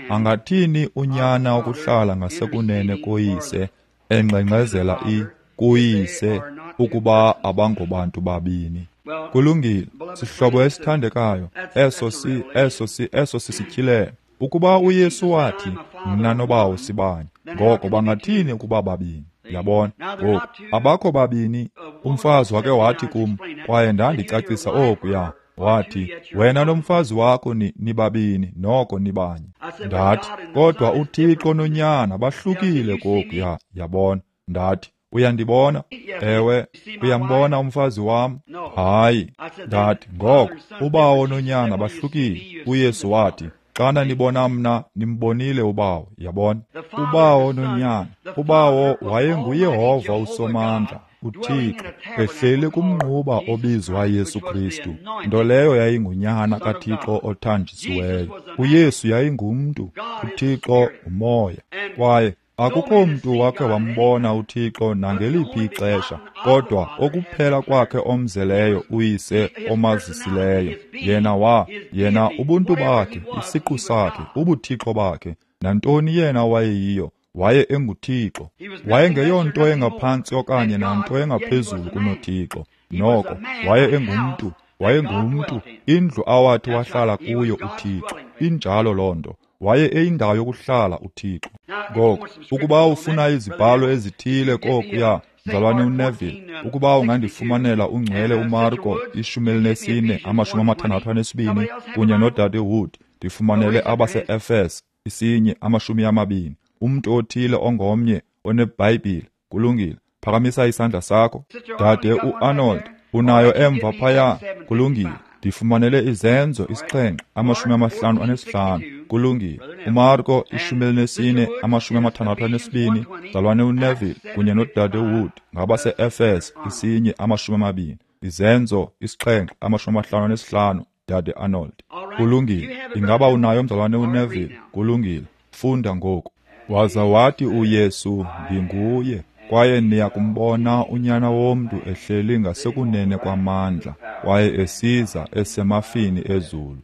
Angathini unyana ukuhlala ngasekunene koyise engxengxezela i kuyise ukuba abangobantu babini? Kulungile, sihlobo esithandekayo, eso si eso si eso sisityhilelo. Ukuba uYesu wathi mna nobawo sibanye, ngoko bangathini ukuba babini? Yabona, ngoku abakho babini. Umfazi wake wathi kum, kwaye ndandicacisa okuya, wathi wena nomfazi wakho ni nibabini noko nibanye. Ndathi kodwa uThixo noNyana bahlukile kokuya. Yabona, ndathi uyandibona? Ewe. Uyambona umfazi wam? Hayi. Ndathi ngoko ubawo noNyana bahlukile. uYesu wathi xana nibona mna nimbonile ubawo. Yabona, ubawo noNyana. Ubawo wayenguYehova uSomandla, uThixo, ehleli kumnquba obizwa Yesu Kristu, nto leyo yayingunyana kaThixo othanjisiweyo. uYesu yayingumntu, uThixo umoya. Kwaye akukho mntu wakhe wambona uThixo nangeliphi ixesha, kodwa okuphela kwakhe omzeleyo uyise omazisileyo. Yena wa, yena ubuntu bakhe, isiqu sakhe, ubuthixo bakhe, nantoni yena wayeyiyo, waye enguThixo. Wayengeyonto engaphantsi okanye nanto engaphezulu kunoThixo. Noko waye engumntu, wayengumntu, indlu awathi wahlala kuyo uThixo. Injalo loo nto. Waye eyindawo yokuhlala uThixo. Ngoko ukuba ufuna izibhalo ezithile kokuya, mzalwane uNeville, ukuba ungandifumanela ungcwele uMarko ishumi elinesine amashumi amathandathu anesibini kunye nodade Wood, ndifumanele abase-Efes isinye amashumi amabini. Umntu othile ongomnye oneBhayibhile. Kulungile, phakamisa isandla sakho. Dade uArnold, unayo emva phaya? Kulungile, ndifumanele Izenzo isixhenxe amashumi amahlanu anesihlanu. Kulungile. uMarko ishumi elinesine amashumi amathandathu anesibini, mzalwane uNeville kunye nodade Wood ngabase-Efes isinye amashumi amabini. Izenzo isixhenxe amashumi amahlanu anesihlanu, dade Arnold. Kulungile. Ingaba unayo mzalwane uNeville? Kulungile, funda ngoku. Waza wathi uYesu, ndinguye, kwaye niya kumbona uNyana womntu ehleli ngasekunene kwamandla, kwaye esiza esemafini ezulu.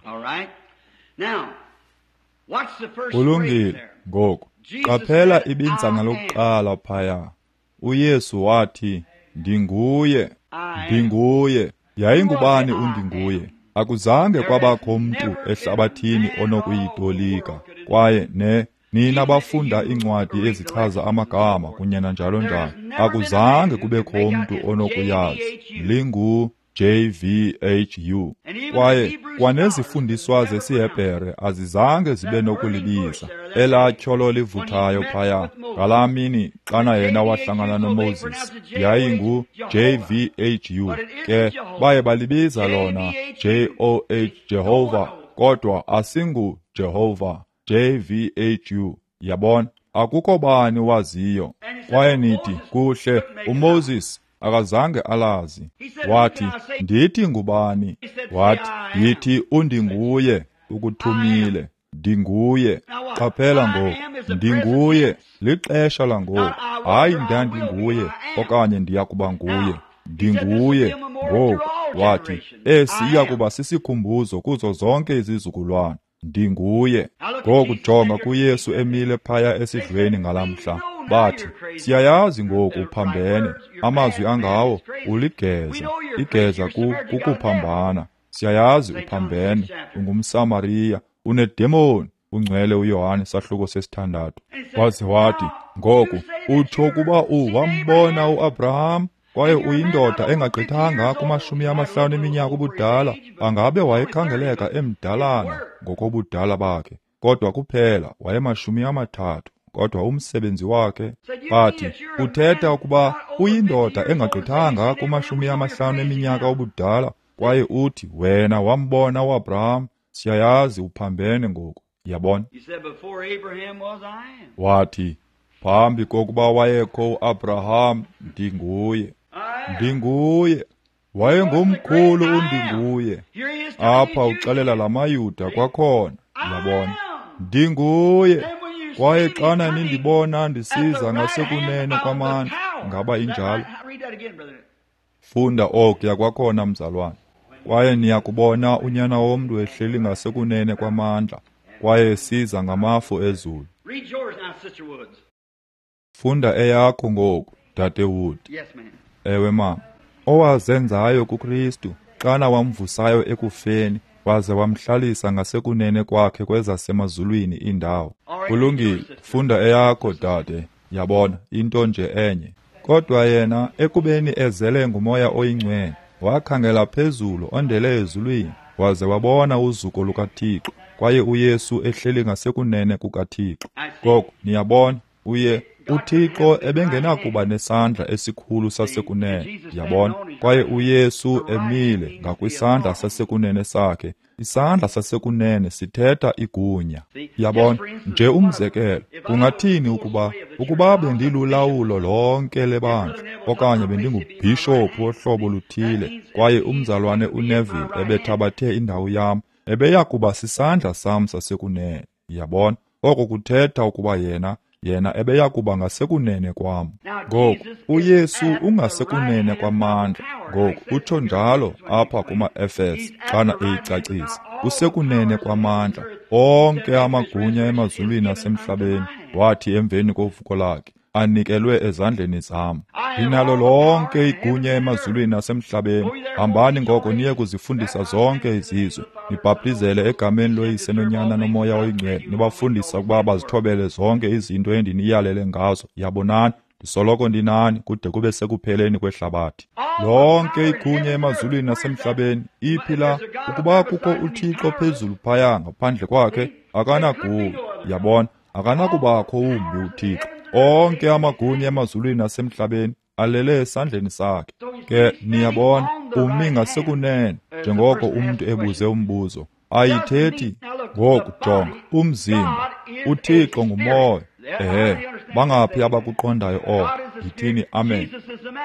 Kulungile, ngoku qaphela ibinzana lokuqala phaya. uYesu wathi ndinguye, ndinguye. Yayingubani undinguye? Akuzange kwabakho mntu ehlabathini onokuyitolika. Kwaye ne nina bafunda iincwadi ezichaza amagama kunye nanjalo njalo, akuzange kubekho mntu onokuyazi. Lingu J V H U. Kwaye kwanezifundiswa zesiHebhere azizange zibe nokulibiza elaa tyholo livuthayo phaya ngalaa mini xana yena wahlangana noMoses. Yayingu J V H U. Ke baye balibiza lona J O H Jehovah, kodwa asingu Jehovah, J V H U. Yabona, akukho bani waziyo. Kwaye nithi kuhle, uMoses akazange alazi. Wathi ndithi ngubani? Wathi yithi undinguye ukuthumile. Ndinguye. Qaphela ngoku, ndinguye lixesha langoku. Hayi ndandinguye okanye ndiya kuba nguye. Ndinguye ngoku. Wathi esi iya kuba sisikhumbuzo kuzo zonke izizukulwana. Ndinguye. Ngoku jonga kuYesu emile phaya esidlweni ngalamhla. Bathi siyayazi ngoku uphambene, amazwi angawo uligeza, igeza kukuphambana. Siyayazi uphambene, ungumSamariya, unedemoni. Ungcwele uYohane sahluko sesithandathu. Waze wathi ngoku utsho ukuba uwambona uAbraham, kwaye uyindoda engagqithanga kumashumi amahlanu eminyaka ubudala. Angabe wayekhangeleka emdalana ngokobudala bakhe, kodwa kuphela wayemashumi amathathu. Kodwa umsebenzi wakhe, bathi uthetha ukuba uyindoda engagqithanga kumashumi amahlanu eminyaka ubudala, kwaye uthi wena wambona uAbraham. Siyayazi uphambene ngoku. Yabona? Wathi phambi kokuba wayekho uAbraham, ndinguye. Ndinguye. Wayengumkhulu undinguye. Apha uxelela lamaYuda kwakhona. Yabona? Ndinguye. Kwaye xana nindibona ndisiza ngasekunene kwamandla. Ngaba injalo? Funda okuya kwakhona, mzalwane. Kwaye niyakubona uNyana womntu ehleli ngasekunene kwamandla, kwaye esiza ngamafu ezulu. Read yours now, Sister Woods. Funda eyakho ngoku, Dade Wood. Yes, ma'am. Ewe, mama. Owazenzayo kuKristu, xana wamvusayo ekufeni, waze wamhlalisa ngasekunene kwakhe kwezasemazulwini indawo. Kulungile, funda eyakho, dade. Yabona, into nje enye. Kodwa yena, ekubeni ezele nguMoya oyiNgcwele, wakhangela phezulu ondele ezulwini, waze wabona uzuko lukaThixo, kwaye uYesu ehleli ngasekunene kukaThixo. Ngoku niyabona, uye uThixo ebengenakuba nesandla esikhulu sasekunene, yabona, kwaye uYesu emile ngakwisandla sasekunene sakhe. Isandla sasekunene sithetha igunya. Yabona, nje umzekelo, kungathini ukuba ukuba bendilulawulo lonke lebandla, okanye bendingubhishophu wohlobo luthile, kwaye umzalwane uNeville ebethabathe indawo yam, ebeya kuba sisandla sam sasekunene. Yabona, oko kuthetha ukuba yena yena ebeya kuba ngasekunene kwam. Ngoku uYesu ungasekunene kwamandla. Ngoku utsho njalo apha kuma-Efese xana eyicacisa. Usekunene kwamandla, onke amagunya emazulwini nasemhlabeni, wathi emveni kovuko lakhe, anikelwe ezandleni zam. Ndinalo lonke igunya emazulwini nasemhlabeni. Hambani ngoko niye kuzifundisa zonke izizwe, nibhaptizele egameni loYise noNyana noMoya oyiNgcwele, nibafundisa ukuba bazithobele zonke izinto endiniyalele ngazo. Yabonani, ndisoloko ndinani kude kube sekupheleni kwehlabathi. Lonke igunya emazulwini nasemhlabeni, iphi la? Ukuba kukho uThixo phezulu phaya ngaphandle kwakhe, akanagunya. Yabona, akanakubakho wumbi uThixo. Onke amagunya emazulwini nasemhlabeni alele esandleni sakhe. Ke niyabona, umi ngasekunene, njengoko umntu ebuze umbuzo. Ayithethi ngoku, jonga, umzimba, uThixo ngumoya. Ehe, bangaphi abakuqondayo oko? Yithini amen.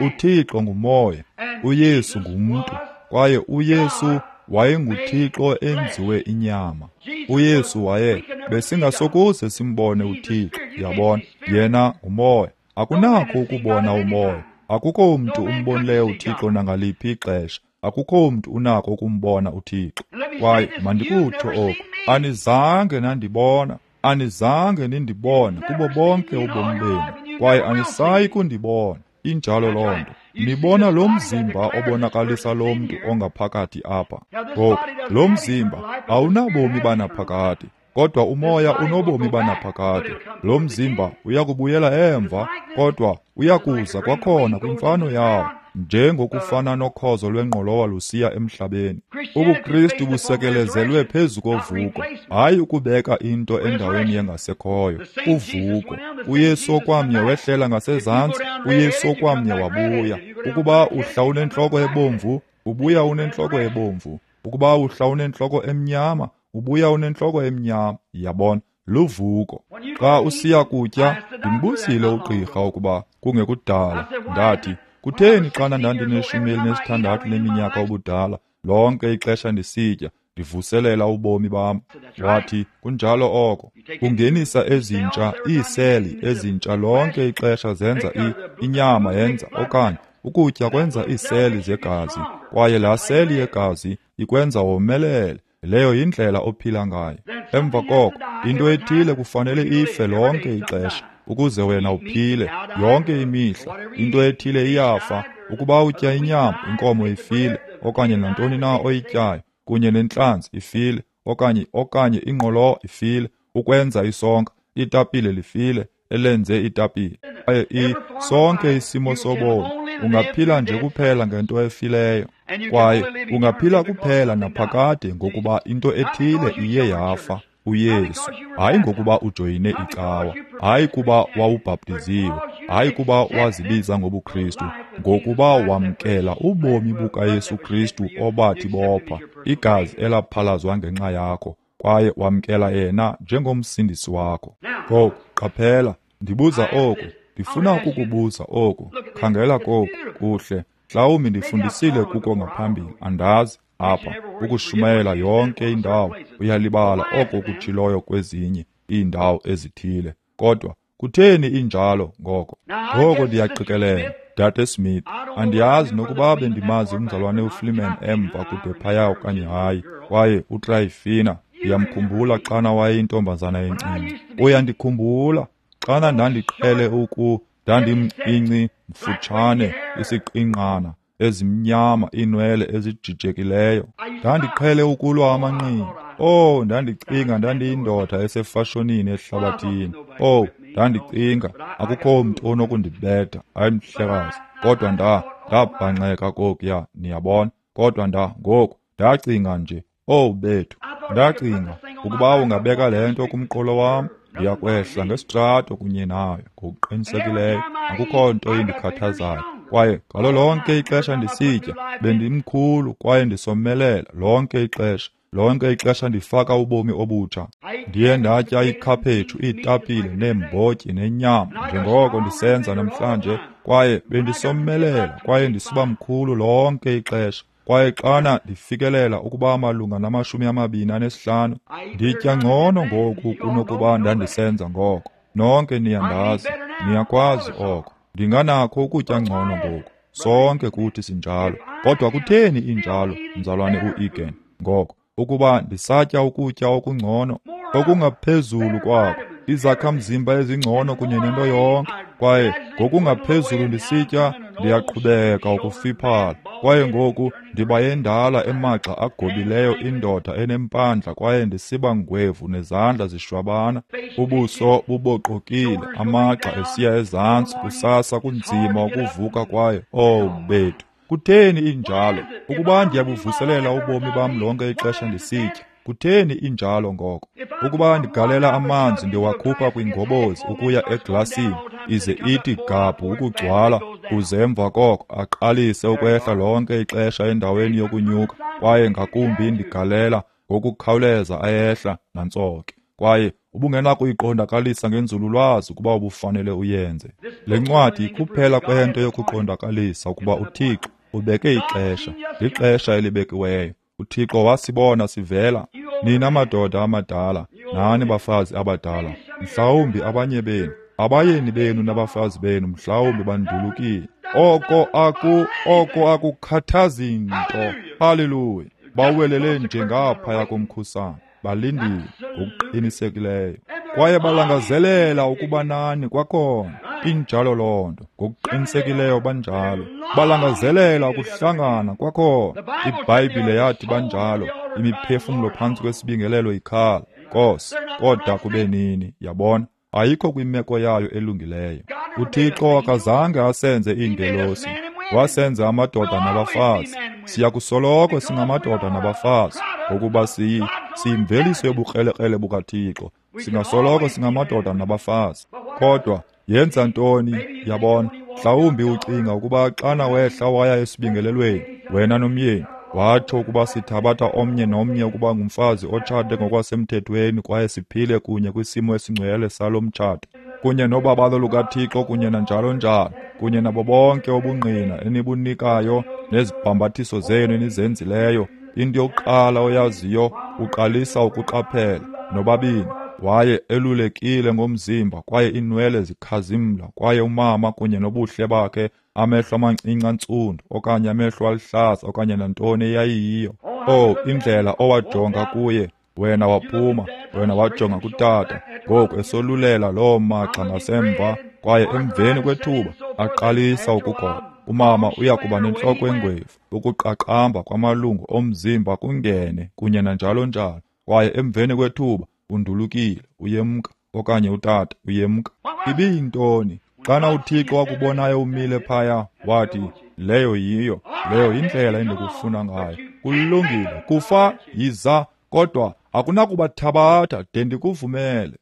UThixo ngumoya, uYesu ngumntu, kwaye uYesu wayenguThixo enziwe inyama. uYesu waye besingasokuze simbone uThixo. Yabona, yena ngumoya. Akunakho ukubona umoya. Akukho mntu umbonileyo uThixo nangaliphi ixesha. Akukho mntu unako ukumbona uThixo. Kwaye mandikutsho oku, anizange nandibona, anizange nindibone kubo bonke ubomi benu, kwaye anisayi kundibona. Injalo loo nto. Nibona lo mzimba obonakalisa lo mntu ongaphakathi apha. Ngoku, lo mzimba awunabomi banaphakade, kodwa umoya unobomi banaphakade. Lo mzimba uyakubuyela emva, kodwa uyakuza kwakhona kwimfano yawo, njengokufana nokhozo lwengqolowa lusiya emhlabeni. UbuKristu busekelezelwe phezu kovuko, hayi ukubeka into endaweni yengasekhoyo. Uvuko. uYesu okwamnye wehlela ngasezantsi, uYesu okwamnye wabuya. Ukuba uhla unentloko ebomvu, ubuya unentloko ebomvu. Ukuba uhla unentloko emnyama, ubuya unentloko emnyama. Yabona, luvuko. Xa usiya kutya, ndimbuzile ugqirha ukuba kungekudala, ndathi, kutheni xana ndandineshumi elinesithandathu leminyaka ubudala, lonke ixesha ndisitya, ndivuselela ubomi bam? Wathi, kunjalo oko. Ungenisa ezintsha, iiseli ezintsha lonke ixesha zenza i, inyama yenza, okanye ukutya kwenza iiseli zegazi, kwaye laa seli yegazi ikwenza womelele. Leyo yindlela ophila ngayo. Emva koko, into ethile kufanele ife lonke ixesha ukuze wena uphile yonke imihla. Into ethile iyafa. Ukuba utya inyama, inkomo ifile, okanye nantoni na oyityayo, kunye nentlanzi ifile, okanye okanye ingqolowa ifile, ukwenza isonka, itapile lifile, elenze itapile. Kwaye i sonke isimo sobomi, ungaphila nje kuphela ngento efileyo, kwaye ungaphila kuphela naphakade ngokuba into ethile iye yafa, uYesu. Hayi ngokuba ujoyine icawa, hayi kuba wawubhaptiziwe, hayi kuba wazibiza ngobuKristu, ngokuba wamkela ubomi bukaYesu Kristu obathi bopha, igazi elaphalazwa ngenxa yakho, kwaye wamkela yena njengomsindisi wakho. Ngoku qaphela, ndibuza oku, ndifuna ukukubuza oku. Khangela koku, kuhle. Mhlawumbi ndifundisile kuko ngaphambili, andazi. Apha ukushumayela yonke indawo, uyalibala oko kutshiloyo kwezinye iindawo ezithile. Kodwa kutheni injalo ngoko? Ngoko ndiyaqikelela, Dade Smith, andiyazi nokuba bendimazi umzalwane uFleeman emva kude phaya okanye hayi. Kwaye uTrifina, ndiyamkhumbula xana wayeyintombazana encinci. Uyandikhumbula xana ndandiqhele uku ndandimncinci mfutshane, isiqingqana, ezimnyama, iinwele ezijijekileyo. Ndandiqhele ukulwa amanqindi. Oh, ndandicinga ndandiyindoda esefashonini ehlabathini. Oh, ndandicinga akukho mntu onokundibetha, hayi mhlekazi. Kodwa nda ndabhanxeka kokuya, niyabona. Kodwa nda ngoku ndacinga nje, oh bethu, ndacinga ukuba ungabeka le nto kumqolo wam, ndiyakwehla ngesitrato kunye nayo ngokuqinisekileyo. Akukho nto indikhathazayo. Kwaye ngalo lonke ixesha ndisitya, bendimkhulu kwaye ndisomelela lonke ixesha. Lonke ixesha ndifaka ubomi obutsha. Ndiye ndatya ikhaphetshu, iitapile, neembotyi nenyama njengoko ndisenza namhlanje. Kwaye bendisomelela kwaye ndisiba mkhulu lonke ixesha. Kwaye xana ndifikelela ukuba malunga namashumi amabini anesihlanu, nditya ngcono ngoku kunokuba ndandisenza ngoko. Nonke niyandazi, niyakwazi oko. Ndinganakho ukutya ngcono ngoku. Sonke kuthi sinjalo. Kodwa kutheni injalo, mzalwane uEgan? Ngoko ukuba ndisatya ukutya okungcono, okungaphezulu kwako, izakhamzimba ezingcono kunye nento yonke, kwaye ngokungaphezulu ndisitya, ndiyaqhubeka ukufiphala. Kwaye ngoku ndiba yendala emagxa agobileyo, indoda enempandla, kwaye ndisiba ngwevu nezandla zishwabana, ubuso buboqokile, amagxa esiya ezantsi. Kusasa kunzima ukuvuka kwaye, oh bethu, kutheni injalo? Ukuba ndiyabuvuselela ubomi bam lonke ixesha ndisitya, kutheni injalo ngoko? Ukuba ndigalela amanzi ndiwakhupha kwingobozi ukuya eglasini, ize ithi gabhu ukugcwala, kuze emva koko aqalise ukwehla lonke ixesha endaweni yokunyuka, kwaye ngakumbi ndigalela ngokukhawuleza ayehla nantsoke. Kwaye ubungenakuyiqondakalisa ngenzululwazi ukuba ubufanele uyenze. Le ncwadi kuphela kwento yokuqondakalisa ukuba uThixo ubeke ixesha, lixesha elibekiweyo. uThixo wasibona sivela. Nina madoda amadala, nani bafazi abadala, mhlawumbi abanye benu, abayeni benu nabafazi benu mhlawumbi bandulukile. Oko aku oko akukhathazi nto. Haleluya. Bawelele nje ngaphaya komkhusane, balindile ngokuqinisekileyo. Kwaye balangazelela ukuba nani kwakhona. Injalo loo nto, ngokuqinisekileyo banjalo. Balangazelela ukuhlangana kwakhona. IBhayibhile yathi banjalo, imiphefumlo phantsi kwesibingelelo ikhala, Nkosi, koda kube nini? Yabona, ayikho kwimeko yayo elungileyo. UThixo akazange asenze iingelosi, wasenza amadoda nabafazi. Siyakusoloko singamadoda nabafazi, ngokuba siyi siyimveliso yobukrelekrele bukaThixo. Singasoloko singamadoda nabafazi. Kodwa yenza ntoni? Yabona, mhlawumbi ucinga ukuba xana wehla waya esibingelelweni wena nomyeni, watsho ukuba sithabatha omnye nomnye ukuba ngumfazi otshate ngokwasemthethweni kwaye siphile kunye kwisimo esingcwele salo mtshato, kunye nobabalo lukaThixo kunye nanjalo njalo, kunye nabo bonke ubungqina enibunikayo nezibhambathiso zenu enizenzileyo. Into yokuqala oyaziyo, uqalisa ukuqaphela nobabini waye elulekile ngomzimba, kwaye inwele zikhazimla, kwaye umama kunye nobuhle bakhe, amehlo amancinci antsundu okanye amehlo aluhlaza okanye nantoni eyayiyiyo. Oh, indlela owajonga kuye wena waphuma, wena wajonga kutata, ngoku esolulela loo magxa ngasemva, kwaye emveni kwethuba aqalisa ukugoba. Umama uya kuba nentloko engwevu, ukuqaqamba kwamalungu omzimba kungene kunye nanjalo njalo, kwaye emveni kwethuba undulukile, uyemka, okanye utata uyemka. Ibiyintoni? Xana uThixo wakubonayo umile phaya, wathi, leyo yiyo, leyo yindlela endikufuna ngayo. Kulungile, kufa, yiza, kodwa akunakubathabatha de ndikuvumele.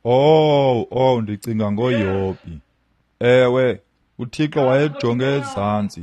Oh, oh, ndicinga ngoYobhi. Ewe, uThixo wayejonge ezantsi.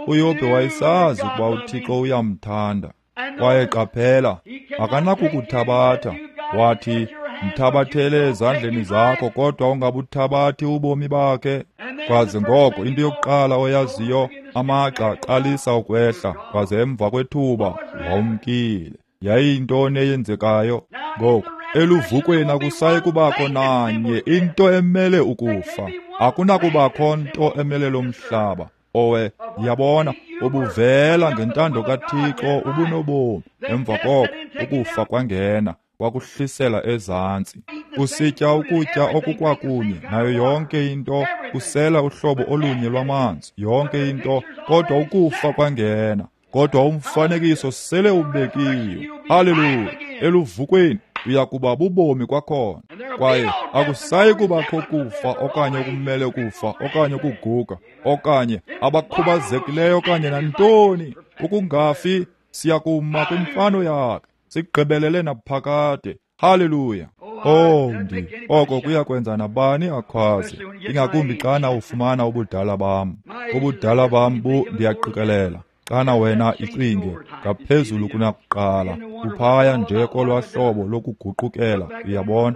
uYobhi wayesazi ukuba uThixo uyamthanda. Kwaye qaphela, akanakukuthabatha. Wathi, mthabathele ezandleni zakho, kodwa ungabuthabathi ubomi bakhe. Kwaze ngoko into yokuqala oyaziyo, amagxa aqalisa ukwehla, kwaze emva kwethuba wawumkile. Yayiyintoni eyenzekayo? Ngoku Eluvukweni akusayi kubakho nanye into emele ukufa. Akunakubakho nto emele lo mhlaba. Owe, yabona, ubuvela ngentando kaThixo ubunobomi. Emva koko ukufa kwangena, kwakuhlisela ezantsi. Usitya ukutya okukwakunye nayo yonke into, usela uhlobo olunye lwamanzi, yonke into, kodwa ukufa kwangena. Kodwa umfanekiso sele ubekiwe. Haleluya! Eluvukweni uyakuba bubomi kwakhona. Kwaye akusayi kubakho kufa okanye okumele kufa okanye ukuguga okanye abakhubazekileyo okanye nantoni. Ukungafi, siyakuma kwimfano yakhe, sigqibelele naphakade. Haleluya! Oh, ndi oko kuyakwenza nabani akhwaze, ingakumbi xana ufumana ubudala bam. Ubudala bam bu ndiyaqikelela xana wena icinge ngaphezulu kunakuqala, uphaya nje kolwa hlobo lokuguqukela. Uyabona,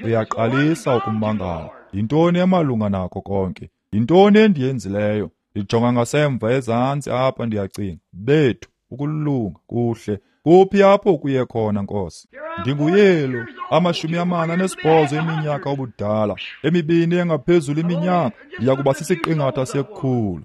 uyaqalisa ukumangala. Yintoni emalunga nako konke? Yintoni endiyenzileyo? Ndijonga ngasemva ezantsi apha, ndiyacinga, bethu, ukulunga kuhle. Kuphi apho kuye khona, Nkosi? Ndinguyelo, amashumi amane anesibhozo eminyaka ubudala, emibini engaphezulu iminyaka, ndiyakuba sisiqingatha sekhulu.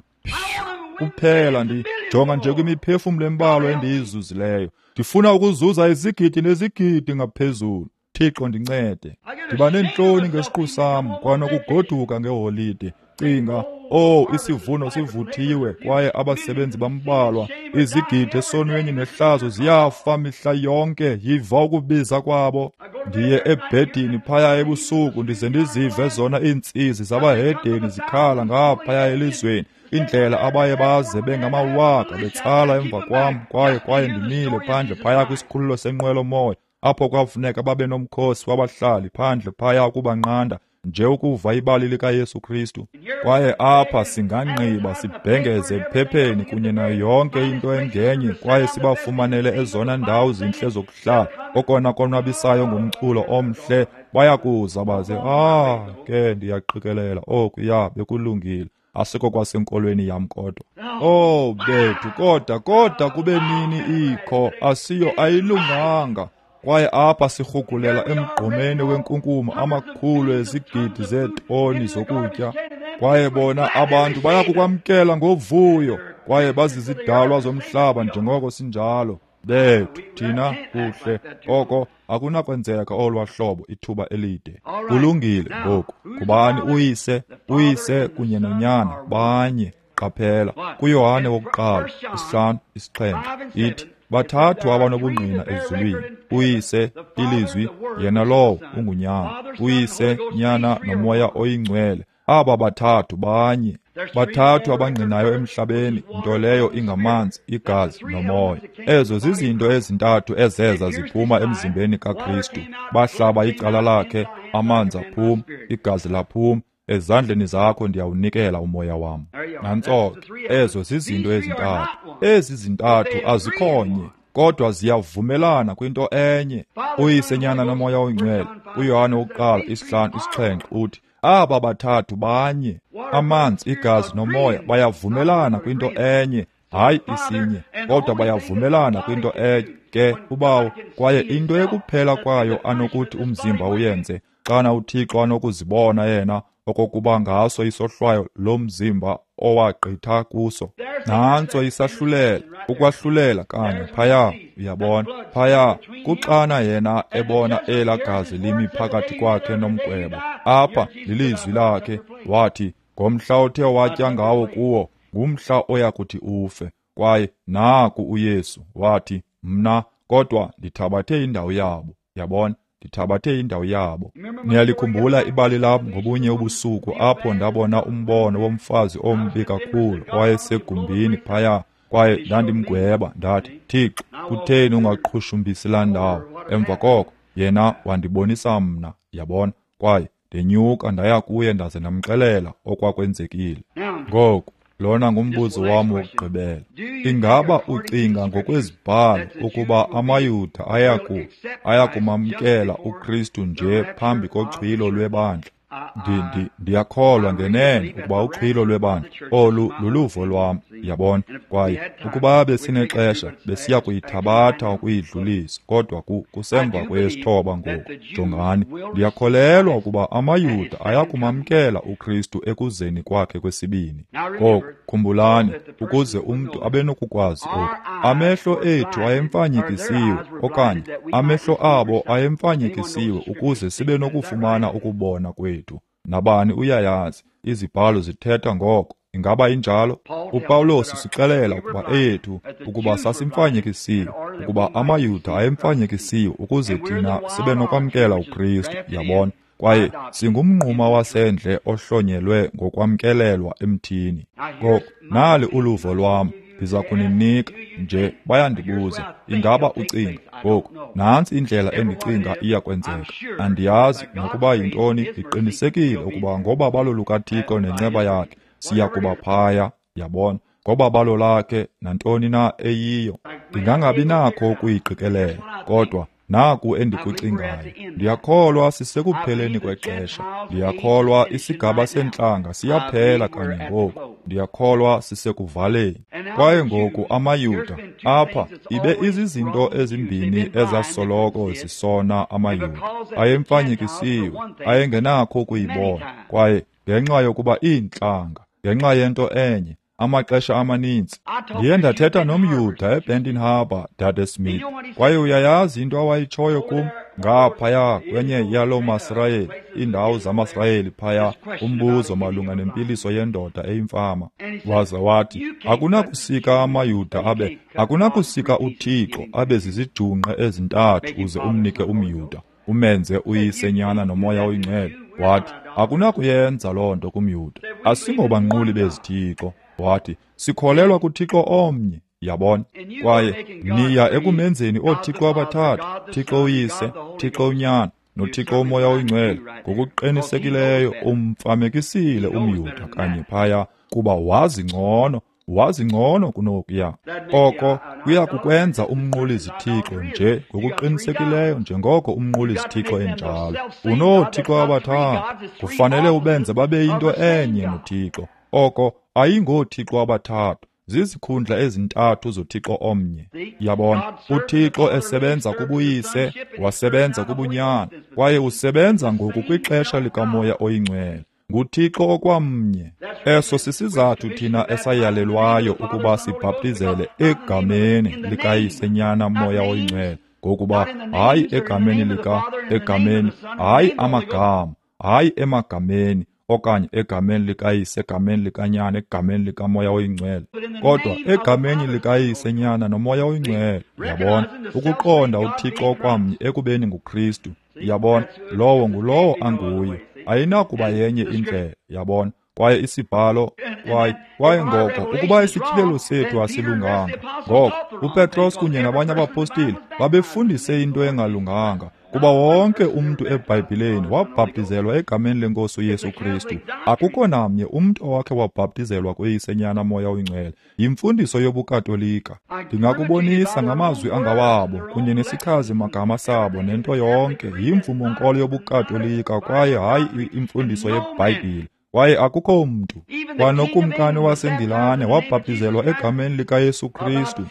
Kuphela ndijonga nje kwimiphefumlo embalwa endiyizuzileyo. Ndifuna ukuzuza izigidi nezigidi ngaphezulu. Thixo ndincede. Ndiba neentloni ngesiqu sam kwanokugoduka ngeholide. Cinga, oh, isivuno sivuthiwe kwaye abasebenzi bambalwa. Izigidi esonweni nehlazo ziyafa mihla yonke, yiva ukubiza kwabo. Ndiye ebhedini phaya ebusuku ndize ndizive zona iintsizi zabahedeni zikhala ngaphaya elizweni. Indlela abaye baze bengamawaka betsala emva kwam, kwaye kwaye ndimile phandle phaya kwisikhululo senqwelomoya apho kwafuneka babe nomkhosi wabahlali phandle phaya ukubanqanda nje ukuva ibali likaYesu Kristu. Kwaye apha singanqiba sibhengeze ephepheni kunye nayo yonke into engenye, kwaye sibafumanele ezona ndawo zintle zokuhlala, okona konwabisayo ngumculo omhle. Bayakuza baze, ah, ke ndiyaqikelela oku, ya, bekulungile. Asiko kwasenkolweni yam kodwa. Oh bethu, kodwa kodwa kube nini ikho, asiyo, ayilunganga. Kwaye apha sirhugulela emgqomeni wenkunkuma amakhulu ezigidi zeetoni zokutya. Kwaye bona abantu bayakukwamkela ngovuyo, kwaye bazizidalwa zomhlaba njengoko sinjalo. Bethu, thina kuhle, oko akunakwenzeka olwa hlobo ithuba elide. Kulungile ngoku. Kubani uyise, uyise kunye nonyana banye. Qaphela kuYohane wokuqala isihlanu isixhenxe ithi bathathu abanobungqina ezulwini: uyise, ilizwi, yena lowo ungunyana. Uyise, nyana nomoya oyingcwele. Aba bathathu banye. Bathathu abangqinayo emhlabeni, nto leyo ingamanzi, igazi nomoya. Ezo zizinto ezintathu ezeza ziphuma emzimbeni kaKristu. Bahlaba icala lakhe, amanzi aphuma, igazi laphuma. Ezandleni zakho ndiyawunikela umoya wam. Nantso ke, ezo zizinto ezintathu. Ezi zintathu azikhonye, kodwa ziyavumelana kwinto enye. Uyise, nyana nomoya oyingcwele. uYohane wokuqala isihlanu isixhenxe uthi aba bathathu banye. Amanzi, igazi nomoya bayavumelana kwinto enye, hayi isinye, kodwa bayavumelana kwinto enye. Ke ubawo, kwaye into ekuphela kwayo anokuthi umzimba uyenze, xana uThixo anokuzibona yena okokuba ngaso isohlwayo lomzimba owagqitha kuso. Nantso isahlulela, ukwahlulela kanye phaya, uyabona, phaya kuxana yena ebona elaa gazi limi phakathi kwakhe nomgwebo. Apha lilizwi lakhe, wathi ngomhla othe watya ngawo kuwo, ngumhla oyakuthi ufe. Kwaye naku uYesu wathi, mna kodwa ndithabathe indawo yabo. Yabona, ndithabathe indawo yabo. Niyalikhumbula ibali lam ngobunye ubusuku apho ndabona umbono womfazi ombi kakhulu owayesegumbini phaya, kwaye ndandimgweba ndathi, Thixo, kutheni ungaqhushumbisi laa ndawo? Emva koko yena wandibonisa mna, yabona, kwaye ndenyuka ndaya kuye ndaze ndamxelela okwakwenzekile. Ngoku lona ngumbuzo wam wokugqibela. Ingaba ucinga ngokwezibhalo ukuba amaYuda ayaku ayakumamkela uKristu nje phambi koxhwilo lwebandla? Ndi, ndi, ndiyakholwa ngenene ukuba uxhwilo lwebandla olu luluvo lwam, Yabona? Kwaye ukuba besinexesha besiya kuyithabatha ukuyidlulisa, kodwa kusemva kwesithoba ngoku. Jongani, ndiyakholelwa ukuba amaYuda ayakumamkela uKristu ekuzeni kwakhe kwesibini. Ngoku khumbulani, ukuze umntu abe nokukwazi oku, amehlo ethu ayemfanyekisiwe, okanye amehlo abo ayemfanyekisiwe ukuze sibe nokufumana ukubona kwethu. Nabani uyayazi, izibhalo zithetha ngoko. Ingaba injalo? UPawulos usixelela ukuba ethu ukuba sasimfanyekisiwe, ukuba amaYuda ayemfanyekisiwe ukuze thina sibe nokwamkela uKristu. Yabona? Kwaye singumnquma wasendle ohlonyelwe ngokwamkelelwa emthini. Ngoku nali uluvo lwam, ndiza kuninika nje. Bayandibuza, ingaba ucinga ngoku? Nantsi indlela endicinga iya kwenzeka. Andiyazi nokuba yintoni. Ndiqinisekile ukuba ngobabalo lukaThixo nenceba yakhe siya kuba phaya. Yabona? Ngobabalo lakhe nantoni na eyiyo, ndingangabi nakho ukuyiqikelela, kodwa naku endikucingayo. Ndiyakholwa sisekupheleni kwexesha. Ndiyakholwa isigaba sentlanga siyaphela kanye ngoku. Ndiyakholwa sisekuvaleni. Kwaye ngoku amaYuda apha ibe izizinto ezimbini ezasoloko zisona amaYuda. Ayemfanyekisiwe, ayengenakho ukuyibona. Kwaye ngenxa yokuba iintlanga, ngenxa yento enye, amaxesha amaninzi ndiye ndathetha nomYuda eBenton Harbor, Dade Smith, kwaye uyayazi into awayitshoyo kum ngaphaya kwenye yaloo maSirayeli, iindawo zamaSirayeli phaya, umbuzo malunga nempiliso yendoda eyimfama. Waza wathi, akunakusika amaYuda abe, akunakusika uThixo abe zizijungqe ezintathu uze umnike umYuda, umenze uyise, Nyana noMoya oyiNgcwele. Wathi, akunakuyenza loo nto kumYuda, asingobanquli bezithixo. Wathi, sikholelwa kuThixo omnye. Yabona? Kwaye niya ekumenzeni ooThixo abathathu, Thixo uYise, Thixo uNyana noThixo uMoya oyiNgcwele. Ngokuqinisekileyo umfamekisile umYuda kanye phaya, kuba wazi ngcono, wazi ngcono kunokuya. Oko kuya kukwenza umnquli zithixo nje ngokuqinisekileyo njengoko umnquli zithixo enjalo. Unoothixo abathathu, kufanele ubenze babe yinto enye noThixo. Oko ayingoothixo abathathu, zizikhundla ezintathu zoThixo omnye. Yabona? uThixo esebenza kubuyise, wasebenza kubunyana, kwaye usebenza ngoku kwixesha likaMoya oyiNgcwele. NguThixo okwamnye. Eso sisizathu thina esayalelwayo ukuba sibhaptizele egameni likaYise, Nyana, Moya oyiNgcwele, ngokuba hayi egameni lika, egameni, hayi amagama, hayi emagameni, okanye egameni likaYise, egameni likaNyana, egameni likaMoya oyiNgcwele, kodwa egameni likaYise, Nyana noMoya oyiNgcwele. Yabona? Ukuqonda uThixo okwamnye ekubeni nguKristu. Yabona? Lowo ngulowo anguye. Ayinakuba yenye indlela. Yabona? Kwaye isibhalo, kwaye kwaye ngoko ukuba isityhilelo sethu asilunganga, ngoko uPetros kunye nabanye abapostile babefundise into engalunganga, kuba wonke umntu eBhayibhileni wabhaptizelwa egameni leNkosi uYesu Kristu. Akukho namnye umntu owakhe wabhaptizelwa kuyise, Nyana, Moya oyiNgcwele. Yimfundiso yobuKatolika. Ndingakubonisa ngamazwi angawabo kunye nesichazi magama sabo nento yonke. Yimvumo-nkolo yobuKatolika kwaye hayi imfundiso yeBhayibhile. Kwaye akukho mntu, kwanokumkani waseNgilane wabhaptizelwa egameni likaYesu Kristu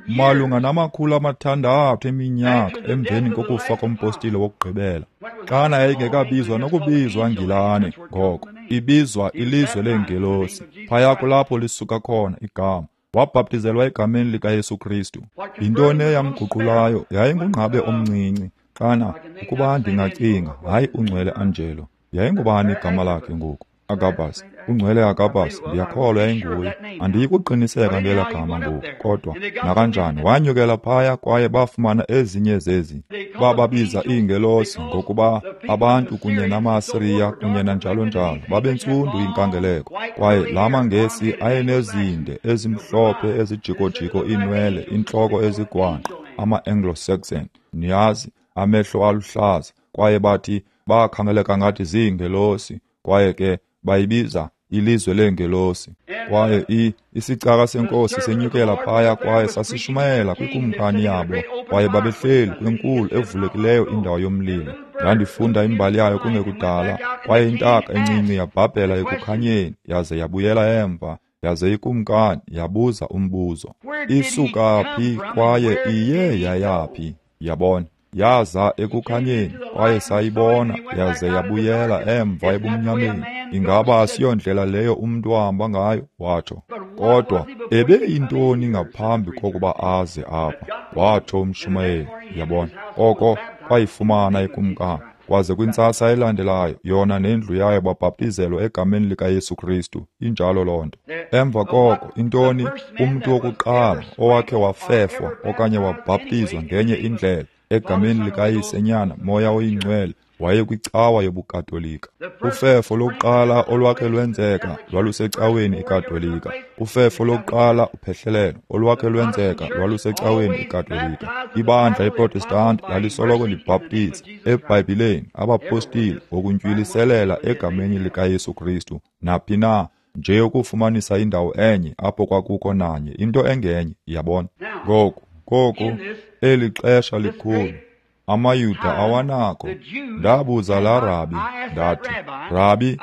malunga namakhulu amathandathu eminyaka emveni kokufa kompostile wokugqibela. Xana yayingekabizwa nokubizwa Ngilane ngoko, ibizwa ilizwe leengelosi. Phaya kulapho lisuka khona igama. Wabhaptizelwa egameni likaYesu Kristu. Yintoni eyamguqulayo? Yayingungqabe omncinci. Xana ukuba ndingacinga, hayi uNgcwele Angelo, yayingubani igama lakhe ngoku? Agabas, uNgcwele Agabas, ndiyakholwa yayinguye. Andiyikuqiniseka ngela gama ngoku, kodwa nakanjani wanyukela phaya kwaye bafumana ezinye zezi. Bababiza iingelosi ngokuba abantu kunye namaSiriya kunye nanjalo njalo babentsundu inkangeleko, kwaye la maNgesi ayenezinde ezimhlophe ezijikojiko iinwele, intloko ezigwangqa, ama-Anglo-Saxon, niyazi, amehlo aluhlaza, kwaye bathi bakhangeleka ngathi ziingelosi, kwaye ke bayibiza ilizwe leengelosi. Kwaye i isicaka senkosi senyukela phaya kwaye sasishumayela kwikumkani yabo, kwaye babehleli kwinkulu evulekileyo indawo yomlilo. Ndandifunda imbali yayo kungekudala, kwaye intaka encinci yabhabhela ekukhanyeni yaze yabuyela emva, Yaze ikumkani yabuza umbuzo, isuka phi kwaye iye yayaphi? Yabona, yaza ekukhanyeni kwaye sayibona, yaze yabuyela emva ebumnyameni. Ingaba asiyondlela leyo umntu ahamba ngayo? Watsho. Kodwa ebeyintoni ngaphambi kokuba aze apha? Watsho umshumayeli. Yabona, oko kwayifumana ikumkani. Kwaze kwintsasa elandelayo, yona nendlu yayo babhaptizelwa egameni likaYesu Kristu. Injalo loo nto. Emva koko, intoni? Umntu wokuqala owakhe wafefwa okanye wabhaptizwa ngenye indlela egameni likaYise, Nyana, Moya oyiNgcwele, wayekwicawa yobuKatolika. Ufefo lokuqala olwakhe lwenzeka lwalusecaweni iKatolika. Ufefo lokuqala uphehlelelo olwakhe lwenzeka lwalusecaweni iKatolika. Ibandla iProtestanti lalisoloko libhaptiza eBhayibhileni abapostile ngokuntywilisela egameni likaYesu Kristu naphi na, nje ukufumanisa indawo enye apho kwakukho nanye into engenye. Yabona? Ngoku koko eli xesha likhulu amaYuda awanako. Ndabuza laa rabi, ndathi, Rabi,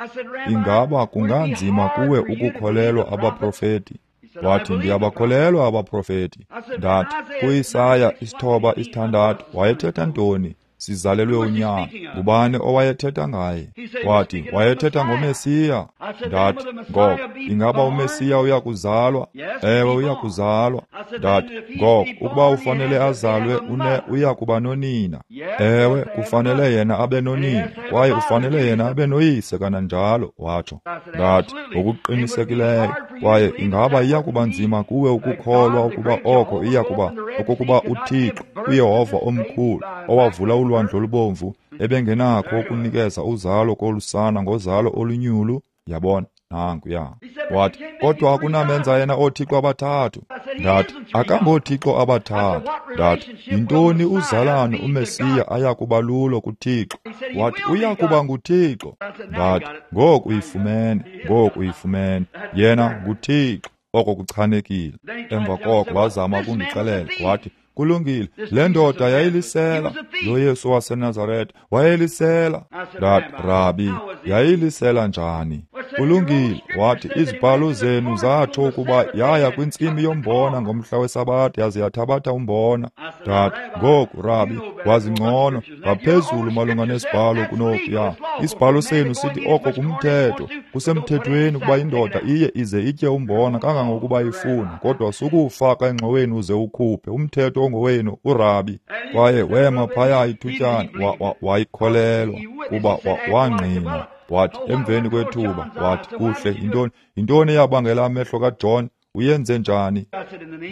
ingaba kunganzima kuwe ukukholelwa abaprofeti? Wathi, ndiyabakholelwa abaprofeti. Ndathi, kuIsaya isithoba isithandathu wayethetha ntoni? Sizalelwe unyana. Ngubani owayethetha ngaye? Wathi, wayethetha ngoMesiya. Ndathi, ngoko ingaba uMesiya uyakuzalwa? Ewe, uyakuzalwa. Ndathi, ngoko ukuba ufanele azalwe, une uyakuba nonina. Ewe, kufanele yena abe nonina, kwaye ufanele yena abe noyise kananjalo, watsho. Ndathi, ngokuqinisekileyo. Kwaye ingaba iyakuba nzima kuwe ukukholwa ukuba oko iyakuba okokuba uThixo, uYehova omkhulu, owavula ulwandle olubomvu, ebengenakho ukunikeza uzalo kolusana ngozalo olunyulu? Yabona, nankuya. Wathi, kodwa akunamenza yena oothixo abathathu. Ndathi, akangoothixo abathathu. Ndathi, yintoni uzalane uMesiya ayakuba lulo kuThixo? Wathi, uyakuba nguThixo. Ndathi, ngoku uyifumene, ngoku uyifumene. Yena nguThixo. Oko kuchanekile. Emva koko wazama ukundixelela, wathi, kulungile, le ndoda yayilisela. Lo Yesu waseNazaretha wayelisela. Ndathi, Rabi, yayilisela njani? Kulungile, wathi, izibhalo zenu zatsho ukuba yaya kwintsimi yombona ngomhla weSabatha yaze yathabatha umbona. Ndathi, ngoku Rabi, wazi ngcono ngaphezulu malunga nesibhalo kunokuya. Isibhalo senu sithi oko kumthetho, kusemthethweni ukuba indoda iye ize itye umbona kangangokuba ifuna, kodwa sukuwufaka engxoweni uze ukhuphe. Umthetho ongowenu, uRabi. Kwaye wema phaya ithutyana, wayikholelwa kuba wangqina. Wathi emveni kwethuba, wathi, kuhle, yintoni yintoni eyabangela amehlo kaJohn? Uyenze njani?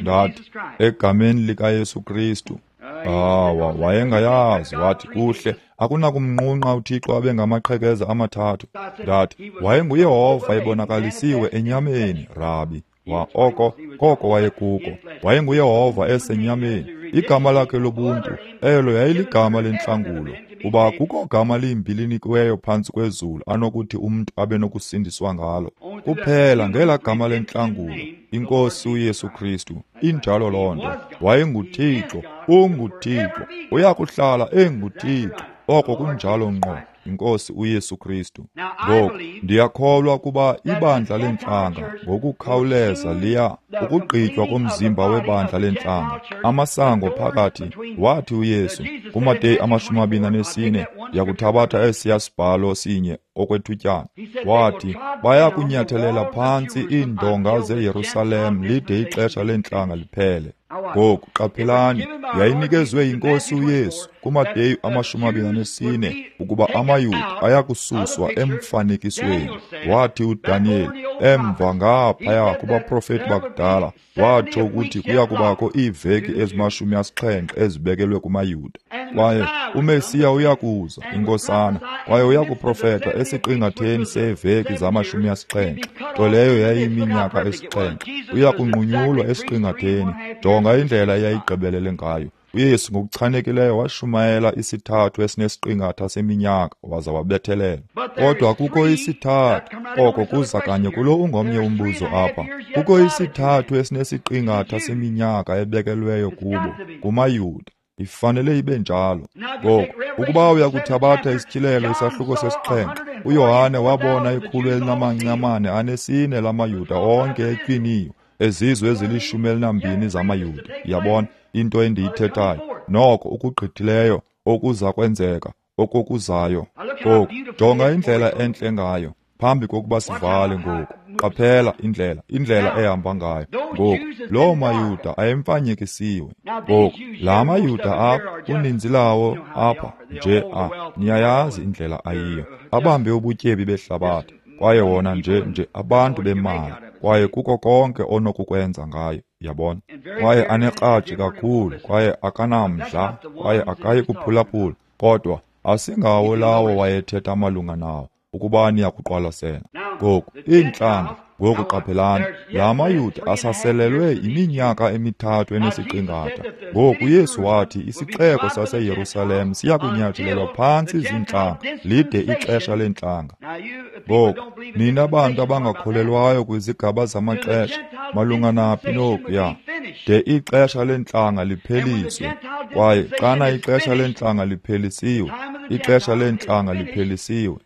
Ndathi, egameni likaYesu Kristu. Awa, wayengayazi. Wathi, kuhle, akunakumnqunqa uThixo abe ngamaqhekeza amathathu. Ndathi, wayenguYehova ebonakalisiwe enyameni, Rabi. Wa oko koko wayekuko. WayenguYehova esenyameni. Igama lakhe lobuntu elo yayiligama lentlangulo, kuba kukho gama limbi linikiweyo phantsi kwezulu anokuthi umntu abe nokusindiswa ngalo, kuphela ngela gama lentlangulo, iNkosi uYesu Kristu. Injalo loo nto. WayenguThixo, unguThixo, uyakuhlala enguThixo. Oko kunjalo ngqo, iNkosi uYesu Kristu. Ngoku ndiyakholwa kuba ibandla lentlanga ngokukhawuleza liya ukugqitywa komzimba webandla lentlanga, amasango phakathi. Wathi uYesu kuMateyu amashumi amabini anesine, ndiyakuthabatha esiya sibhalo sinye okwethutyana. Wathi, bayakunyathelela phantsi iindonga zeYerusalem lide ixesha lentlanga liphele. Ngoku qaphelani, yayinikezwe yiNkosi uYesu kuMateyu amashumi amabini anesine ukuba amaYuda ayakususwa emfanekisweni. Wathi uDaniyeli emva ngaphaya kubaprofeti bakudala, watsho ukuthi kuyakubakho iiveki ezimashumi asixhenxe ezibekelwe kumaYuda. Kwaye uMesiya uyakuza, inkosana, kwaye uyakuprofeta esiqingatheni seeveki zamashumi asixhenxe, nto leyo yayiminyaka esixhenxe. Uyakunqunyulwa esiqingatheni. Jonga indlela eyayigqibelele ngayo. uYesu ngokuchanekileyo washumayela isithathu esinesiqingatha seminyaka waza wabethelela. Kodwa kukho isithathu, oko kuza kanye kulo ungomnye umbuzo apha. Kukho isithathu esinesiqingatha seminyaka ebekelweyo kubo, kumaYuda. Ifanele ibe njalo. Ngoku, ukuba uyakuthabatha isityhilelo isahluko sesixhenxe, uYohane wabona ikhulu elinamanci amane anesine lamaYuda onke etywiniwe, ezizwe ezilishumi elinambini zamaYuda. Yabona into endiyithethayo? Noko ukugqithileyo okuza kwenzeka okokuzayo. Ngoku, jonga indlela entle ngayo. Phambi kokuba sivale ngoku, qaphela indlela, indlela ehamba ngayo. Ngoku, loo maYuda ayemfanyekisiwe. Ngoku, la maYuda apha, uninzi lawo apha nje a, niyayazi indlela ayiyo. Abambe ubutyebi behlabathi, kwaye wona nje nje abantu bemali, kwaye kuko konke onokukwenza ngayo, yabona. Kwaye anekratshi kakhulu, kwaye akanamdla, kwaye akayi kuphulaphula, kodwa asingawo lawo wayethetha malunga nawo, ukuba niyakuqwalasela. Ngoku, iintlanga, ngoku qaphelani, la maYuda asaselelwe iminyaka emithathu enesiqingatha. Ngoku uYesu wathi isixeko saseYerusalem siyakunyathelelwa phantsi ziintlanga, lide ixesha leentlanga. Ngoku, nina bantu abangakholelwayo kwizigaba zamaxesha, malunga naphi nokuya, de ixesha leentlanga lipheliswe. Kwaye xana ixesha leentlanga liphelisiwe, ixesha leentlanga liphelisiwe.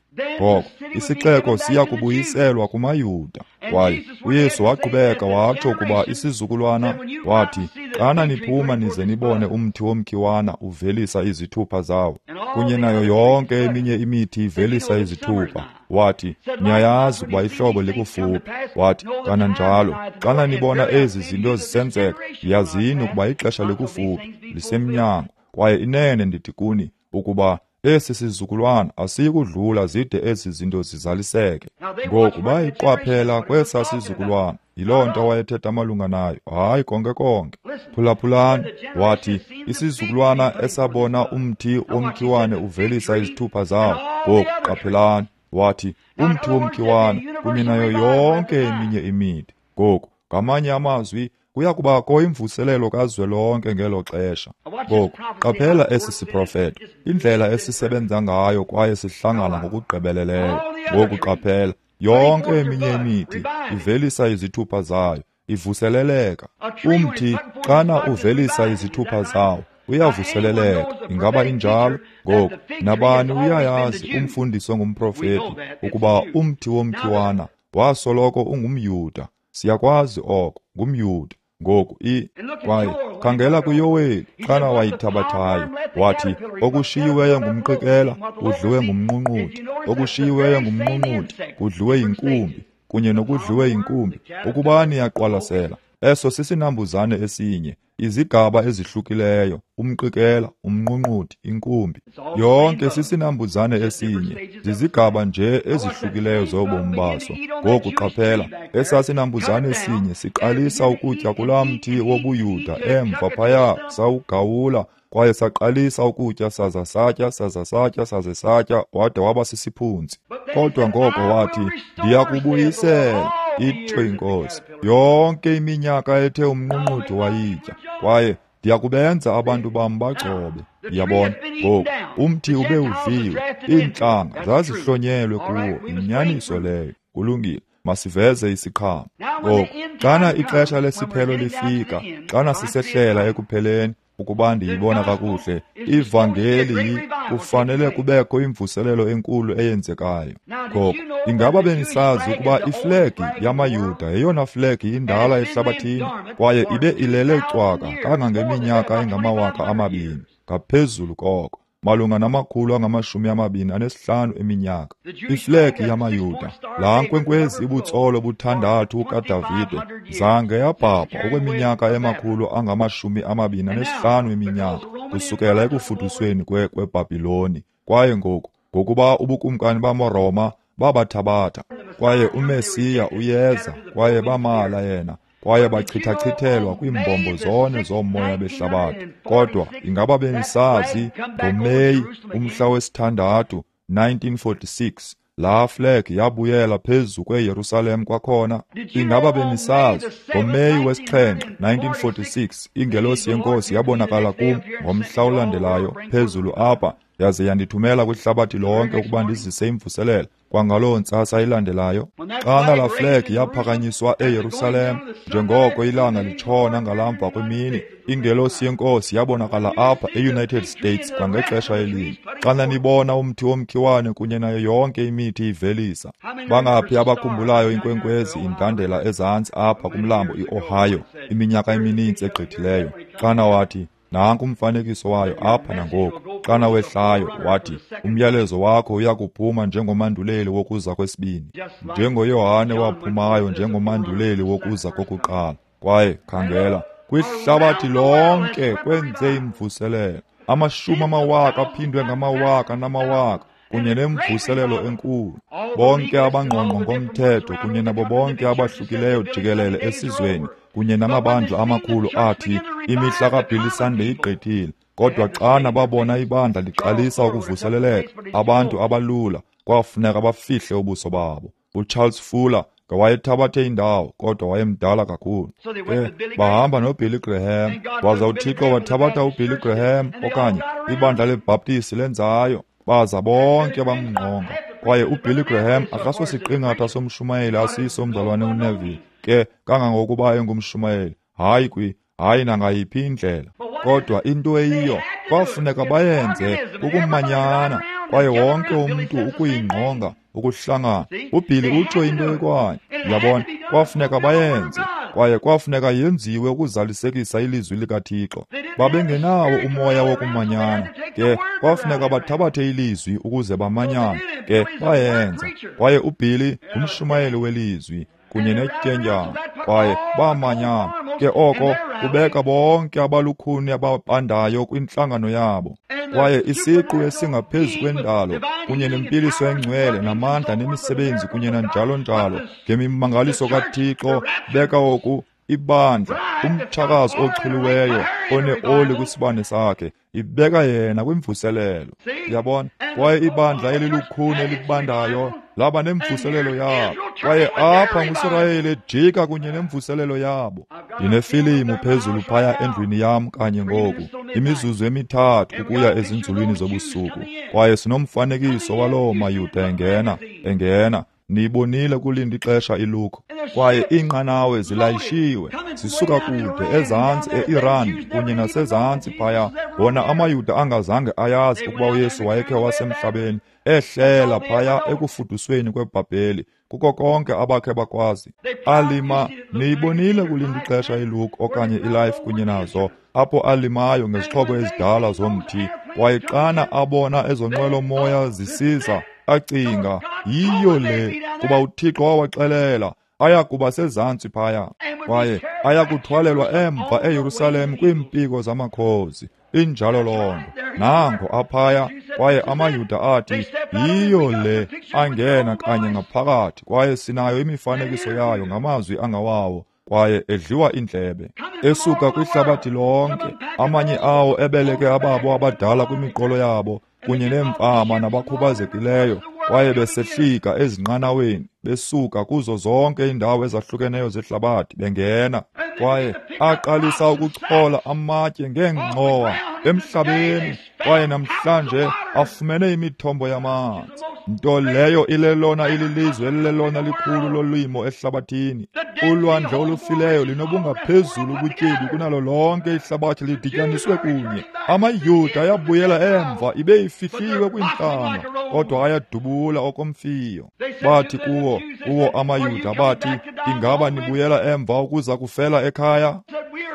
Ngoko, isixeko siya kubuyiselwa kumaYuda. Kwaye uYesu waqhubeka watsho ukuba isizukulwana, wathi, xana niphuma nize nibone umthi womkhiwana uvelisa izithupha zawo, kunye nayo yonke eminye imithi ivelisa izithupha. Wathi, niyayazi ukuba ihlobo likufuphi. Wathi, kananjalo, xana nibona ezi zinto zisenzeka, yazini ukuba ixesha likufuphi, lisemnyango. Kwaye inene ndithi kuni, ukuba esi sizukulwana asiyikudlula zide ezi zinto zizaliseke. Ngoku bayiqwaphela kwesa sizukulwana. Yiloo nto wayethetha malunga nayo. Hayi, konke konke. Phulaphulani, wathi, isizukulwana esabona umthi womkhiwane uvelisa izithupha zawo. Ngoku qaphelani, wathi, umthi womkhiwane kunye nayo yonke eminye imithi. Ngoku, ngamanye amazwi, kuya kubakho imvuselelo kazwelonke ngelo xesha. Ngoku, qaphela esi siprofeto, indlela esisebenza ngayo kwaye sihlangana ngokugqibeleleyo. Ngoku qaphela, yonke eminye imithi ivelisa izithupha zayo, ivuseleleka. Umthi xana uvelisa izithupha zawo, uyavuseleleka. Ingaba injalo? Ngoku, nabani uyayazi umfundisi ongumprofeti ukuba umthi womkhiwana wasoloko ungumYuda. Siyakwazi oko, ngumYuda. Ngoku i kwaye khangela kuYoweli xana wayithabathayo, wathi, okushiyiweyo ngumqikela kudliwe ngumnqunquthi, okushiyiweyo ngumnqunquthi kudliwe yinkumbi, kunye nokudliwe yinkumbi. Ukuba niyaqwalasela, eso sisinambuzane esinye, izigaba ezihlukileyo, umqikela, umnqunquthi, inkumbi, yonke sisinambuzane esinye, zizigaba nje ezihlukileyo zobomi baso. Ngoku qaphela, esasinambuzane esinye siqalisa ukutya kulaa mthi wobuYuda emva phaya, sawugawula, kwaye saqalisa ukutya, saza satya, saza satya, saze satya, wade waba sisiphunzi. Kodwa ngoko wathi, ndiyakubuyisela, itsho iNkosi, yonke iminyaka ethe umnqunquthi wayitya, kwaye ndiyakubenza abantu bam bagcobe. Yabona, ngoku umthi ube udliwe, iintlanga zazihlonyelwe kuwo. Inyaniso leyo. Kulungile, masiveze isiqhamo. Ngoku, xana ixesha lesiphelo lifika, xana sisehlela ekupheleni, ukuba ndiyibona kakuhle, ivangeli kufanele kubekho imvuselelo enkulu eyenzekayo. Ngoku, ingaba benisazi ukuba iflegi yamaYuda yeyona flegi indala ehlabathini, kwaye ibe ilele cwaka kangangeminyaka engamawaka amabini, ngaphezulu koko, malunga namakhulu angamashumi amabini anesihlanu eminyaka. Iflegi yamaYuda, laa nkwenkwezi ibutsolo buthandathu kaDavide, zange yabhabha okweminyaka emakhulu angamashumi amabini anesihlanu eminyaka, kusukela ekufudusweni kweBhabhiloni. Kwaye ngoku, ngokuba ubukumkani bamaRoma babathabatha, kwaye uMesiya uyeza, kwaye bamala yena, kwaye bachithachithelwa kwiimbombo zone zomoya behlabathi. Kodwa ingaba benisazi ngoMeyi umhla wesithandathu nineteen forty-six laa flag yabuyela phezu kweYerusalem kwakhona? Ingaba benisazi ngoMeyi wesixhenxe nineteen forty-six ingelosi yeNkosi yabonakala kum ngomhla olandelayo phezulu apha yaze yandithumela kwihlabathi lonke ukuba ndizise imvuselelo. Kwangaloo ntsasa ilandelayo, xana laa flag yaphakanyiswa eYerusalem, njengoko ilanga litshona ngalamva kwemini, ingelosi yeNkosi yabonakala apha e-United States kwangexesha elinye. Xana nibona umthi womkhiwane kunye nayo yonke imithi ivelisa. Bangaphi abakhumbulayo inkwenkwezi indandela ezantsi apha kumlambo i-Ohio iminyaka emininzi egqithileyo? Xana wathi, nanku umfanekiso wayo apha nangoku. Xana wehlayo wathi, umyalezo wakho uyakuphuma njengomanduleli wokuza kwesibini, njengoYohane waphumayo njengomanduleli wokuza kokuqala. Kwaye khangela, kwihlabathi lonke kwenze imvuselelo. Amashumi amawaka aphindwe ngamawaka namawaka, kunye nemvuselelo enkulu. Bonke abangqongqo ngomthetho kunye nabo bonke abahlukileyo jikelele esizweni kunye namabandla amakhulu athi imihla kaBilly Sunday igqithile. Kodwa xana babona ibandla liqalisa ukuvuseleleka, abantu abalula kwafuneka bafihle ubuso babo. uCharles Fuller ngewayethabathe indawo, kodwa wayemdala kakhulu. Ke bahamba noBilly Graham, waza uThixo wathabatha uBilly Graham okanye ibandla leBhaptisi lenzayo, baza bonke bamngqonga. Kwaye uBilly Graham akasosiqingatha somshumayeli asiso umzalwane uNeville, ke kangangokuba engumshumayeli, hayi kwi hayi nangayiphi indlela. Kodwa into eyiyo kwafuneka bayenze ukumanyana, kwaye wonke umntu ukuyingqonga ukuhlangana. UBilly utsho into ekwanye, uyabona, kwafuneka bayenze, kwaye kwafuneka yenziwe ukuzalisekisa ilizwi likaThixo. Babengenawo umoya wokumanyana, ke kwafuneka bathabathe ilizwi ukuze bamanyane, ke bayenza. Kwaye uBilly ngumshumayeli welizwi kunye netyendyana, kwaye bamanyana. Ke oko kubeka bonke abalukhuni ababandayo kwintlangano yabo. Kwaye isiqu esingaphezu kwendalo kunye nempiliso engcwele namandla nemisebenzi kunye nanjalo njalo ngemimangaliso kaThixo, beka oku ibandla, umtshakazi ochuliweyo oneoli kwisibane sakhe, ibeka yena kwimvuselelo. Uyabona? Kwaye ibandla elilukhuni elibandayo laba nemvuselelo yabo. Kwaye apha nguSirayeli ejika kunye nemvuselelo yabo. Ndinefilimu phezulu phaya endlwini yam kanye ngoku, imizuzu emithathu ukuya ezinzulwini zobusuku. Kwaye sinomfanekiso waloo maYuda engena, engena. Niyibonile kulinda ixesha ilukho. Kwaye iinqanawe zilayishiwe, zisuka kude ezantsi e-Iran kunye nasezantsi phaya. Wona amaYuda angazange ayazi ukuba uYesu wayekhe wasemhlabeni, ehlela phaya ekufudusweni kweBhabheli, kuko konke abakhe bakwazi. Alima, niyibonile kulinda ixesha ilukho okanye ilife kunye nazo, apho alimayo ngezixhobo ezidala zomthi. Kwaye xana abona ezonqwelomoya zisiza, acinga, yiyo le, kuba uThixo wawaxelela ayakuba sezantsi phaya, kwaye ayakuthwalelwa emva eYerusalem kwiimpiko zamakhozi. Injalo loo nto. Nango aphaya, kwaye amaYuda athi, yiyo le, angena kanye ngaphakathi, kwaye sinayo imifanekiso yayo ngamazwi angawawo, kwaye edliwa indlebe. Esuka kwihlabathi lonke, amanye awo ebeleke ababo abadala kwimiqolo yabo, kunye neemfama nabakhubazekileyo, kwaye besehlika ezinqanaweni, besuka kuzo zonke iindawo ezahlukeneyo zehlabathi bengena. Kwaye aqalisa ukuchola amatye ngeengxowa emhlabeni, kwaye namhlanje afumene imithombo yamanzi, nto leyo ilelona ililizwe elilelona likhulu lolimo ehlabathini. Ulwandle olufileyo linobungaphezulu ubutyebi kunalo lonke ihlabathi lidityaniswe kunye. AmaYuda ayabuyela emva, ibe ifihliwe kwiintlanga, kodwa ayadubula okomfiyo. Bathi kuwo, kuwo amaYuda bathi, ingaba nibuyela emva ukuza kufela ekhaya?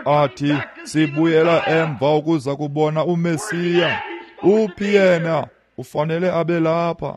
Athi, sibuyela emva ukuza kubona uMesiya. Uphi yena? Ufanele abe lapha.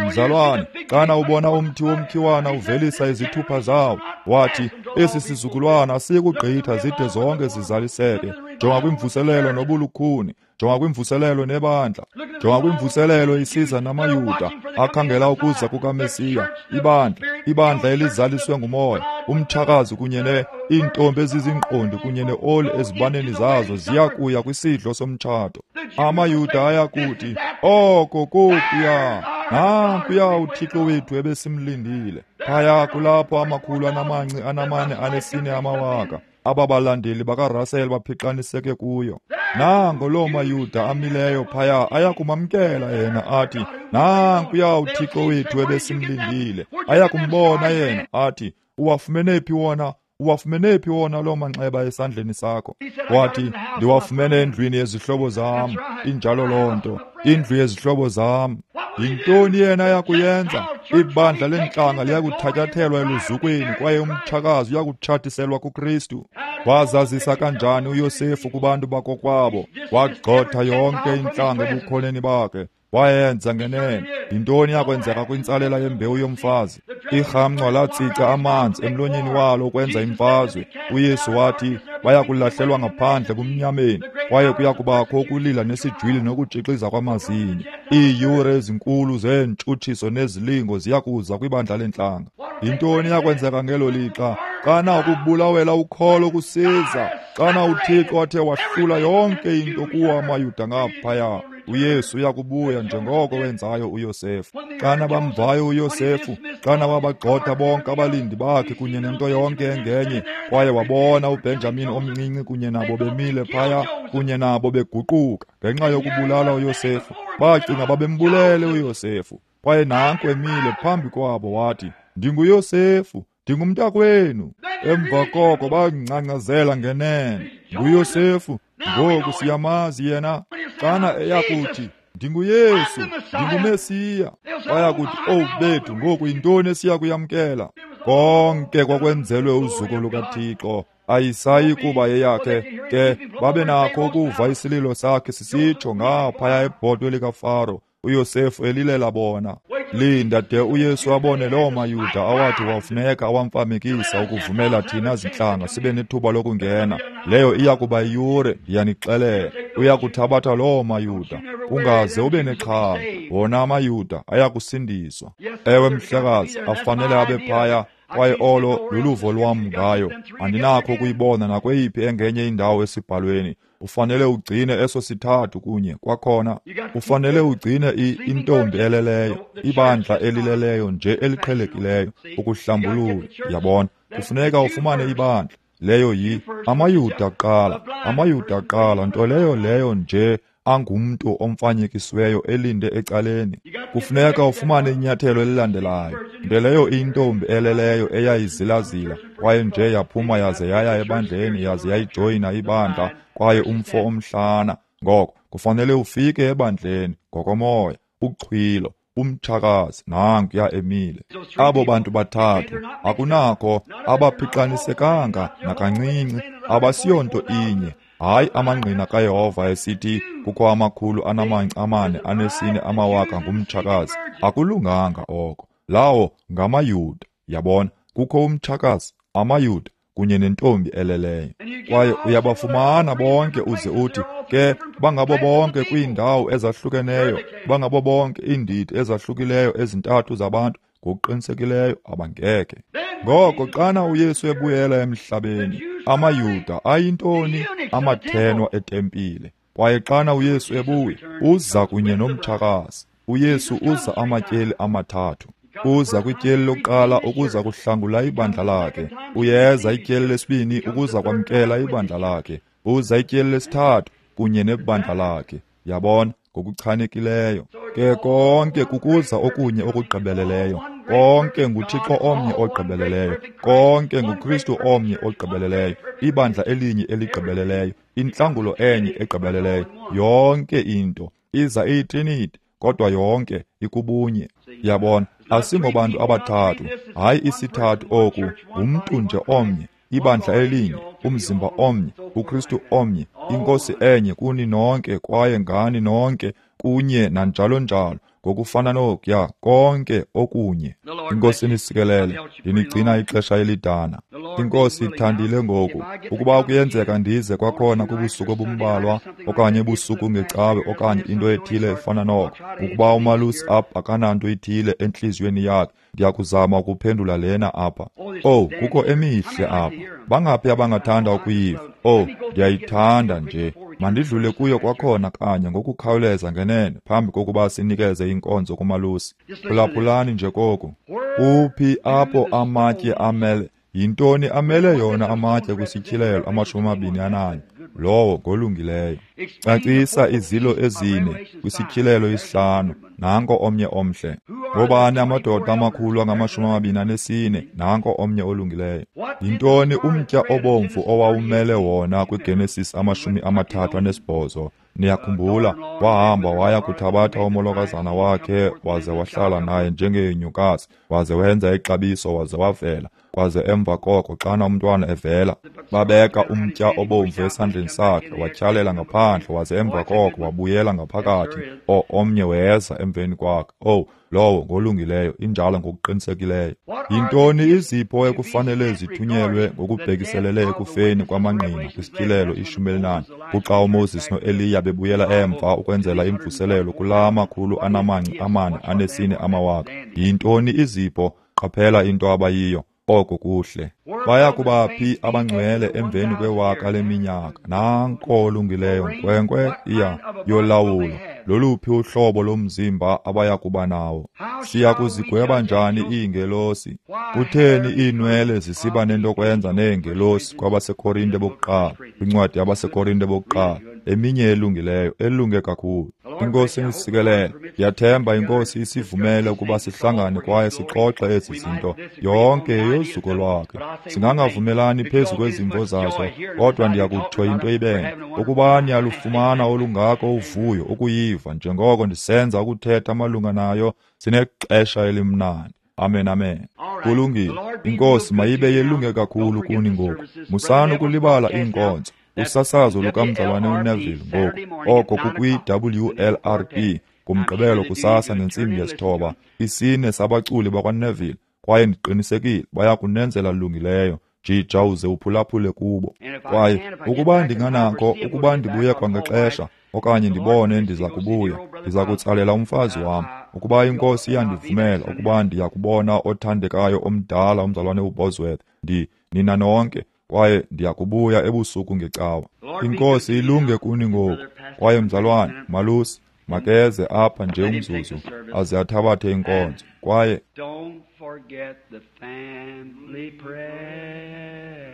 Mzalwane, xana ubona umthi womkhiwana uvelisa izithupha zawo, wathi, esi sizukulwana asikugqitha zide zonke zizaliseke. Jonga kwimvuselelo nobulukhuni, jonga kwimvuselelo nebandla, jonga kwimvuselelo isiza namaYuda akhangela ukuza kukaMesiya, ibandla, ibandla elizaliswe ngumoya, umtshakazi kunye ne iintombi eziziingqondi kunye neoli ezibaneni zazo ziya kuya kwisidlo somtshato. AmaYuda ayakuthi, oko kokuya, nankuya uThixo wethu ebesimlindile. Phaya kulapho amakhulu anamanci anamane anesine amawaka Aba balandeli bakaRussell baphixaniseke kuyo. Nango loo maYuda amileyo phaya ayakumamkela yena athi, nankuya uThixo wethu ebesimlindile. Ayakumbona yena athi, uwafumene phi wona? Uwafumene phi wona loo manxeba esandleni sakho? Wathi, ndiwafumene endlwini yezihlobo zam. Injalo loo nto, indlu yezihlobo zam. Yintoni yena yakuyenza? Ibandla lentlanga liyakuthatyathelwa eluzukweni kwaye umtshakazi uyakutshatiselwa kuKristu. Wazazisa kanjani uYosefu kubantu bakokwabo? Wagxotha yonke intlanga ebukhoneni bakhe. Wayenza ngenene. Yintoni yakwenzeka kwintsalela yembewu yomfazi? Irhamncwa latsica amanzi emlonyeni walo ukwenza imfazwe. UYesu wathi bayakulahlelwa ngaphandle kumnyameni, kwaye kuya kubakho ukulila nesijwili nokutshixiza kwamazinyo. Iiyure ezinkulu zeentshutshiso nezilingo ziya kuza kwibandla lentlanga. Yintoni yakwenzeka ngelo lixa? Xana ukubulawela ukholo kusiza, xana uThixo athe wahlula yonke into kuwo amaYuda ngaphaya, uYesu uyakubuya njengoko wenzayo uYosefu. Xana bamvayo uYosefu, xana wabagxotha bonke abalindi bakhe kunye nento yonke engenye, kwaye wabona uBenjamin omncinci kunye nabo bemile phaya, kunye nabo beguquka ngenxa yokubulala uYosefu. Bacinga babembulele uYosefu, kwaye nanku emile phambi kwabo wathi, ndinguYosefu, ndingumntakwenu. Emva koko bangcangcazela ngenene, nguYosefu, ngoku siyamazi yena. Xana eyakuthi, ndinguYesu, ndinguMesiya, bayakuthi, owu bethu, ngoku yintoni esiya kuyamkela? Konke kwakwenzelwe uzuko lukaThixo. Ayisayi kuba yeyakhe. Ke babe nakho ukuva isililo sakhe sisitsho ngaphaya ebhotwe likaFaro, uYosefu elilela bona. Linda de uYesu abone loo maYuda awathi wafuneka awamfamekisa ukuvumela thina zintlanga sibe nethuba lokungena. Leyo iya kuba yiyure, ndiyanixelela. Uya kuthabatha loo maYuda, ungaze ube nexhala. Wona amaYuda ayakusindiswa. Ewe mhlekazi, afanele abe phaya, kwaye olo luluvo lwam ngayo. Andinakho ukuyibona nakweyiphi engenye indawo esibhalweni. Ufanele ugcine eso sithathu kunye kwakhona. Ufanele ugcine intombi eleleyo, ibandla elileleyo nje eliqhelekileyo, ukuhlambulula. Yabona, kufuneka ufumane ibandla. Leyo yi amaYuda kuqala, amaYuda kuqala, nto leyo leyo nje angumntu omfanyekisiweyo elinde ecaleni. Kufuneka ufumane inyathelo elilandelayo, nto leyo intombi eleleyo eyayizilazila, kwaye nje yaphuma yaze yaya ebandleni, yaze yayijoyina ibandla, kwaye umfo omhlana. Ngoko kufanele ufike ebandleni ngokomoya, uxhwilo, umtshakazi nankuya emile. Abo bantu bathathu akunakho, abaphixanisekanga nakancinci, abasiyonto inye. Hayi amangqina kaYehova esithi kukho amakhulu anamanci amane anesine amawaka ngumtshakazi. Akulunganga oko. Lawo ngamaYuda. Yabona, kukho umtshakazi, amaYuda kunye nentombi eleleyo. Kwaye uyabafumana bonke uze uthi ke bangabo bonke kwiindawo ezahlukeneyo, bangabo bonke iindidi ezahlukileyo ezintathu zabantu. Ngokuqinisekileyo abangeke. Ngoko xana uYesu ebuyela emhlabeni, amaYuda ayintoni? Amathenwa etempile. Kwaye xana uYesu ebuya, uza kunye nomtshakazi. uYesu uza amatyeli amathathu. Uza kwityeli lokuqala ukuza kuhlangula ibandla lakhe. Uyeza ityeli lesibini ukuza kwamkela ibandla lakhe. Uza ityeli lesithathu kunye nebandla lakhe. Yabona, ngokuchanekileyo. Ke konke kukuza okunye okugqibeleleyo. Konke nguThixo omnye ogqibeleleyo. Konke nguKristu omnye ogqibeleleyo. Ibandla elinye eligqibeleleyo. Intlangulo enye egqibeleleyo. Yonke into iza iyitriniti, kodwa yonke ikubunye. Yabona, asingobantu abathathu, hayi isithathu oku, ngumntu nje omnye, ibandla elinye, umzimba omnye, uKristu omnye, inkosi enye kuni nonke kwaye ngani nonke kunye nanjalo njalo, ngokufana nokuya konke okunye. Inkosi nisikelele, ndinigcina ixesha elidana. Inkosi ithandile ngoku, ukuba kuyenzeka ndize kwakhona kubusuku obumbalwa okanye ebusuku ngecawe okanye into ethile efana noko, ukuba umalusi apha akananto ithile entliziyweni yakhe, ndiyakuzama ukuphendula lena apha. Oh, kukho emihle apha. Bangaphi abangathanda ukuyiva? Oh, ndiyayithanda nje. Mandidlule kuyo kwakhona kanye ngokukhawuleza ngenene phambi kokuba sinikeze inkonzo kumalusi. Phulaphulani nje koku. Kuphi apho amatye amele Yintoni amele yona amatye kwisityhilelo amashumi amabini ananye? Lowo ngolungileyo. Cacisa izilo ezine kwisityhilelo isihlanu. Nanko omnye omhle. Ngobani amadoda amakhulu angamashumi amabini anesine? Nanko omnye olungileyo. Yintoni umtya obomvu owawumele wona kwiGenesis amashumi amathathu anesibhozo? Niyakhumbula, wahamba waya kuthabatha umolokazana wakhe waze wahlala naye njengenyukazi, waze wenza ixabiso waze wavela. Kwaze emva koko xana umntwana evela, babeka umtya obomvu esandleni sakhe, watyhalela ngaphandle, waze emva koko wabuyela ngaphakathi. O, omnye weza emveni kwakhe. Owu, lowo ngolungileyo, injalo ngokuqinisekileyo. Yintoni izipho ekufanele zithunyelwe ngokubhekiselele ekufeni kwamangqina kwisityhilelo ishumi elinane, kuxa uMoses noEliya bebuyela emva ukwenzela imvuselelo kulaa makhulu anamanci amane anesine amawaka? Yintoni izipho? Qaphela into abayiyo. Oko kuhle. Baya kuba phi abangcwele emveni kwewaka leminyaka? Nanko olungileyo nkwenkwe iya yolawulo. Loluphi uhlobo lomzimba abaya kuba nawo? Siya kuzigweba njani iingelosi? Kutheni iinwele zisiba nento kwenza neengelosi kwabaseKorinte bokuqala? Kwincwadi yabaseKorinte bokuqala, eminye elungileyo, elunge kakhulu. Inkosi inisikelele. Ndiyathemba iNkosi isivumele ukuba sihlangane kwaye sixoxe ezi zinto. Yonke yeyozuko lwakhe. Singangavumelani phezu kwezimvo zazo, kodwa ndiyakutsho into ibene. Ukuba niyalufumana olungako uvuyo ukuyiva njengoko ndisenza ukuthetha malunga nayo, sinexesha elimnandi. Amen, amen. Kulungile. Inkosi mayibe yelunge kakhulu kuni ngoku. Musani ukulibala iinkonzo. Usasazo lukamzalwane uNeville ngoku, oko kukwi-W L R P ngomgqibelo kusasa ngentsimbi yesithoba. Isine sabaculi bakwaNeville, kwaye ndiqinisekile baya kunenzela lungileyo. Jija uze uphulaphule kubo. Kwaye ukuba ndinganako, ukuba ndibuye kwangexesha okanye ndibone ndiza kubuya, ndiza kutsalela umfazi wam. Ukuba iNkosi iyandivumela ukuba ndiya kubona othandekayo omdala umzalwane uBosworth, ndi nina nonke, kwaye ndiya kubuya ebusuku ngecawa. Inkosi ilunge kuni ngoku. Kwaye mzalwane malusi makeze apha nje umzuzu aze athabathe inkonzo. Kwaye don't forget the family prayer.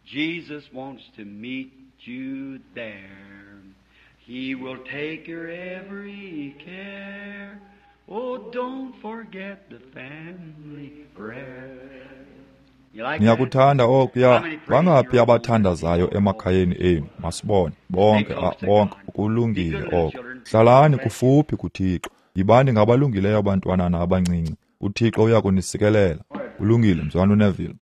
Jesus wants to meet you there. He will take your every care. Oh, don't forget the family prayer. Niyakuthanda okuya? Bangaphi abathandazayo emakhayeni enu? Masibone bonke, bonke. Kulungile oko. Hlalani kufuphi kuThixo. Yibani ngabalungileyo abantwanana abancinci. uThixo uya kunisikelela. Kulungile, mzalwane uNeville.